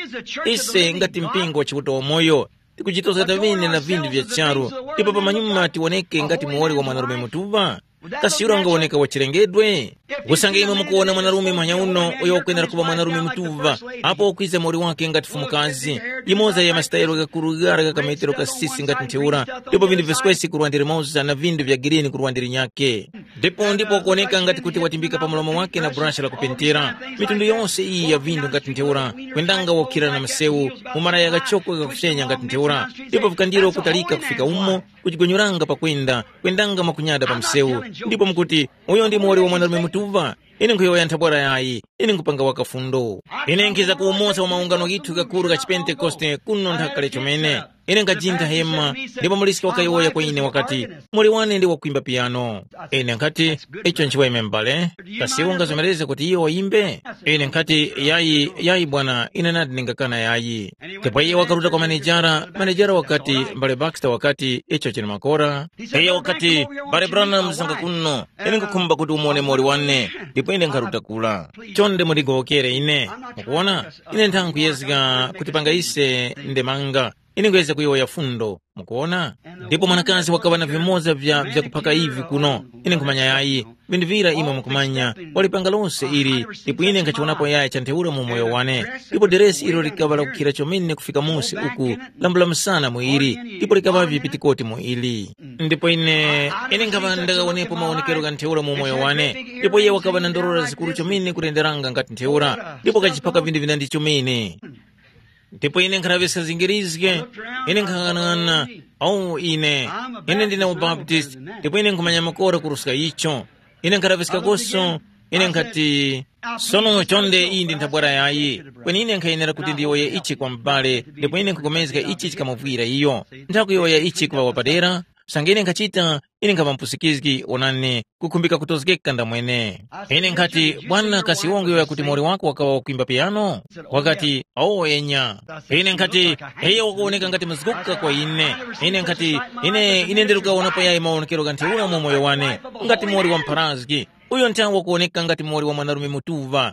Ise ngati mpingo wa Chiuta wamoyo, tikuchitoza tavine na vinthu vya charu, ndipo pamanyuma tiwoneke ngati muwoli wa mwanarume mutuŵa? Kasi yura wangawoneka wa chilengedwe? Usange imwe mukuwona mwanarume mwanyauno uyo wakwenera kuŵa mwanarume mutuŵa, apo wakwiza muwoli wake ngati fumukazi, limoza ya masitayelo ghakuru ghara gha kametero kasisi ngati ntheura, ndipo vinthu viswesi kurwandira moza na vinthu vya girini kurwandira nyake. Ndipo ndipo wakuwoneka ngati kuti watimbika pa mlomo wake na burashi la kupentera. Mitundu yonse iyi ya vinthu ngati ntheura, kwendanga wokhira na msewu, mu maraya ghachoko ghakusenya ngati ntheura, ndipo vikandiro kutalika kufika umo, kuchigonyolanga pakwenda, kwendanga mwakunyada pa msewu. Ndipo mukuti, uyo ndi muwoli wa mwanarume mutuŵa? Ine nkhuyowoya nthabwara yayi, ine nkupanga wakafundo. Ine nkhiza kuwumosa wa maungano ghithu ghakuru gha chipentekoste kuno nthakale chomene. Ine nkajintha hema, ndipo muliska wakayowoya kwa ine wakati, muli wane ndi wakwimba piyano. Ine nkhati, icho nchiweme m'bale, kasi iwe ungazomereze kuti iyo wayimbe? Ine nkhati, yayi, yayi bwana, ine nadi ndingakana yayi. Ndipo iye wakaruta kwa manejara, manejara wakati, m'bale Baxter wakati, icho chili makora. Iye wakati, m'bale Branham muzanga kuno, ine nkukhumba kuti umone moli wane, ndipo ine nkharuta kula. Chonde mundigowokere ine. Mukuwona, ine nthankhu yezga kuti panga ise ndemanga. Ine nkuyezga kuyowoya fundo, mukuwona? Ndipo mwanakazi wakaŵa na vimoza vya vyakuphaka ivi kuno. Ine nkhumanya yayi, vinthu vira imwe mukumanya, walipanga lose ili, ndipo ine nkhachiwonapo yaya cha ntheura mu moyo wane. Ndipo deresi ilo likaŵa lakukhira chomene kufika musi uku, lambula msana mu ili, ndipo likaŵavye pitikoti mu ili. Ndipo ine, ine nkhaŵa ndakawonepo mawonekero gha ntheura mu moyo wane, ndipo iye wakaŵa na ndorora zikuru chomene kutenderanga ngati ntheura, ndipo kachiphaka vinthu vina ndi chomene. Ndipo ine nkhaŵiska zingirizge, ine nkhang'anang'ana, awu ine, ine ndine mubaptist, ndipo ine nkhumanya makora kuruska icho. Ine nkhaŵiskakoso, ine nkhati, sono chonde iyi ndi nthabwara yayi, kweni ine nkhayenera kuti ndiyowoye ichi kwa m'bale, ndipo ine nkhupulikana ichi chikamuvwira iyo. Nthakuyowoya ichi kuŵa wapadera, usange ine nkhachita, ine nkhaŵa mpusikizgi, onani, kukhumbika kutozgeka ndamwene. Ine nkhati, bwana kasi iwe unguyowoya kuti muwoli wako wakaŵa wakwimba piyano? Wakati, awo enya. Ine nkhati, iyo wakuwoneka ngati mzguka kwa ine. Ine nkhati, ine ine ndili kukawonapo yayi mawonekero gha ntheura mu moyo wane, ngati muwoli wa mpharazgi. Uyo nthawe wakuwoneka ngati muwoli wa mwanarume mutuŵa.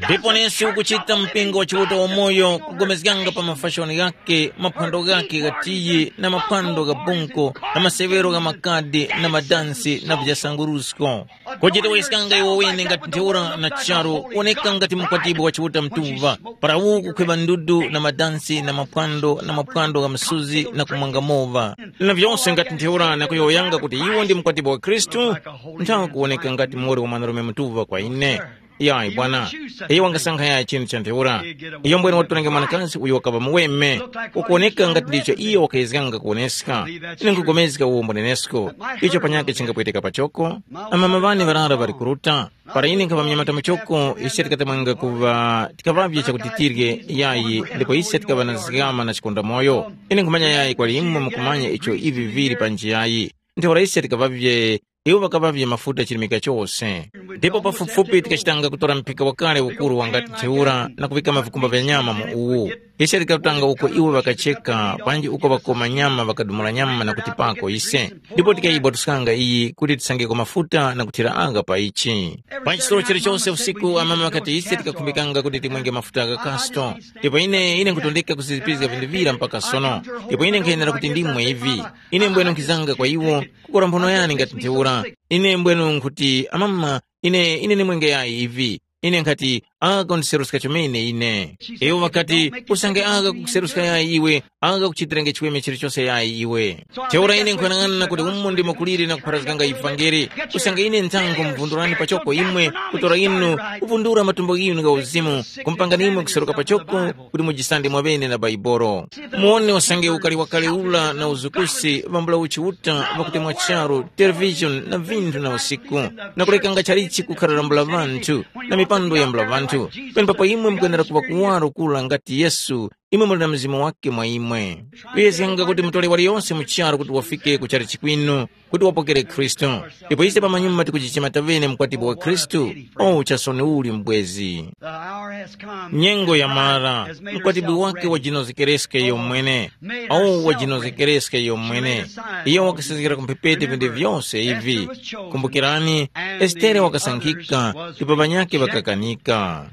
Ndipo nesi ukuchita mpingo wa Chiuta wamoyo kugomezganga pa mafashoni ghake, maphwando ghake gha tiyi na maphwando gha bunko na masewero gha makadi na madansi na vijasangurusko. Kujitoweskanga iwo wene ngati ntheura na charu, woneka ngati mkwatibwi wa Chiuta mtuŵa, para uwu kukhwima ndudu na madansi na maphwando na maphwando gha msuzi na kumwanga mova. Na vyose ngati ntheura na kuyowoyanga kuti iwo ndi mkwatibwi wa Khristu, nthawe kuwoneka ngati muwoli wa mwanarume mtuŵa kwa ine. Yayi bwana, iyo wangasankha yayi chinthu cha ntheura. Iyo mbwene watorenge mwanakazi uyo wakaŵa muweme, ukuwoneka ngati ndicho iyo wakayezganga kuwoneska. Ine nkugomezga uwo mbunenesko, icho panyakhe chingapweteka pachoko. Amama ŵane ŵarara ŵali kuruta. Para ine nkhaŵa mnyamata muchoko, ise tikatemwenga kuŵa tikaŵavye chakuti tirye yayi, ndipo ise tikaŵa na zgama na chikondamoyo. Ine nkhumanya yayi kwali imwe mukumanya icho ivi vili panji yayi. Ntheura ise tikaŵavye iwo ŵakaŵavye mafuta chirimika chose. Ndipo pafupifupi tikachitanga kutora mphika wakale ukuru wangati ntheura na kuŵikama vikumba vya nyama mu uwu. Ise tikatanga uko iwo ŵakacheka panji uko ŵakoma nyama ŵakadumula nyama na kutipako ise. Ndipo tikayibwatuskanga iyi kuti tisangeko mafuta na kuthira agha pa ichi. Pa chisoro chilichose usiku amama ŵakati ise tikakhumbikanga kuti timwenge mafuta gha kasto. Ndipo ine ine nkutondeka kuzizipizga vinthu vira mpaka sono. Ndipo ine nkhayenera kuti ndimwe ivi. Ine mbwene nkhizanga kwa iwo, kukora mphono yani ngati ntheura. Ine mbwenu nkhuti, amama, ine ine nimwenge yayi ivi. Ine nkhati, aka kundiseruska chomene ine. Iwo ŵakati, usange aka kukuseruska yayi iwe, aka kuchitirenge chiweme chilichose yayi iwe. Ntheura ine nkuyang'ana kuti umo ndimo kuliri na kupharazganga ivangeli. Usange ine nthango mvundurani pachoko imwe, kutora inu, kuvundura matumbo ghinu gha uzimu, kumpangani imwe kuseruka pachoko, kuti mujisande mwaŵene na Baibolo. Muwone usange ukali wakale ura na uzukusi vambula uchiuta vakutemwa charu, televishoni na vinthu na usiku, na kulekanga chalichi kukhararambula ŵanthu na mipando yambula ŵanthu. Penepapo imwe mukwenera kuŵa kuwaro kura ngati Yesu, imwe muli na Mzimu wake mwa imwe. Kuyezganga kuti mutole waliyonse mu charu kuti wafike ku chalichi kwinu, kuti wapokere Khristu. Ndipo ise pamanyuma tikuchichema tavene mkwatibwi wa Khristu. O chasoni uli mbwezi. Nyengo yamara, mkwatibwi wake wajinozekereska iyo mwene. Awu wajinozekereska iyo mwene. Iyo wakasezgera ku mphepete vinthu vyose ivi. Kumbukirani, Estere wakasankhika, ndipo ŵanyakhe ŵakakanika.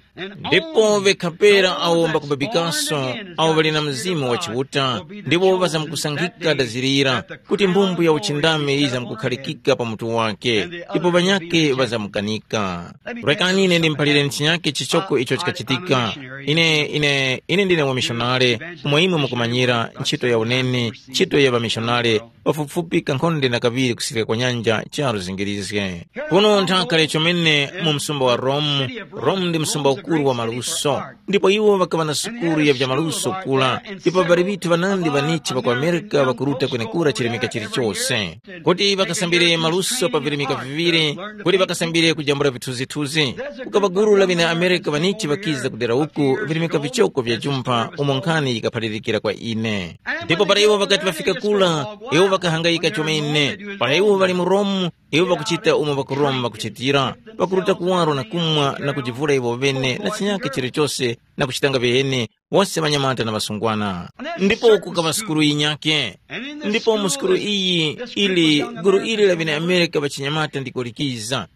Ndipo ŵekhapera awo mbakubabikaso, awo ŵali na Mzimu wa Chiuta, ndipo ŵazamkusankhika dazirira, kuti mbumbwe ya uchindami yizamkukhalikika pa mutu wake, ndipo ŵanyakhe ŵazamukanika. Rekani ine ndimuphalireni chinyakhe chichoko icho chikachitika. Ine, ine, ine ndine wamishonare, umo imwe mukumanyira, ntchito ya uneni, ntchito ya ŵamishonare, pafupifupi kankhonde na kaŵiri kusirika kwa nyanja charu zingirizge. Kuno nthaka chomene mu msumba wa Rome, Rome ndi msumba ukuru wa maluso, ndipo iwo ŵakaŵa na sukulu ya vya maluso kula, ndipo pali ŵithu ŵanandi ŵanichi ŵa ku Amerika ŵakuruta kwenekura chilemeka chilichose. Kuti ŵakasambire maluso pa vilemeka viŵiri, kuti ŵakasambire kujambula vithunzithunzi. Kukaŵa gulu la ŵene Amerika ŵanichi ŵakiza kudera uku vilemeka vichoko vya jumpha umo nkhani yikaphalirikira kwa ine. Ndipo para iwo ŵakati ŵafika kula, iwo ŵakahangayika chomene. Para iwo ŵali mu Romu, iwo ŵakuchita umo ŵa ku Romu ŵakuchitira, ŵakuruta kuwaro na kumwa na kujivula iwo ŵene na chinyakhe chilichose na kuchitanga viheni, wose ŵanyamata na ŵasungwana. Ndipo kukaŵa sukulu yinyakhe. Ndipo mu sukulu iyi ili gulu ili la ŵene-Amerika ŵachinyamata ndiko likiza.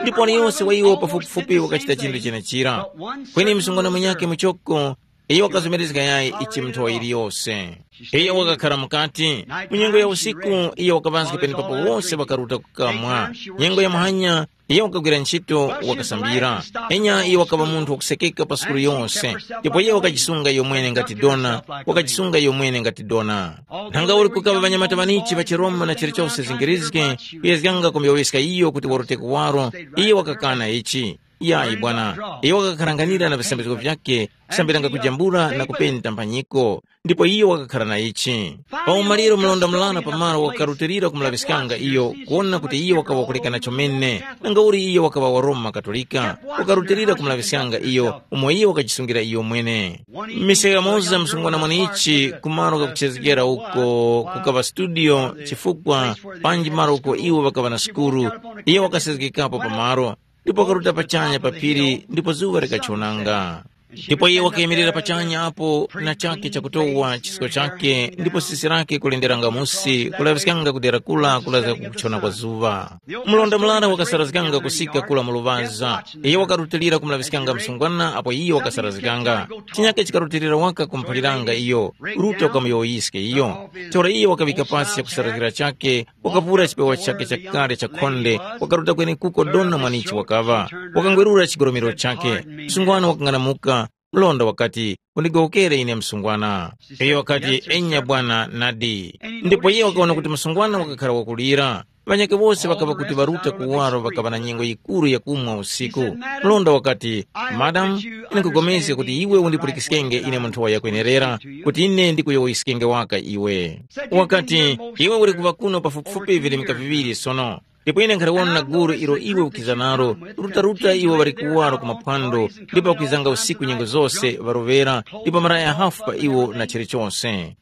Ndipo aliyonse wa iwo pafupifupi wakachita chinthu chenechira. Kweni msungwana munyakhe muchoko Iyo wakazomerezga yayi ichi mu nthowa yiliyose. Iyo wakakhara mukati, mu nyengo ya usiku iyo wakaŵazga penepapo wose ŵakaruta kukamwa. Nyengo ya muhanya iyo wakagwira ntchito wakasambira. Enya iyo wakaŵa munthu wakusekeka pa sukulu yose, ndipo iyo wakajisunga iyo mwene ngati dona, wakajisunga iyo mwene ngati dona. Nthanga uli kukaŵa ŵanyamata ŵanichi ŵa chiRoma na chilichose zingirizge, kuyezganga kumyowoyeska iyo kuti waruta kuwaro, iyo wakakana ichi. Yayi bwana, iyo wakakharanganira na visambizgo vyakhe, kusambiranga kujambula na kupenta mphanyiko, ndipo iyo wakakhara na ichi. Pa umaliro mlonda murara pamaro wakarutilira kumulaŵiskanga iyo, kuwona kuti iyo wakaŵa kulekana chomene, nangauli iyo wakaŵa wa Roma Katolika, wakarutilira kumulaŵiskanga iyo, umo iyo wakajisungira iyo mwene. Mise yamoza msungwana mweneichi kumaro kakuchezgera uko, kukaŵa studio, chifukwa panji malo uko iwo ŵakaŵa na sukuru, iyo wakasezgekapo pamaro, ndipo wakaruta pachanya pa phiri ndipo zuŵa likachonanga. Ndipo iye wakayimirira pachanya apo na chake chakutowa chisko chake ndipo sisi lake kulenderanga musi kulaŵiskanga ku dera kula kulaza kukuchona kwa zuŵa. Mlonda murara wakasarazganga kusika kula mu luŵaza. Iye wakarutilira kumulaŵiskanga msungwana apo iye wakasarazganga. Chinyake chikarutilira waka kumuphaliranga iyo, ruta ukamuyowoyiske iyo. Ntheura iye wakaŵika pasi chakusarazgira chake, wakapura chipewa chakhe chakale cha khonde, wakaruta kwenekuko dona mwanichi wakaŵa. Wakangwerura chigoromero chakhe. Msungwana wakang'anamuka, mlonda wakati, "Undigowokere ine msungwana." Iyo wakati, "Enya bwana, nadi." Ndipo iye wakaona kuti msungwana wakakhara wakulira. Ŵanyakhe wose ŵakaŵa kuti ŵaruta kuwaro ŵakaŵa na nyengo yikuru yakumwa usiku. Mlonda wakati, "Madamu, ine nkupulikana kuti iwe undipulikiskenge ine mu nthowa yakwenerera, kuti ine ndikuyowoyeskenge waka iwe." Wakati, "Iwe uli kuŵa kuno pafupifupi vilemeka viŵiri sono, ndipo ine nkhaliwona na gulu ilo iwe ukiza nalo, rutaruta iwo ŵali kuwaro ku maphwando, ndipo ŵakwizanga usiku nyengo zose ŵarovera, ndipo maraya hafu pa iwo na chilichose.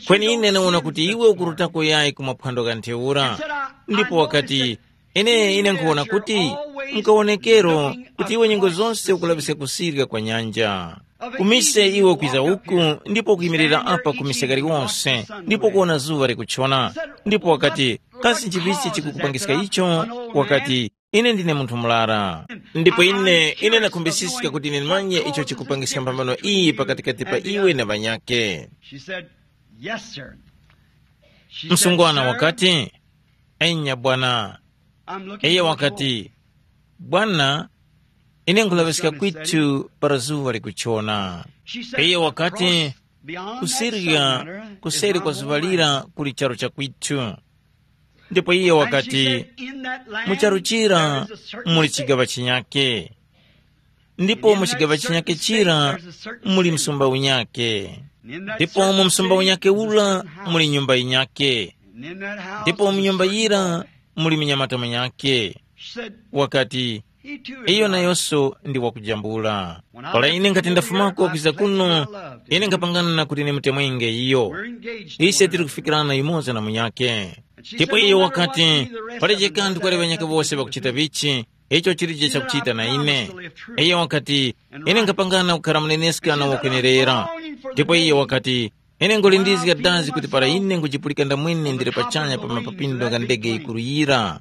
Kweni ine ndawona kuti iwe ukurutako yayi ku maphwando gha ntheura." Ndipo wakati, "Ine ine nkhuwona kuti mukawonekero kuti iwe nyengo zose ukulaŵiska kusirika kwa nyanja. Kumise iwe ukwiza uku ndipo ukuyimirira apa kumise kaliwonse ndipo ukuwona zuŵa likuchona." Ndipo wakati, "Kasi nchivichi chikukupangiska icho?" Wakati, "Ine ndine munthu murara. Ndipo ine ine ndakhumbisiska kuti ine ndimanye icho chikupangiska mphambano iyi pakatikati pa iwe na ŵanyakhe." She said, "Yes, sir." She said, msungwana "Sir, wakati, "Enya bwana." I'm looking Iye for wakati, "Bwana, ine nkhulaŵiska kwithu para zuŵa likuchona." She said, iye wakati, "Across beyond that kusirika sun, kuseri kwa zuŵa lira kuli charu cha kwithu." Ndipo iye wakati, "Mu charu chira muli chigaŵa chinyake, ndipo mu chigaŵa chinyake chira muli msumba unyake, ndipo mu msumba unyake ura muli nyumba yinyake, ndipo mu nyumba yira muli munyamata munyake." Wakati, "Iyo nayonso ndi wakujambula. Para ine nkhati ndafumako kwiza kuno, ine nkhapangana kuti ndimutemwenge iyo. Ise tili kufikirana yumoza na munyakhe." Ndipo iyo wakati, "Palibe kanthu kali ŵanyakhe wose ŵakuchita vichi, icho chilije chakuchita na ine." Iyo wakati, "Ine nkhapangana kukhara muneneska na wakwenerera." Ndipo iyo wakati, "Ine ngulindizga dazi kuti para ine ngujipulika ndamwene ndili pachanya pa mapapindo gha ndege yikuru yira,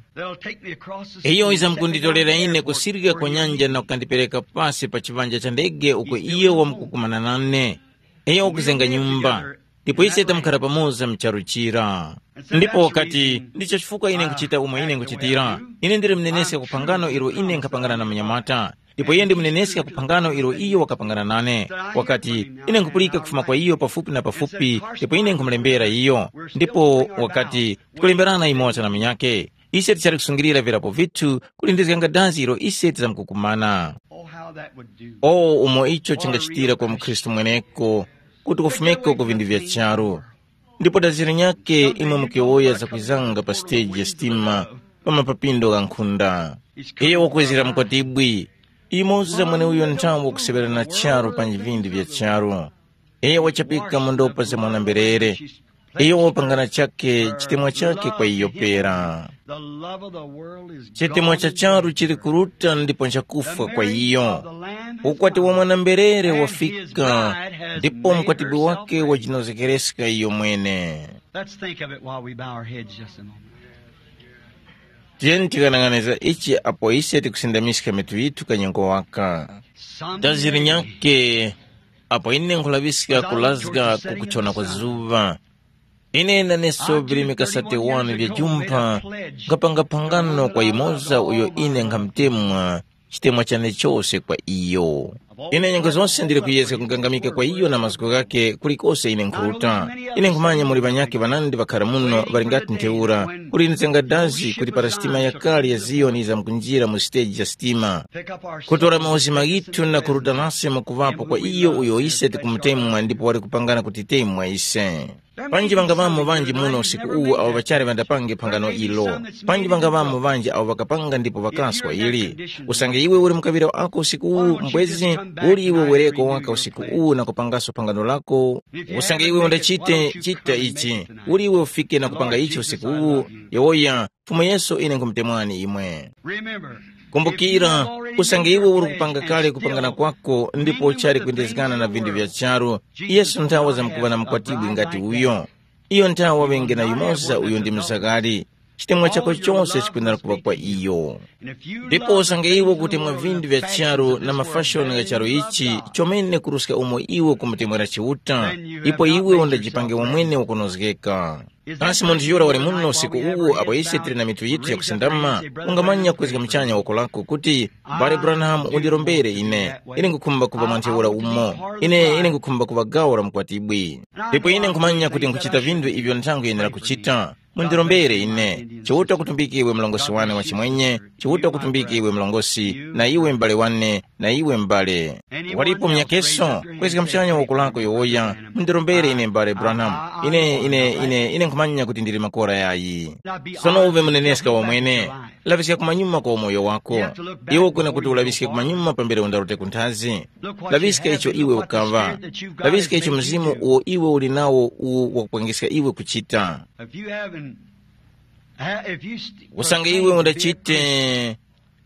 iyo wizamkunditolera ine kusirika kwa nyanja na kukandipereka pasi pa chiŵanja cha ndege uko iyo wamkukumana nane. Iyo wakuzenga nyumba, ndipo ise tamukhara pamoza mu charu chira." Ndipo wakati, "Ndicho chifukwa ine nkuchita umo ine nkuchitira. Ine ndili muneneska ku phangano ilo ine nkhapangana na munyamata, ndipo iye ndi muneneska ku phangano ilo iyo wakapangana nane. Wakati, ine nkupulika kufuma kwa iyo pafupi na pafupi, ndipo ine nkhumulembera iyo." Ndipo wakati, "Tikulemberana imoza na munyakhe. Ise tichali kusungilira virapo vithu kulindizganga dazi ilo ise tizamkukumana." Oh, how that would do. O umo icho chingachitira kwa mukhristu mweneko, kuti kufumeko ku vindu vya charu. Ndipo dazi linyakhe imwe mukiwoya zakwizanga pa siteji ya sitima pa mapapindo gha nkhunda. Iyo wakwezera mukwatibwi, imoza mweneuyo nthawi wakuseŵerana charu panji vindi vya charu. Iyo wachapika mu ndopa za mwana-mberere. Iyo wapangana chakhe chitemwa chakhe kwa iyo pera. Chitemwa cha charu chili kuruta ndipo nchakufwa kwa iyo. Ukwati wa mwana-mberere wafika, ndipo mukwatibwi wake wajinozegereska iyo mwene. Let's think of it while we bow our heads just a moment. Tiyeni tikanang'aniza ichi apo ise tikusindamiska mitu yithu kanyengo waka. Dazi linyakhe Apo ine nkhulaŵiska kulazga ku kuchona kwa zuŵa, ine naneso virimika sate wanu vya jumpha, nkhapanga phangano kwa yumoza uyo ine nkhamutemwa chitemwa chane chose kwa iyo. Ine nyengo zose ndili kuyezga kugangamika kwa iyo na mazgu ghake kulikose ine nkhuruta. Ine nkhumanya muli ŵanyakhe ŵanandi ŵakhara muno ŵali ngati ntheura, kuli nzenga dazi kuti para sitima yakale ya Ziyoni yizamkunjira mu siteji ya sitima, kutora mauzima ghithu na kuruta nase mwakuŵapo kwa iyo uyo ise tikumutemwa ndipo wali kupangana kutitemwa ise. Panji ŵangaŵamo ŵanji muno usiku uwu awo ŵachali ŵandapange phangano ilo. Panji ŵangaŵamo ŵanji awo ŵakapanga ndipo ŵakaswa ili. Usange iwe uli mukaŵira wako usiku uwu mbwezi, uli iwe wereko waka usiku uwu na kupangaso phangano lako? Usange iwe undachite chita ichi, uli iwe ufike na kupanga ichi usiku uwu? Yowoya, Fumu Yesu ine nkhumutemwani imwe. Kumbukira, usange iwe uli kupanga kale kupangana kwako ndipo uchali kwindezgana na vinthu vya charu, Yesu nthawa zamkuŵa na mukwatibwi ngati uyo. Iyo nthawa ŵenge na yumoza uyo ndi msakali. Chitemwa chako chose chikwenera kuŵa kwa iyo. Ndipo usange iwe kutemwa vinthu vya charu na mafashoni gha charu ichi, chomene kuruska umo iwe kumutemwera Chiuta, ipo iwe undajipange wamwene wakunozgeka. Kasi munthu yura wali muno usiku uwu apo ise tili na mitu yithu yakusindama, ungamanya kwezga muchanya woko lako kuti, Mbale Branham, undirombere ine. Ine ngukhumba kuŵa mwa ntheura umo. Ine ine ngukhumba kuŵa gawo la mukwatibwi. Ndipo ine nkhumanya kuti nkuchita vinthu ivyo nthango yenera kuchita. Mundirombere ine. Chiuta kutumbike iwe mlongosi wane wa chimwenye, Chiuta kutumbike iwe mlongosi, na iwe m'bale wane, na iwe m'bale. Walipo mnyakeso? Kwezga mchanya woko lako yowoya. Mundirombere ine m'bale Branham. Ine ine ine ine nkhumanya kuti ndili makora yayi. Sono uve muneneska wamwene. Laŵiska kumanyuma kwa umoyo wako. Iwe ukwena kuti ulaŵiske kumanyuma pambere undarote kunthazi. Laŵiska icho iwe ukaŵa. Laŵiska icho mzimu uwo iwe uli nawo uwo wakupangiska iwe kuchita. If you haven't, ha- if you st- Usange iwe undachite,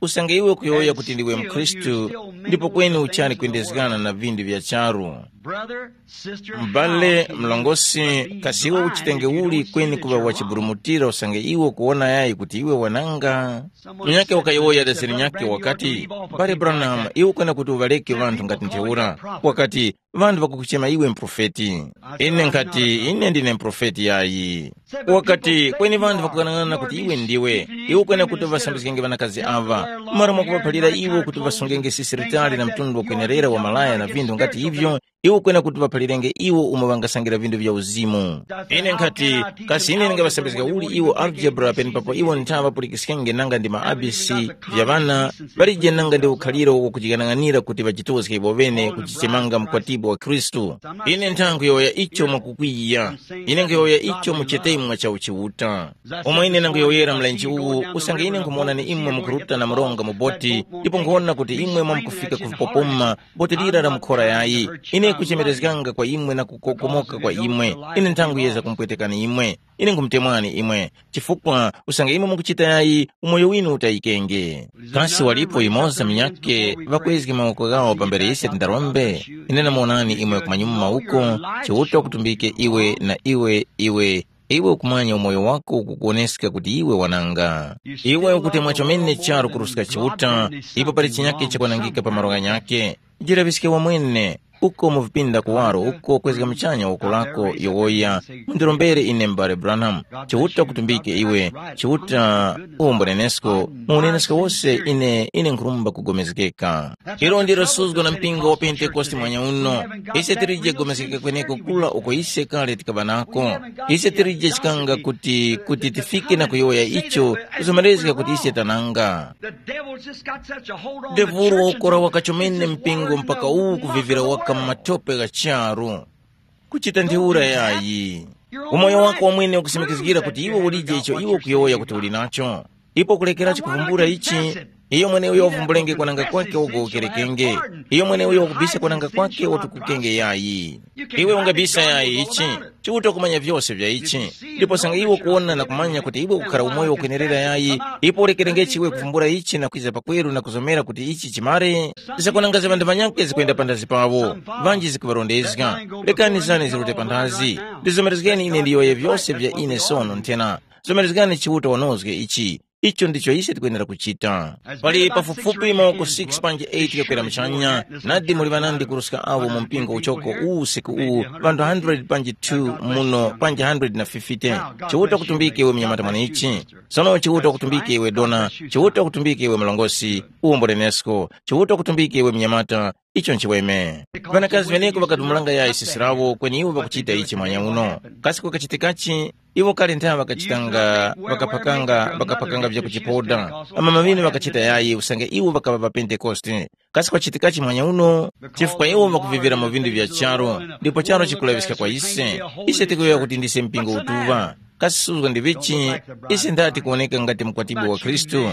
usange iwe kuyowoya kuti ndiwe mkhristu, ndipo kweni uchali kwindezgana na vinthu vya charu. Brother, sister, m'bale how can you mlongosi, but be kasiwa blind uchitenge if you uli don't see kweni that kuŵa you're wrong. Wachiburumutira usange iwe kuwona yayi kuti iwe wananga? Munyakhe wakayowoya dazeni nyakhe wakati, mbale Branham, iwe ukwena kuti uŵaleke ŵanthu ngati ntheura. Wakati, ŵanthu ŵakukuchema iwe mprofeti. Ine nkhati, ine ndine mprofeti yayi. Wakati, kweni ŵanthu ŵakukang'ana kuti iwe ndiwe. Iwe ukwena kuti uŵasambizgenge ŵanakazi aŵa. Mmalo mwakuŵaphalira iwo kuti ŵasungenge sisiritali na mtundu wakwenerera wa malaya na vinthu ngati ivyo, iwe ukwena kuti ŵaphalirenge iwo umo ŵangasangira vinthu vya uzimu. Ine nkhati, kasi ine ndingaŵasambizga uli iwo algebra penepapo iwo nthaŵa pulikiskenge nanga ndi ma A B C vya ŵana, palije nanga ndi ukhaliro wakujing'anang'anira kuti ŵajitozge iwo ŵene kujichemanga mkwatibwi wa Khristu? Ine nthankhu yowoya icho mwakukwiya. Ine nkhuyowoya icho mu chitemwa cha uchiuta. Omwe ine nanguyowoyera mlenje uwu, usange ine nkhumuwonani imwe mukuruta na mronga mu boti, ndipo nkhuwona kuti imwe mwamkufika ku vipopoma, boti lira la mukhora yayi. Ine kuchemerezganga kwa imwe na kukokomoka kwa imwe. Ine nthanguyeza kumpwetekani imwe. Ine nkumutemwani imwe, chifukwa usange imwe mukuchita yayi, umoyo winu utayikenge. Kasi walipo yumoza munyakhe ŵakwezge mawoko ghawo pambere ise tindarombe? Ine namuwonani imwe kumanyuma uko, Chiuta ukutumbike iwe na iwe, iwe, iwe ukumanya umoyo wako ukukuwoneska kuti iwe wananga. Iwe ukutemwa chomene charu kuruska Chiuta, ipo pali chinyakhe chakwanangika pa malo ghanyakhe. Jiraŵiske wamwene, uko mu vipinda kuwaro uko kwezga muchanya woko lako yowoya, mundirombere ine m'bale Branham, Chiuta kutumbike iwe, Chiuta uwombolenesko, mu unenesko wose ine ine nkhurumba kugomezgeka. Ilo ndilo suzgo na mpingo wa Pentekoste mwanya uno. Ise tilije kugomezgeka kweneko kula uko ise kale tikaŵa nako. Ise tilije chikanga kuti kuti tifike na kuyowoya icho kuzomerezga kuti ise tananga. The devil's just got such a hold on the Devulu church. Wakora wakachomene mpingo mpaka uwu kuvivira waka mu matope gha charu. Kuchita ntheura yayi. Umoyo wako wamwene ukusimikizgira kuti iwe ulije icho iwe ukuyowoya kuti uli nacho. Ipo kulekerachi kuvumbula ichi, iyo mweneuyo wavumbulenge kwananga kwake wagowokerekenge. Iyo mweneuyo wakubisa kwananga kwake watukukenge yayi. Iwe ungabisa yayi ichi, Chiuta kumanya vyose vya ichi. Ndipo sanga iwe kuwona na kumanya kuti iwe ukhara umoyo wakwenerera yayi, ipo urekerengechi iwe kuvumbula ichi na kwiza pakweru na kuzomera kuti ichi chimare. Zakwananga za ŵanthu ŵanyakhe zikwenda panthazi pawo, ŵanji zikuŵarondezga. Lekani zane zirute panthazi. Ndizomerezgeni ine ndiyowoye vyose vya ine sono nthena. Zomerezgani Chiuta wanozge ichi. Icho ndicho ise tikwenera kuchita. Pali pafupifupi mawoko six panji eight kakwera muchanya, nadi muli ŵanandi kuruska awo mu mpingo uchoko uwu usiku uwu, ŵanthu hundred panji two muno panji hundred na fifty. Chiuta kutumbike iwe mnyamata mweneichi. Sono Chiuta kutumbike iwe dona, Chiuta kutumbike iwe mlongosi, uwo mbulenesko, Chiuta kutumbike iwe mnyamata, icho nchiweme. Ŵanakazi ŵeneko ŵakatumulanga yayi sisi lawo kweni iwo ŵakuchita ichi mwanya uno. Kasi kukachitikachi? Iwo kale nthawi ŵakachitanga ŵakaphakanga ŵakaphakanga vyakuchipoda. Amama ŵinu ŵakachita yayi usange iwo ŵakaŵa ŵapentekoste. Kasi kwachitikachi mwanya uno? Chifukwa iwo ŵakuvivira mu vindu vya charu, ndipo charu chikulaŵiska kwa ise. Ise tikuyowoya kuti ndise mpingo utuŵa. Kasi suzgo ndi vichi? Ise ndati kuwoneka ngati mukwatibwi wa Khristu.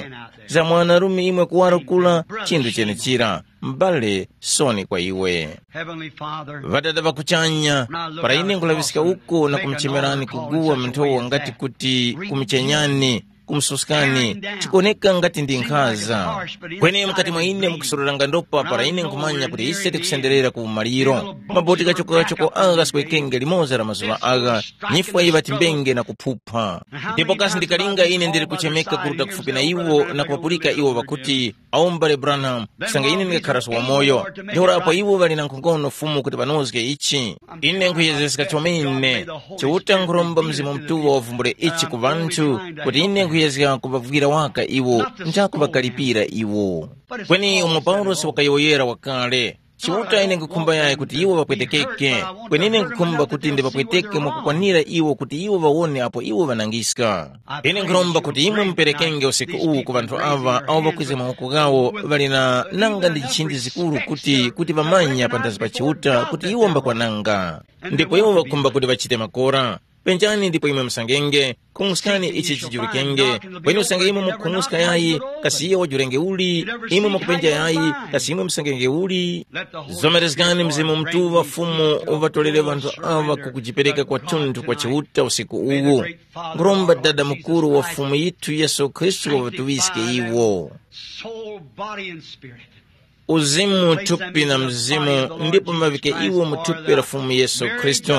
Za mwanarume imwe kuwaro kula, chinthu chenechira. M'bale, soni kwa iwe. Heavenly Father, Ŵadada ŵa kuchanya, para ine nkulaŵiska uko na kumuchemerani kuguwa mnthowa ngati kuti kumuchenyani, kumususkani, chikuwoneka ngati ndi nkhaza. Kweni mukati mwa ine mukusururanga ndopa para ine nkhumanya kuti ise tikusenderera ku umaliro. Maboti kachoko-kachoko agha ghaswekenge limoza la mazuŵa agha, nyifwa yiŵatimbenge na kuphupha. Ndipo kasi ndikalinga ine ndili kuchemeka kuruta kufupi na iwo na kuŵapulika iwo ŵakuti, awo m'bale Branham, kusanga ine ndingakharaso wamoyo. Ntheura apo iwo ŵali na nkhongono Fumu kuti ŵanozge ichi. Ine nkhuyezeska chomene. Chiuta nkhuromba Mzimu Mutuŵa wavumbule ichi ku ŵanthu, kuti ine nkhuyezga kuŵavwira waka iwo, nchakuŵakalipira iwo. Kweni umo Paulosi wakayowoyera wakale, Chiuta ine nkhukhumba yayi kuti iwo ŵapwetekeke, kweni ine nkhukhumba kuti ndiŵapweteke mwakukwanira iwo kuti iwo ŵawone apo iwo ŵanangiska. Ine nkhuromba kuti imwe muperekenge usiku uwu ku ŵanthu aŵa awo ŵakwiza mawoko ghawo ŵali na nanga ndi nchindi zikuru kuti kuti ŵamanya panthazi pa Chiuta kuti iwo mbakwananga. Ndipo iwo ŵakhumba kuti ŵachite makora. Penjani ndipo imwe musangenge, khung'uskani ichi chijulikenge, kweni usange imwe mukhung'uska yayi, kasi iyo wajulenge uli, imwe mukupenja yayi, kasi imwe musangenge uli. Zomerezgani Mzimu Mutuŵa Fumu uŵatolere ŵanthu aŵa ku kujipereka kwathunthu kwa Chiuta usiku uwu. Nkhuromba Dada Mukuru wa Fumu yithu Yesu Khristu waŵatuŵiske iwo. Soul, body, and spirit. Uzimu, thupi na mzimu, ndipo mavike iwo mu thupi la Fumu Yesu Khristu.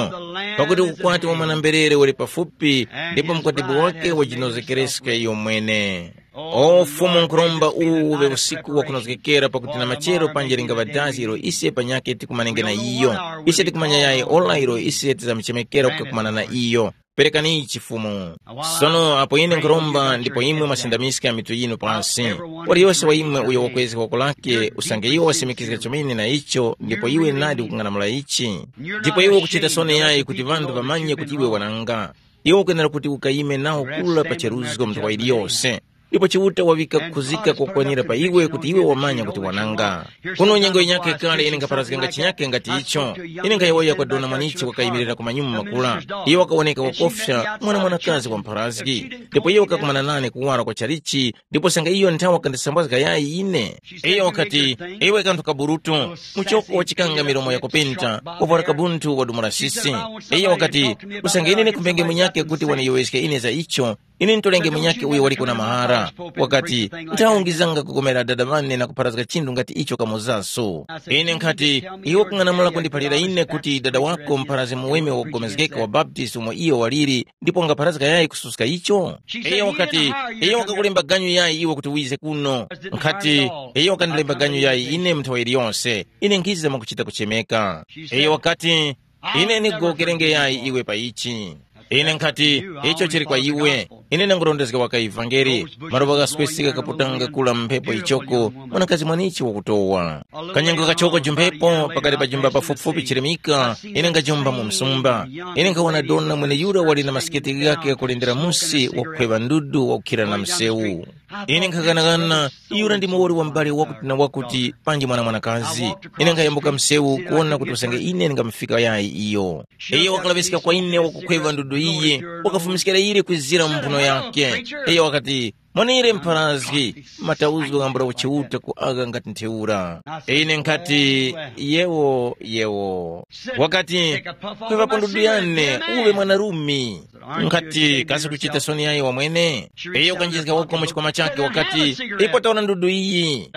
Pakuti ukwati wa mwana-mberere uli pafupi, ndipo mkwatibwi wake wajinozekereska iyo mwene. O Fumu, nkhuromba uwu uŵe usiku wa kunozgekera pakuti na machero panje lingaŵa dazi ilo ise panyakhe tikumanenge na iyo. Ise tikumanya yayi ora ilo ise tizamuchemekera kukakumana na iyo. Perekani ichi Fumu. Sono apo ine nkhuromba ndipo imwe mwasindamiska mitu yinu pansi. Waliyose wa imwe uyo wakwezga woko lake usange iwo wasimikizga chomene na icho ndipo iwe nadi ukung'anamula ichi. Ndipo iwe ukuchita soni yayi kuti ŵanthu ŵamanye kuti iwe wananga. Iwe ukwenera kuti ukayime nawo kula pa cheruzgo nthawa iliyose. Ndipo Chiuta waŵika kukhuzika kokwanira pa iwe kuti iwe wamanya kuti wananga. Kuno nyengo yinyakhe kale ine nkhaparazganga chinyakhe ngati icho. Ine nkhayowoya kwa dona mwanichi wakayimirira ku manyumu makula. Iyo wakawoneka wakofya mwana mwanakazi wa mpharazgi. Ndipo iyo wakakumana nane kuwara kwa chalichi, ndipo sanga iyo nthawi wakandisambwazga yayi ine. Iyo wakati, iwe kanthu kaburutu, muchoko wachikanga milomo yakupenta, wavwara kabunthu wadumula sisi. Iyo wakati, usange ine ndikhumbenge munyakhe kuti waniyowoyeske ine za icho, ine ntolenge munyakhe uyo waliko na mahara. Wakati, nthawungizanga kugomera dada ŵane na kupharazga chinthu ngati icho kamozaso. Ine nkhati, iwe kung'anamula kundiphalira ine kuti dada wako mpharazi muweme wakugomezgeka wa Baptist umo iyo waliri, ndipo ungapharazga yayi kususka icho? Iyo wakati, iyo wakakulemba ganyu yayi iwe kuti wize kuno? Nkhati, iyo wakandilemba ganyu yayi ine mnthawa iliyonse. Ine nkhiza mwakuchita kuchemeka. Iyo wakati, ine nikugowokerenge yayi iwe pa ichi. Ine nkhati, icho chili kwa iwe. Ine ndangurondezga waka ivangeli. Maropa ghaswesika kaputanga kula mu mphepo ichoko, mwanakazi mwanichi wakutowa. Kanyengo kachoko jumphepo pakati pa jumba pafupifupi chirimika, ine ngajumba mu msumba. Ine nkhawana dona mweneyura wali na masiketi ghakhe ghakulendera musi wakukhweŵa ndudu wakukhira na msewu. Ine nkhaghanagana, yura ndi muwoli wa m'bale wakuti na wakuti panji mwana mwanakazi. Ine nkhayambuka msewu kuwona kuti usange ine ndingamufika yayi iyo. Iyo wakalaŵiska kwa ine wakukhweŵa ndudu iyi, wakafumiskira ire kwizira mu mphuno yakhe. Iyo wakati, mwanire mpharazgi, matawuzgo ghambula uchiuta ku agha ngati ntheura. Ine nkhati, yewo, yewo. Wakati, kweŵapo ndudu yane, uŵe mwanarumi. Nkhati, kasi kuchita soni yayi wamwene? Iyo kanjizga woko mu chikwama chakhe wakati, ipo taona ndudu iyi.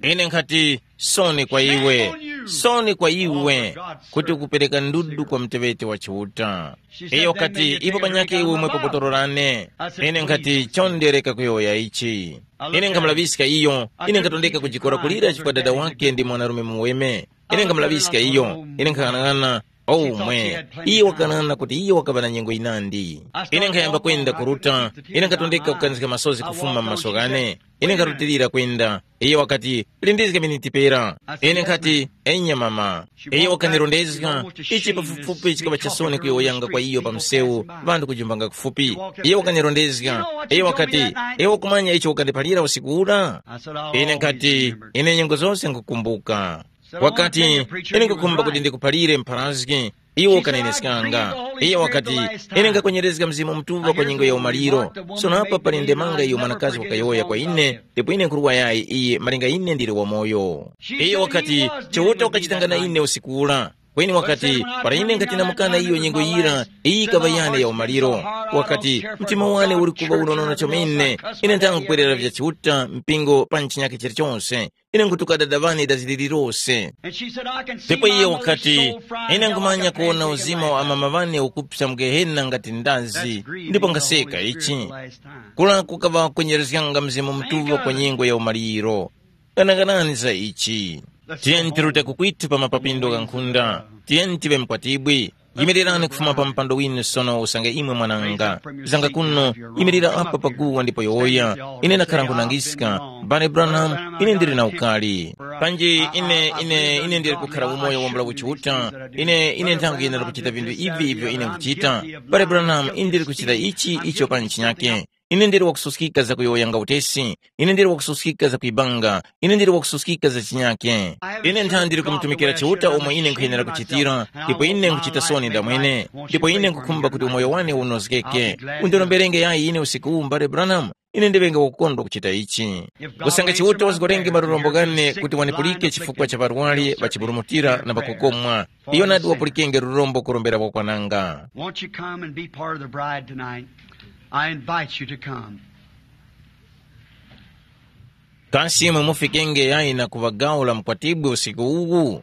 Ine nkhati, soni kwa iwe, soni kwa iwe, kuti ukupereka ndudu kwa muteŵeti wa Chiuta. Iyo wakati, ipo panyakhe iwe umwepo botolo lane. Ine nkhati, chondere. Eka kuyowoya ichi. Ine nkhamulaŵiska iyo, ine nkhatondeka kujikora kulira chifukwa dada wake ndi mwanarume muweme. Ine nkhamulaŵiska iyo, ine nkhang'anang'ana, oh mwe, iye wakanana kuti iye wakaŵa na nyengo yinandi. Ine nkhayamba kwenda kuruta, ine nkhatondeka kukanizga masozi kufuma m'maso ghane. Ine nkharutilira kwenda, iye wakati, lindizga miniti pera. Ine nkhati, enya mama. Iyo wakanirondezga, ichi pafupifupi chikaŵa chasoni kuyowoyanga kwa iyo pa msewu, ŵanthu kujumpanga kufupi. Iyo wakanirondezga, iyo wakati, iwe ukumanya icho ukandiphalira usiku ura? Ine nkati, ine nyengo zose nkukumbuka. Wakati, ine nkukhumba kuti ndikuphalire mpharazgi. Iwo ukaneneskanga. Iyo wakati, ine ngakwenyerezga Mzimu Mutuŵa kwa nyengo ya umaliro. Sono apa pali ndemanga iyo mwanakazi wakayowoya kwa ine, ndipo ine nkhurwa yayi iye malinga ine ndili wamoyo. Iyo wakati, Chiuta wakachitanga na ine usiku ura. Kweni wakati, para ine nkatinamukana iyo nyengo yira, iyi yikaŵa yane ya umaliro. Wakati, mtima wane uli kuŵa unonona chomene, ine nthanga kukwerera vya Chiuta mpingo pa ntchinyake chilichonse. Ine nkutuka dada ŵane dazi lililose. Ndipo iye wakati, ine nkhumanya kuwona uzima wa amama ŵane ukupsa mu Gehena ngati ndazi, ndipo ngaseka ichi. Kula kukaŵa kwenyerezganga Mzimu Mutuŵa kwa nyengo ya umaliro. Ghanaghanani za ichi. Tiyeni tirute kukwithu pa mapapindo gha nkhunda. Tiyeni tive mkwatibwi. Yimirirani kufuma pa mpando winu sono usange imwe mwananga. Zanga kuno, yimirira apa paguwa ndipo yowoya. Ine ndakhara nkhunangiska. Bale Branham, ine ndili na ukali. Panji ine ine ine ndili kukhara umoyo wambula uchiuta. Ine ine nthango yenera kuchita vinthu ivi ivyo ine nkuchita. Bale Branham, ine ndili kuchita ichi icho pa ntchi nyake. Ine ndili wakususkika za kuyowoyanga utesi. Ine ndili wakususkika za kuibanga. Ine ndili wakususkika za chinyake. Ine ntha ndili kumutumikira Chiuta umo ine nkhuyenera kuchitira, ndipo ine nkhuchita soni ndamwene, ndipo ine nkhukhumba kuti umoyo wane unozgeke. Undiromberenge yayi ine usiku uwu, mbale Branham, ine ndiŵenge wakukondwa kuchita ichi. Usange Chiuta wazgorenge malurombo ghane kuti wanipulike chifukwa cha ŵarwari ŵachiburumutira na ŵakukomwa, iyo nadi wapulikenge lurombo kurombera kwakwananga. Won't you come and be part of the bride tonight? I invite you to come. Kasi imwe mufikenge yayi na kuŵa gawo la mkwatibwi usiku uwu?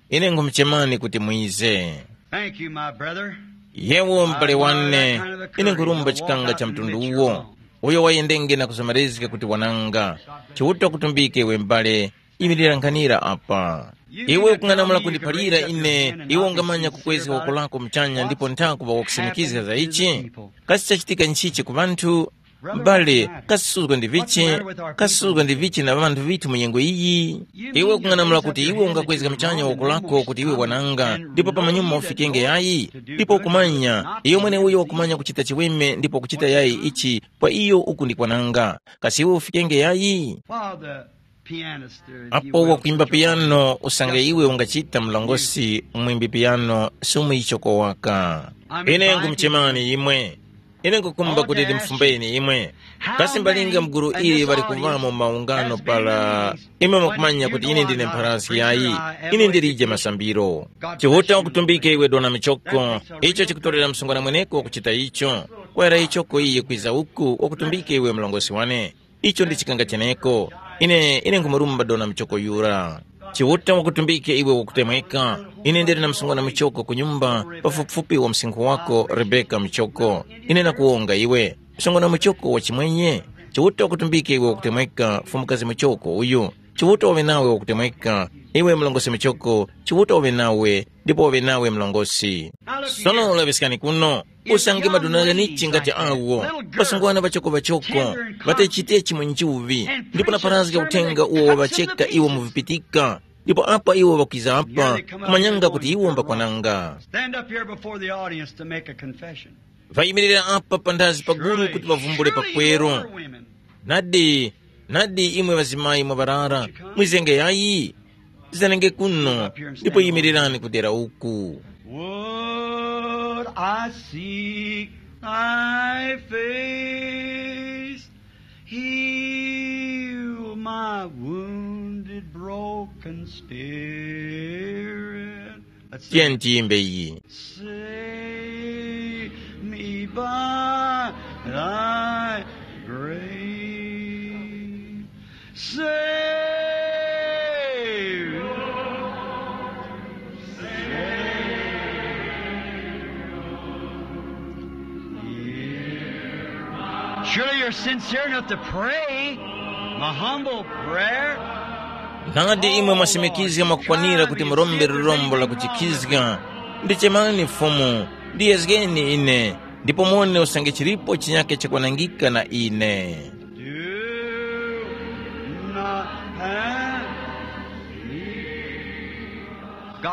Ine nkhumuchemani kuti mwize. Thank you, my brother. Yewo m'bale wane, ine nkhurumba chikanga cha mtundu uwo, uyo wayendenge na kuzomerezga kuti wananga. Chiuta kutumbike iwe m'bale, imilira nkhanira apa. Iwe ukung'anamula kundiphalira ine, iwe ungamanya kukwezga woko lako muchanya ndipo nthakuŵa wakusimikizga za ichi? Kasi chachitika nchichi ku ŵanthu? M'bale, kasuzgo ndi vichi, kasuzgo ndi vichi na ŵanthu vithu mu nyengo iyi? Iwe ukung'anamula kuti iwe ungakwezga muchanya woko lako kuti iwe wananga, ndipo pamanyuma ufikenge yayi? Ndipo ukumanya, iyo mweneuyo wakumanya kuchita chiweme ndipo wakuchita yayi ichi, pa iyo uku ndi kwananga. Kasi iwe ufikenge yayi? While the pianist, uh, if you Apo will, wakwimba piyano usange iwe ungachita mlongosi mwimbi piyano, sumwichoko waka. Ine ngumuchemani imwe. Ine nkukumba kuti ndimfumbeni imwe. Kasi mbalinga mguru ili ŵali kuvamo maungano para imwe mukumanya kuti ine ndine mpharazgi yayi? Ine ndilije masambiro. Chiuta wakutumbike iwe dona michoko. Icho chikutorera msungwana mweneko wakuchita icho. Kwera ichoko iye kwiza uku wakutumbike iwe mlongosi wane. Icho ndi chikanga cheneko. Ine ine nkhumurumba dona muchoko yura. Chiuta wakutumbike iwe wakutemweka. Ine ndili na msungwana muchoko ku nyumba pafupifupi wa msinkhu wako Rebeka muchoko. Ine nakuwonga iwe. Msungwana muchoko wa chimwenye. Chiuta wakutumbike iwe wakutemweka fumukazi muchoko uyu. Chiuta wawe nawe wakutemweka. Iwe mlongosi muchoko. Chiuta wawe nawe ndipo wawe nawe mlongosi. Sono laŵiskani kuno. Usange maduna ghanichi ngati awo, ŵasungwana ŵachokoŵachoko, ŵatechitechi mu njuŵi, ndipo naparazga uthenga uwo waŵacheka iwo mu vipitika, ndipo apa iwo ŵakwiza apa, kumanyanga kuti iwo mbakwananga. Stand up here before the audience to make a confession. Ŵayimirira apa panthazi pa gulu kuti ŵavumbule pakweru. Nadi, nadi imwe ŵazimayi mwaŵarara, mwizenge yayi? Zanenge kuno, ndipo yimirirani kudera uku. Would I seek thy face, heal my wounded, broken spirit. Let's sing. Tiyeni tiyimbe iyi. Save me by thy grace. Save, Savior, hear my Surely you're sincere enough to pray. My humble prayer. Nadi imwe mwasimikizga mwakukwanira kuti murombe lirombo la kuchikhizga. Ndichemani Fumu, ndiyezgeni ine, ndipo muone usange chilipo chinyake chakwanangika na ine. Do not pass me.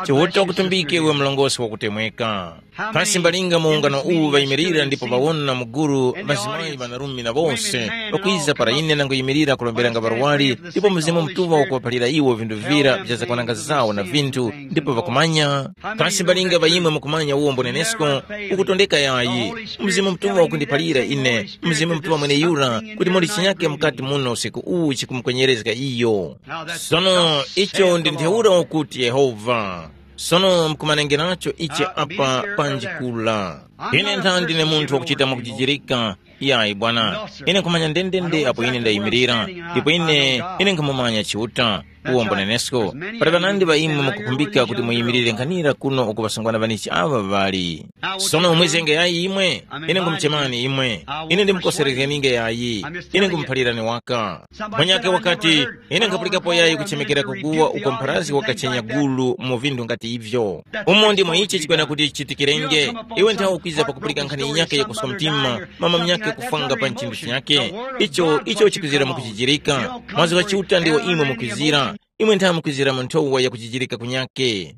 Chiuta ukutumbike iwe mlongosi wakutemweka. Kasi mbalinga mu ungano uwu ŵayimirira ndipo ŵawona muguru ŵazimayi ŵanarume na wose ŵakwiza para ine nangoyimirira kulomberanga ŵarwari, ndipo Mzimu Mutuŵa wakuŵaphalira iwo vinthu vira vya zakwananga zawo na vinthu, ndipo ŵakumanya? Kasi mbalinga ŵa imwe mukumanya uwo mbonenesko? Ukutondeka yayi. Mzimu Mutuŵa wakundiphalira ine, Mzimu Mutuŵa mweneyura, kuti muli chinyake mukati muno usiku uwu chikumukwenyerezga iyo. Sono icho ndi ntheura ukuti Yehova. Sono mukumanengeracho ichi apa panji kula. Ine ntha ndine munthu wakuchita mwakujijirika. Yayi bwana, ine nkhumanya ndendende apo ine ndayimirira, ndipo ine ine nkhamumanya Chiuta. Uwo mbonenesko. Pali ŵanandi ŵa imwe mukukhumbika kuti muyimirire nkhanira kuno uku ŵasungwana ŵanichi aŵa ŵali. Sono umwizenge yayi imwe. Ine ngumuchemani imwe. Ine ndimukoserezgeninge yayi. Ine ngumuphalirani waka. Mwenyake wakati, ine nkhapulikapo yayi kuchemekera kuguwa uko mpharazgi wakachenya gulu mu vinthu ngati ivyo. Umo ndimo ichi chikwena kuti chichitikirenge. Iwe nthawe ukwiza pakupulika nkhani yinyakhe yakuswa mtima, mama munyakhe kufwanga pa nchinthu chinyakhe. Icho icho chikwizira mukuchijirika. Mwazi wa Chiuta ndiwo imwe mukwizira. Imwe nthawe mukwizira mu nthowa yakujijirika kunyakhe.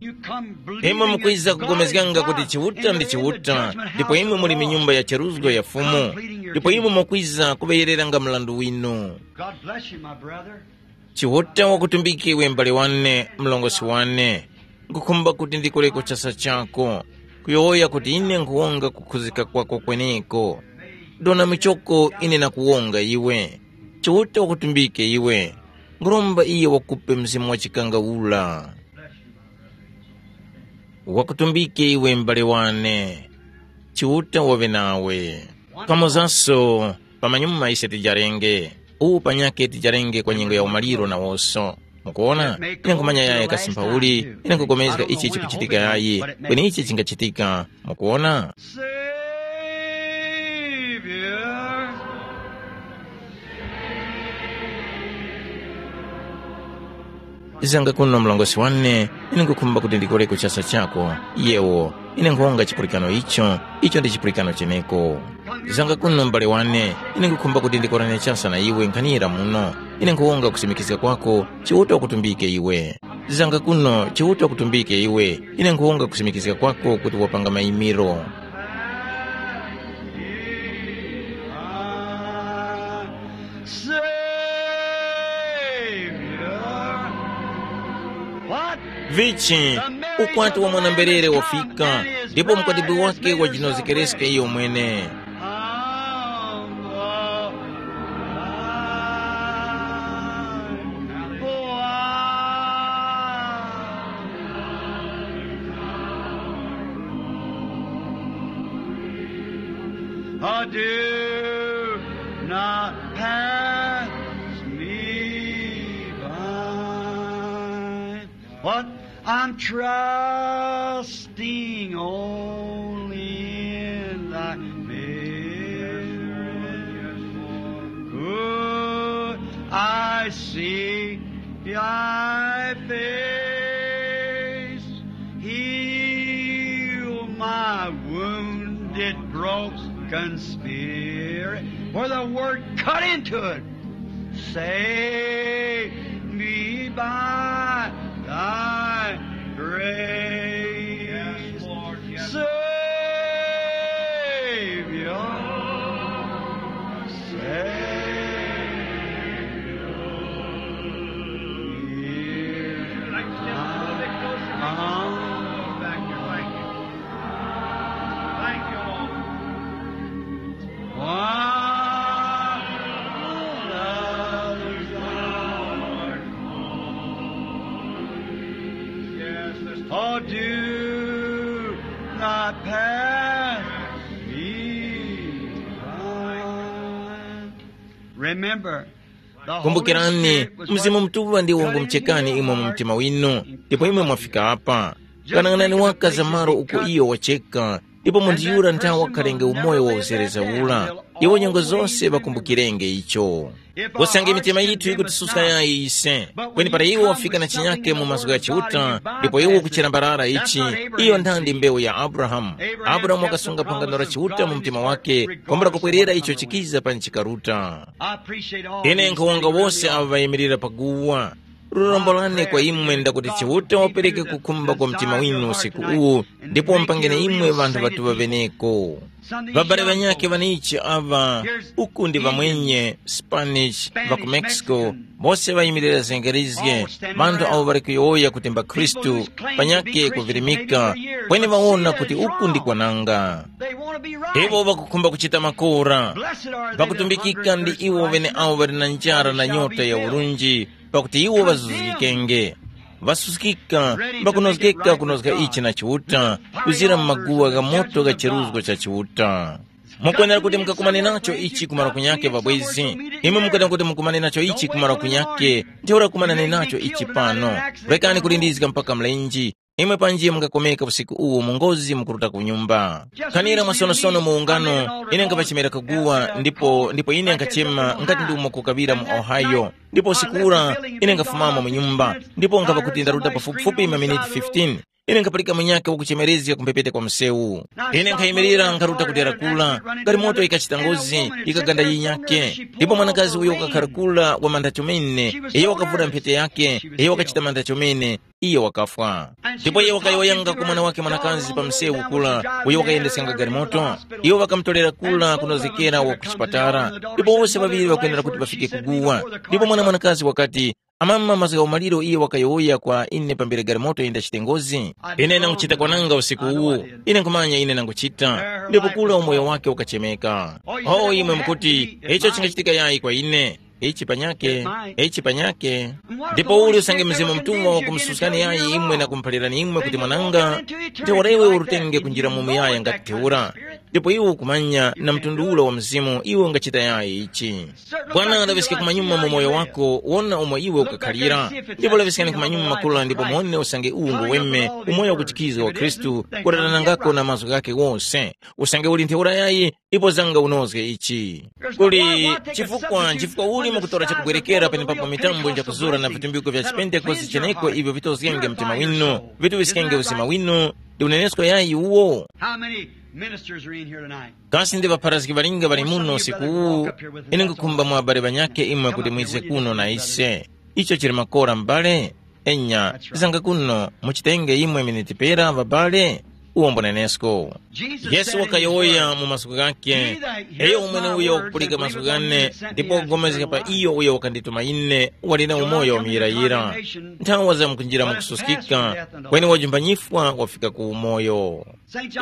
Imwe mukwiza kugomezganga kuti Chiuta ndi Chiuta, ndipo imwe muli mu nyumba ya cheruzgo ya Fumu, ndipo imwe mukwiza kuŵeyereranga mrandu winu. God bless you, my brother. Chiuta wakutumbike iwe m'bale wane, mlongosi wane. Nkhukhumba kuti ndikoreko chasa chako, kuyowoya kuti ine nkhuwonga kukhuzika kwako kweneko. Dona michoko ine nakuwonga iwe. Chiuta wakutumbike iwe. Nkhuromba iye wakupe mzimu wa chikangawula. Wakutumbike iwe m'bale wane. Chiuta waŵe nawe. Kamozaso, pamanyuma ise tijarenge. Uwu panyakhe tijarenge kwa nyengo ya umaliro nawoso. Mukuona? Ine nkhumanya yayi kasi mphauli, ine nkhupulikana ichi chikuchitika yayi. Kweni ichi chingachitika. Mukuona? Savior. Zanga kuno mlongosi wane, ine nkhukhumba kuti ndikoreko chasa chako. Yewo, ine nkhuwonga chipulikano icho, icho ndi chipulikano cheneko. Zanga kuno m'bale wane, ine nkhukhumba kuti ndikorane chasa na iwe nkhanira muno. Ine nkhuwonga kusimikizga kwako, Chiuta wakutumbike iwe. Zanga kuno, Chiuta wakutumbike iwe. Ine nkhuwonga kusimikizga kwako kuti wapanga mayimiro. Savior. What? Vichi, ukwati wa mwana-mberere wafika, ndipo mkwatibwi wake wajinozekereska iyo mwene. I do not pass me by. What? I'm trusting only in thy mercy. Could I see thy face? Heal my wounded, broken spirit, where the word cut into it. Save me by thy grace. Yes, Lord, yes. Savior, Savior, hear. Like to stand a little bit closer, make sure the phone's back here. Thank you. Thank you, Lord. Oh, do not pass me by. Remember, the Holy Kumbukirani, Spirit was Mzimu Mutuŵa ndiwo ngumuchekani imwe mu mtima winu, ndipo imwe mwafika apa. Kanang'anani waka za malo uko iyo wacheka, Ndipo munthu yura nthawi wakhalenge umoyo wa uzereza ula. Iwo nyengo zose ŵakumbukirenge icho. Usange mitima yithu yikutisuska yayi ise, kweni para iwo wafika na chinyake mu mazgu gha Chiuta, ndipo iwo kuchilambarara ichi, iyo nthandi mbewu ya Abrahamu. Abrahamu wakasunga phangano la Chiuta mu mtima wake, kwambula kupwerera icho chikiza pa nchikaruta. Ine nkhuwonga wose avo ŵayimirira paguwa. Lurombo lane kwa imwe ndakuti Chiuta wapereke kukhumba kwa mtima winu usiku uwu, ndipo mpangeni imwe ŵanthu ŵatuŵa ŵeneko. Ŵabale ŵanyakhe ŵanichi aŵa, uku ndi ŵamwenye, Spanish, ŵa ku Mexico, bose ŵayimirira zengerizge, ŵanthu awo ŵali kuyowoya kuti mbakhristu, panyakhe kuvirimika, kweni ŵawona kuti uku ndi kwananga. Iwo ŵakukhumba kuchita makora. Ŵakutumbikika ndi iwo ŵeneawo ŵali na njara na nyota ya urunji, pakuti iwo ŵazuzgikenge. Ŵasuskika, ŵakunozgeka kunozga ichi na Chiuta, kuzira mu maguwa gha moto gha cheruzgo cha Chiuta. Mukwenera kuti mukakumane nacho ichi kumara kunyake, ŵabwezi. Imwe mukwenera kuti mukumane nacho ichi kumara kunyake, ntheura kumanani nacho ichi pano. Rekani kulindizga mpaka mlenji. Imwe panji mungakomeka usiku uwu mu ngozi mukuruta ku nyumba. Khanira mwasonosono mu ungano, ine nkapachemera kaguwa, ndipo ndipo ine nkachema ngati ndi umo kukaŵira mu Ohio. Ndipo usiku ura ine nkafumamo mu nyumba, ndipo nkapa kuti ndaruta pafupifupi maminiti fifteen. Ine nkapulika munyakhe wakuchemerezga ku mphepete kwa msewu. Ine nkhayimirira nkharuta kutera kula, galimoto yikachita ngozi, yikaganda yinyakhe. Ndipo mwanakazi uyo wakakhala kula wa mantha chomene, iyo wakavura mphete yakhe, iyo wakachita mantha chomene, iyo wakafwa. Ndipo iyo wakayowoyanga ku mwana wake mwanakazi pa msewu kula, uyo wakayendeskanga galimoto. Iwo ŵakamutorera kula kunozgekera wa ku chipatala. Ndipo wose ŵaŵiri ŵakwenera kuti ŵafike kuguwa. Ndipo mwana mwanakazi wakati, amama mazgu gha umaliro iyo wakayowoya kwa ine pambere galimoto yenda chitengozi. Ine nanguchita kwananga usiku uwu. Ine nkhumanya ine nanguchita. Ndipo kula umoyo wake ukachemeka. Oh, imwe mukuti, icho chingachitika yayi kwa ine. Ichi panyake, ichi panyake. Ndipo uli usange Mzimu Mutuŵa wakumususkani yayi imwe na kumuphalirani imwe kuti mwananga, ntheura iwe urutenge kunjira mu muyaya ngati ntheura. Ndipo iwe ukumanya na mtundu ula wa Mzimu iwe ungachita yayi ichi. Bwana laŵiska kumanyuma mu moyo wako, wona umo iwe ukakhalira. Ndipo laŵiskani kumanyuma makula ndipo muone usange uwu ngweme, umoyo wakuchikizga wa Khristu, kuratanangako na mazgu ghake wose. Usange uli ntheura yayi, ipo zanga unozge ichi. Kuli chifukwa, chifukwa uli mukutora chakubwerekera penepapo mitambo njakuzura na vitumbiko vya chipentekoste cheneko ivyo vitozgenge mtima winu, vituŵiskenge uzima winu, ndi unenesko yayi uwo? How many ministers are in here tonight? Kasi ndi ŵapharazgi ŵalinga ŵali muno usiku uwu? Ine nkukhumba mwa abale ŵanyakhe imwe kuti mwize kuno na ise. Icho chili makora m'bale? Enya, zanga kuno muchitenge imwe miniti pera ŵabale? Uwo mbunenesko. Yesu wakayowoya mu masiku ghakhe, eyo umwene uyo wakupulika masiku ghane ndipo wakugomezga pa iyo uyo wakandituma ine, wali na umoyo wa muyirayira. Nthawa zamkunjira mukususkika, kweni wajumbanyifwa wafika ku umoyo.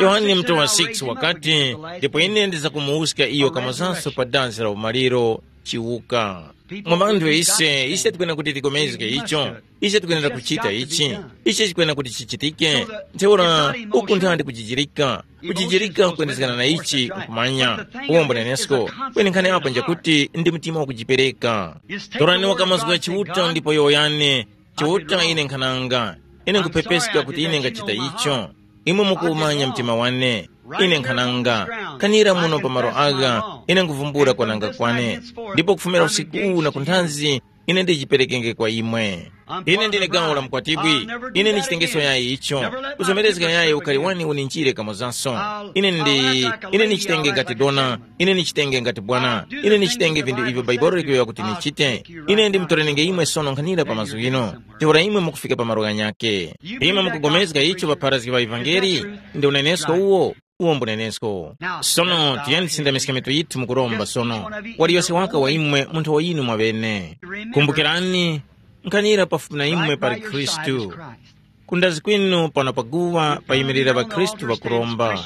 Yohane mutu wa six wakati, ndipo ine ndizakumuwuska iyo kamozanso pa dansi la umaliro, chiwuka. Mwa vanthu ise, ise tikwena kuti tikomezge icho. Ise tikwenera kuchita ichi. Ichi chikwena kuti chichitike. Ntheura uku nthandi kujijirika. Kujijirika kuyendezgana na ichi nkumanya. Uwombo nenesko. Kweni nkhani apo njakuti ndi mtima wakujipereka. Torani wakamazgu gha Chiuta ndipo yowoyani, Chiuta ine nkhananga. Ine nkuphepeska kuti ine ngachita icho. Imwe mukuwumanya mtima wane. Ine nkhananga. Kanira muno pa malo agha, ine nkuvumbula kwananga kwane. Ndipo kufumira usiku uwu na kunthanzi, ine ndijiperekenge kwa imwe. Ine ndine gawo la mkwatibwi. Ine ndichitengeso yayi icho. Kuzomerezga yayi ukali wani uninjire kamozanso. Ine ndi, ine nichitenge ngati dona. Ine nichitenge ngati bwana. Ine nichitenge vindu ivyo Baibolo likuyowoya kuti nichite. Ine ndimutorenenge imwe sono nkhanira pa mazgu ghino. Ntheura imwe mukufika pa malo ghanyakhe. Imwe mukugomezga icho ŵapharazgi ŵa ivangeli? Ndi unenesko uwo. Uwo mbunenesko. Sono tiyeni tisindamiske mitu yithu mukuromba sono. Waliyose waka wa imwe munthu wa inu mwaŵene. Kumbukirani, nkhanira pafupi na imwe pali Khristu. Kundazi kwinu pano paguwa payimirira ŵakhristu ŵakuromba.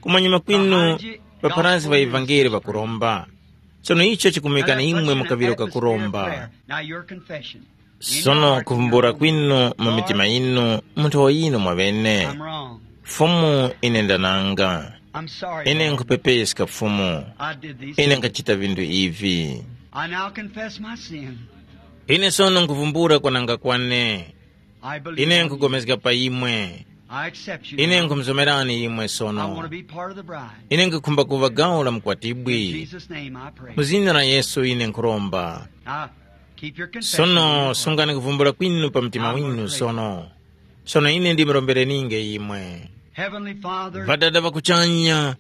Kumanyuma kwinu ŵapharazgi ŵa ivangeli ŵakuromba. Sono icho chikumwekani imwe mu kaŵiro kakuromba. Sono kuvumbula kwinu mu mitima yinu munthu wa yinu mwaŵene. Fumu, ine ndananga. Ine nkhupepeska Fumu. Ine nkhachita vinthu ivi. I now confess my sin. Ine sono nkhuvumbula kwananga kwane. I believe Ine on you. Nkugomezga pa imwe. I accept you. Ine now. Nkhumuzomerani imwe I want to sono. Be part of the bride. Ine nkukhumba kuva gawo la In mkwatibwi. Jesus' name I pray. Mu zina la Yesu ine nkhuromba. Now, keep your confession in your Sono heart. Sungani kuvumbula kwinu pa mtima winu sono. Sono ine ndimurombereninge imwe. Heavenly Father, Ŵadada ŵakuchanya,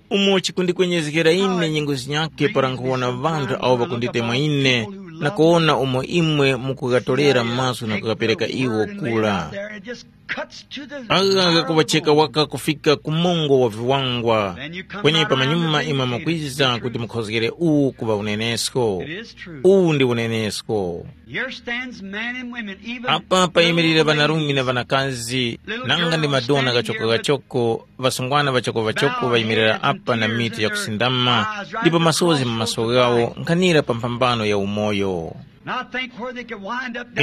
umo chikundikwenyezgera ine nyengo zinyakhe para nkhuwona ŵanthu awo ŵakunditemwa ine na kuwona umo imwe mukughatolerera maso na kughapereka iwo kula. Agha ghakuŵacheka waka kufika ku mungo wa viwangwa, kweni pamanyuma imwe mukwiza kuti mukhozgere uwu kuŵa unenesko. Uwu ndi unenesko. Here stands men and women, even apa payimirira ŵanarume na ŵanakazi, nanga ndi madona ghachoko-ghachoko, ŵasungwana ŵachoko-ŵachoko ŵayimirira apa na mitu yakusindama, ndipo masozi mu maso ghawo nkhanira pa mphambano ya umoyo.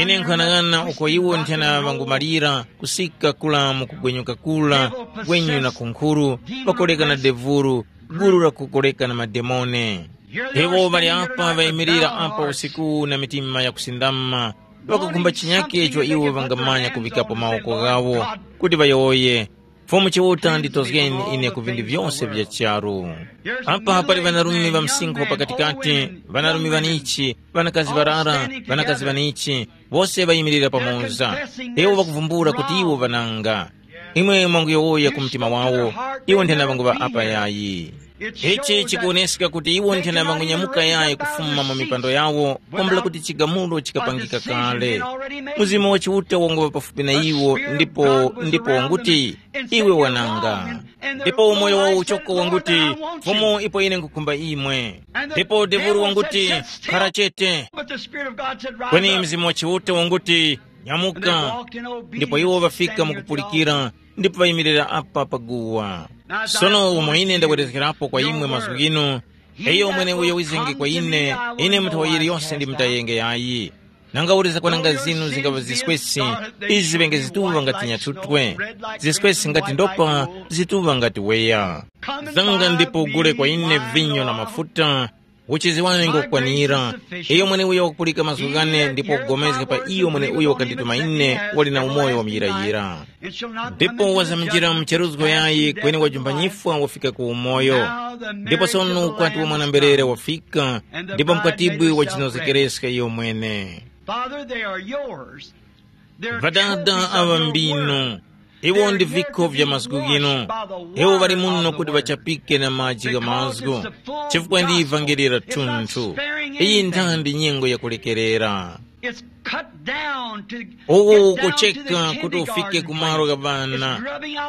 Ine nkhanang'ana uko iwo nthena ŵangumalira kusika kula mu kugwenyuka kula, gwenyu na kunkhuru, pakoleka na devuru, gulu la kukoleka na mademone. Iwo ŵali apa ŵayimirira apa usiku na mitima yakusindama, ŵakukhumba chinyake icho iwo ŵangamanya kuŵikapo mawoko ghawo, kuti ŵayowoye, Fumu Chiuta nditozgeni ine ku vinthu vyose vya charu. Apa pali ŵanarume ŵa msinkhu pakatikati, ŵanarume ŵanichi, ŵanakazi ŵarara, ŵanakazi ŵanichi, wose ŵayimirira pamoza. Iwo ŵakuvumbula kuti iwo ŵananga. Imwe mwanguyowoya ku mtima wawo, iwo nthena ŵanguŵa apa yayi. Ichi chikuwoneska kuti iwo nthena ŵangunyamuka yayi kufuma mu mipando yawo, kwambula kuti chigamulo chikapangika kale. Mzimu wa Chiuta wanguŵa pafupi na iwo, ndipo ndipo wanguti, iwe wananga. Ndipo umoyo wawo uchoko wanguti, Fumu, ipo ine nkukhumba imwe. Ndipo devulu wanguti, khara chete. Kweni Mzimu wa Chiuta wanguti, nyamuka. Ndipo iwo ŵafika mukupulikira, ndipo ŵayimirira apa paguwa. Sono umo ine ndabwerezgerapo kwa imwe mazgu ghinu, iyo mweneuyo wizenge kwa ine, ine munthu yiliyose ndimutayenge yayi. Nanga uli zakwananga zinu zingaŵa ziswesi, izi ziŵenge zituŵa ngati nyatutwe, ziswesi ngati ndopa, zituŵa ngati weya. Zanga ndipo ugule kwa ine vinyo na mafuta, uchizi wane ngokwanira. Iyo mweneuyo wakupulika mazgu ghane ndipo wakupulikana pa iyo mweneuyo wakandituma ine, wali na umoyo wa muyirayira. Ndipo wazaminjira mu charuzgo yayi kweni wajumba nyifwa wafika ku umoyo. Ndipo sono ukwati wa mwana-mberere wafika, ndipo mkwatibwi wachinozekereska iyo mwene. Father, they are yours. They're Ŵadada awa mbinu, iwo ndi vikho vya mazgu ghino. Iwo ŵali muno kuti ŵachapike na maji gha mazgu, chifukwa ndi ivangeli la thunthu. Iyi nthandi nyengo yakulekerera. Uwu ukucheka kuti ufike ku malo gha ŵana.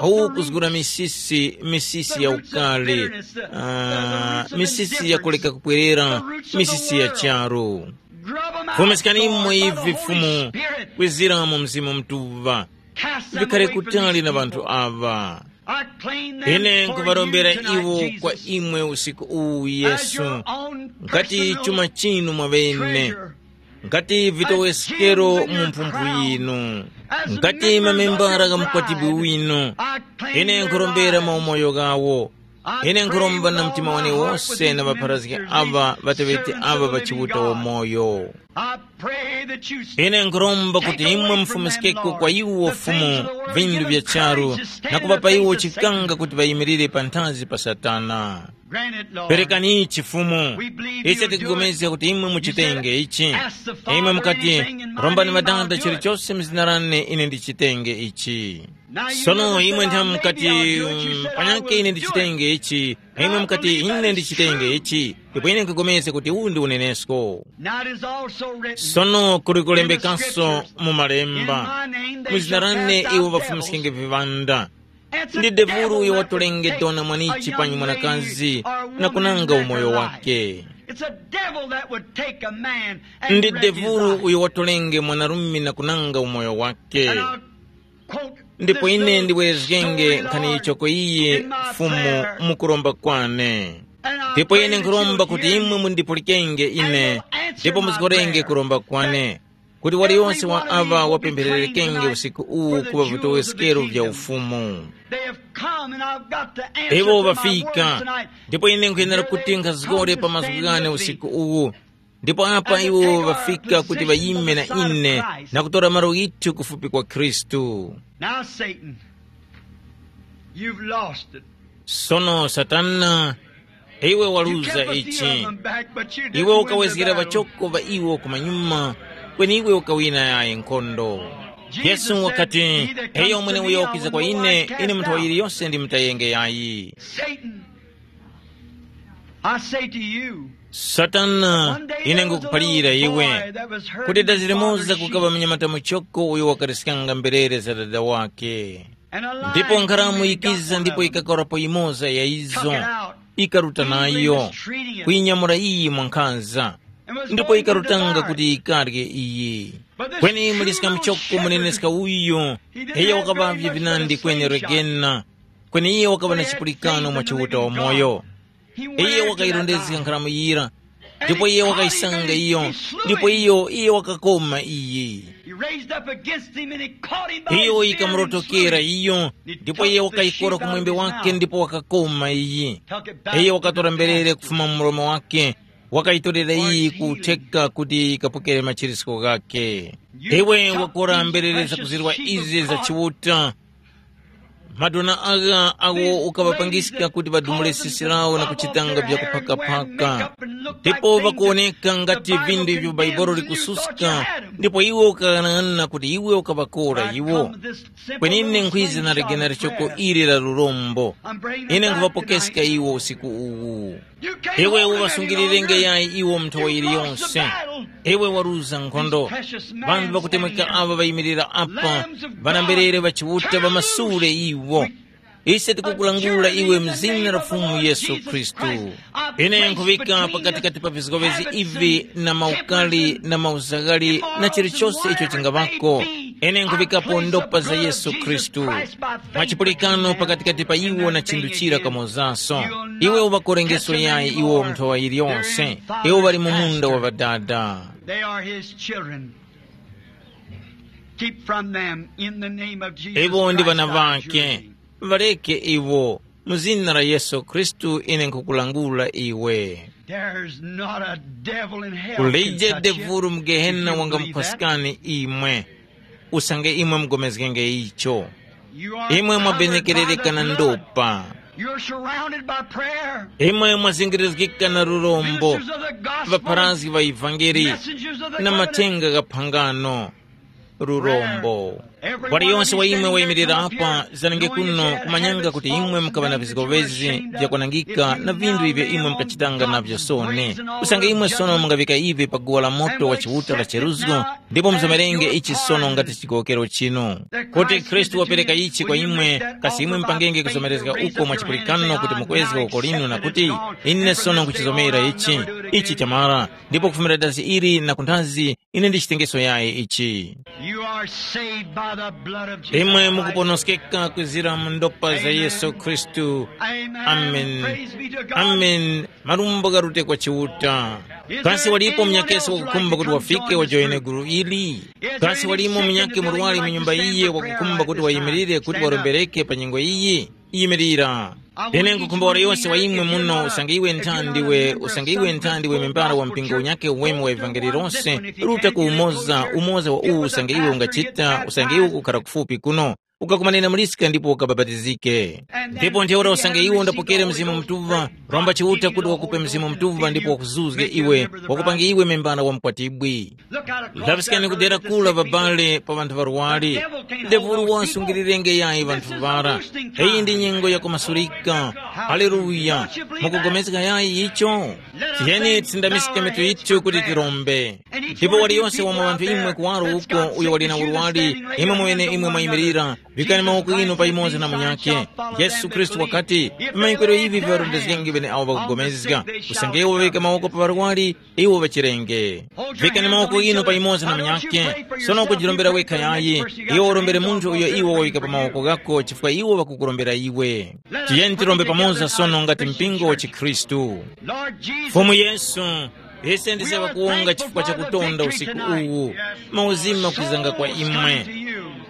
Uwu ukuzgura misisi, misisi ya ukali, ah, misisi ya kuleka kupwerera, misisi ya charu. Fumiskani imwe ivi, Fumu, kwezera mu Mzimu Mutuŵa. Vikhale kutali na ŵanthu aŵa. Ine nkuŵarombera iwo kwa imwe usiku uwu, Yesu, ngati chuma chinu mwaŵene, ngati vitoweskero mu mphumphu yinu, ngati mamembara gha mukwatibwi winu. Ine nkurombera maumoyo ghawo. Ine nkhuromba na mtima wane wose na ŵapharazgi aŵa ŵateŵeti aŵa ŵa Chiuta wamoyo. Ine nkhuromba kuti imwe mufumiskeko kwa iwo Fumu vindu vya charu na kuŵapa iwo chikanga kuti ŵayimirire panthazi pa Satana. Perekani ichi Fumu. Ise tikupulikana kuti imwe muchitenge ichi. Imwe mukati, rombani Ŵadada chilichose mu zina lane ine ndichitenge ichi. Sono imwe nthamu mukati, mm, panyake ine ndichitenge ichi, imwe mukati ine ndichitenge ichi, ndipo ine nkupulikana kuti uwu ndi unenesko. Sono kuli kulembekanso mu malemba, mu zina lane iwo ŵafumiskenge viŵanda. Ndi devulu uyo watolenge dona mwanichi panyi mwanakazi na kunanga umoyo wake. Ndi devulu uyo watolenge mwanarume na kunanga umoyo wake. Ndipo ine ndiwerezgenge nkhani yichoko iyi, Fumu, mukuromba kwane. Ndipo ine nkhuromba kuti imwe mundipulikenge ine, ndipo muzgorenge kuromba kwane, kuti waliyonse wa aŵa wapemphererekenge usiku uwu kuŵa vitowoskero vya Ufumu. Iwo ŵafika, ndipo ine nkhuyenera kuti nkhazgore pa mazgu ghane usiku uwu. Ndipo apa iwo ŵafika kuti ŵayime na ine na kutora malo ghithu kufupi kwa Khristu. Now, Satan, You've lost it. Sono Satana, iwe waluza ichi. Iwe ukawezgera ŵachoko ŵa iwo kumanyuma, kweni iwe ukawina yayi nkhondo. Yesu wakati, eyo mwene uyo wakwiza kwa ine, ine munthu wa yiliyose ndimutayenge yayi. Satan, I say to you, Satana, ine ngukuphalira iwe, kuti dazi limoza kukaŵa mnyamata muchoko uyo wakariskanga mberere za dada wake. Ndipo nkharamu yikiza ndipo ikakarapo yimoza ya izo, ikaruta nayo, kuyinyamura iyi mwankhanza, ndipo ikarutanga kuti ikarye iyi. Kweni muliska muchoko muneneska uyu, iyo wakaŵavye vinandi kweni regena, kweni iye wakaŵa na chipulikano mwa Chiuta wamoyo. Iye wakayirondezga nkharamu yira, ndipo iye wakayisanga iyo, ndipo iyo iye wakakoma iyi. He raised up against him and he caught him by his beard and ikamurotokera slew him. Iyo, ndipo iye wakayikora ku mwembe wake ndipo wakakoma iyi. Iye wakatora mberere kufuma mu mlomo wake, wakayitorera iyi kutheka kuti ikapokere machirisko ghake. Iwe wakora mberere zakuzirwa izi za Chiuta, madona agha agho ukaŵapangiska kuti ŵadumule sisi lawo na kuchitanga vyakuphakaphaka, ndipo ŵakuwoneka ngati vinthu ivyo Baibolo likususka, ndipo iwe ukaghanaghanana kuti iwe ukaŵakora iwo. Kweni ine nkhwiza na ligena lichoko ili la lurombo. Ine nkhuŵapokeska iwo usiku uwu. Iwe uŵasungilirenge yayi iwo mu nthowa yiliyonse. Iwe waruza nkhondo. Ŵanthu ŵakutemweka aŵa ŵayimirira apa, ŵanamberere ŵa Chiuta ŵamasule iwo. Ise tikukulangula iwe mu zina la Fumu Yesu Khristu. Ine nkhuŵika pakatikati pa vizgowezi ivi na maukali na mauzaghali na chilichose icho chingaŵako. Ine nkhuŵikapo ndopa za Yesu Khristu. Mwa chipulikano pakatikati pa iwo na chinthu chira kamozaso. Iwe uŵakorengeso yayi iwo nthowa yiliyonse. Iwo ŵali mu munda wa Ŵadada. They are his children. Keep from them in the name of Jesus Iwo ndi Christ, vana I adjure vake. Thee. Ŵaleke iwo. Mu zina la Yesu Khristu ine nkhukulangula iwe. There's not a devil in hell can Kulije touch you devulu mu gehena if you believe that. Wangamukhwaskani imwe. Usange imwe mugomezgenge icho. You are imwe mwabenekerereka na ndopa. You're surrounded by prayer. Imwe mwazingirizgika na lurombo. Ministers of the gospel, ŵapharazgi ŵa ivangeli, messengers of the na covenant. Mathenga gha phangano. Lurombo. Wali yonse wa imwe wayimirira apa, zanenge kuno kumanyanga kuti imwe mukaŵa na vizgowezi vyakwanangika na vinthu ivyo imwe mukachitanga navyo soni. Usange imwe sono mungaŵika ivi pa guwa la moto wa Chiuta la cheruzgo, ndipo muzomerenge ichi sono ngati chigowokero chinu. Kuti Khristu wapereka ichi kwa imwe, kasi imwe mupangenge kuzomerezga uko mwa chipulikano kuti mukwezge uko linu na kuti, ine sono nkuchizomera ichi, ichi chamara, ndipo kufumira dazi ili na kunthazi, ine ndichitengeso yayi ichi. You are saved by the blood of Jesus Imwe Christ. Mukuponoskeka kwizira mu ndopa za Amen. Yesu Khristu. Amen. Amen. Praise be to God. Amen. Malumbo garute kwa Chiuta. Kasi walipo munyakesi wakukhumba kuti wafike wajoyene gulu ili? Kasi walipo munyakhe murwari mu nyumba iye wakukhumba kuti wayimirire kuti warombereke pa nyengo iyi? Yimirira. Ine nkukhumba wali yose wa imwe muno usange iwe nthandi we usange iwe nthandi we membala wa mpingo unyakhe uweme wa ivangeli lose, ruta ku umoza umoza wa uwu usange iwe ungachita usange iwe ukukhala kufupi kuno, ukakumanena muliska ndipo ukabapatizike. Ndipo ntheura usange iwe undapokere Mzimu Mutuŵa, romba Chiuta kuti wakupe Mzimu Mutuŵa ndipo wakuzuzge iwe, wakupange iwe membala wa mkwatibwi. Laŵiskani kudera kula ŵabale pa ŵanthu ŵarwari. Devulu wasungilirenge yayi ŵanthu ŵara. Iyi ndi nyengo yakumasulika. Haleluya. Mukugomezga yayi icho? Tiyeni tisindamiske mitu yithu kuti tirombe. Ndipo waliyonse wa mwa ŵanthu imwe kuwaro uko uyo wali na urwari, imwe mwene imwe mwayimirira, vikani mawoko inu pamoza na munyakhe. Yesu Khristu wakati, vimanyikwiro ivi viŵarondezgenge ŵeneawo ŵakugomezga. Usange iwo ŵavika mawoko pa ŵarwari, iwo ŵachirenge. Vikani mawoko inu pamoza na munyakhe, sono ukujirombera wekha yayi, iwe urombere munthu uyo iwe wawika pa mawoko ghako chifukwa iwo ŵakukurombera iwe. Tiyeni tirombe pamoza sono ngati mpingo wa chikhristu. Fumu Yesu, ise ndise ŵakuwonga chifukwa cha kutonda usiku uwu, mauzima kwizanga kwa imwe.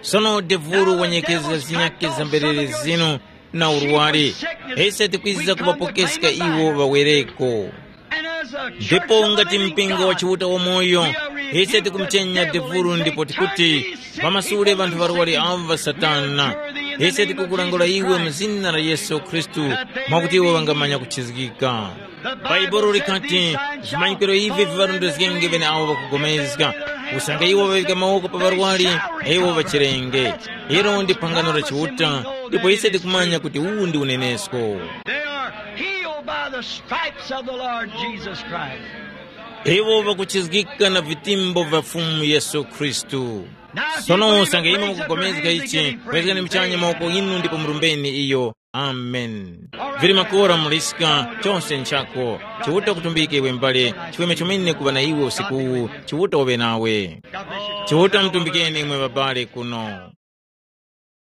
Sono devulu wanyekeza zinyakhe za mberere zinu, na urwari, ise tikwiza kuŵapokeska iwo ŵawereko. Ndipo ngati mpingo wa Chiuta wamoyo, ise tikumuchenya devulu ndipo tikuti, pamasule ŵanthu ŵarwari avo ŵa Satana. Ise tikukulangula iwe mu zina la Yesu Khristu, mwakuti iwo ŵangamanya kuchizgika. Bhaibuli likati, vimanyikiro ivi viŵarondezgenge ŵeneawo ŵakupulikana, usange iwo ŵaŵika mawoko pa ŵarwari, na iwo ŵachirenge. Ilo ndi phangano la Chiuta, ndipo ise tikumanya kuti uwu ndi unenesko. They are healed by the stripes of the Lord Jesus Christ. Iwo ŵakuchizgika na vitimbo vya Fumu Yesu Khristu. Sono usange imwe mukupulikana ichi, kwezgani muchanya mawoko inu ndipo murumbeni iyo. Amen. Vili makora muliska, chonse nchako. Chiuta kutumbike iwe mbale, chiweme chomene kuŵa na iwe usiku uwu, Chiuta uŵe nawe. Chiuta mutumbikeni imwe babale kuno.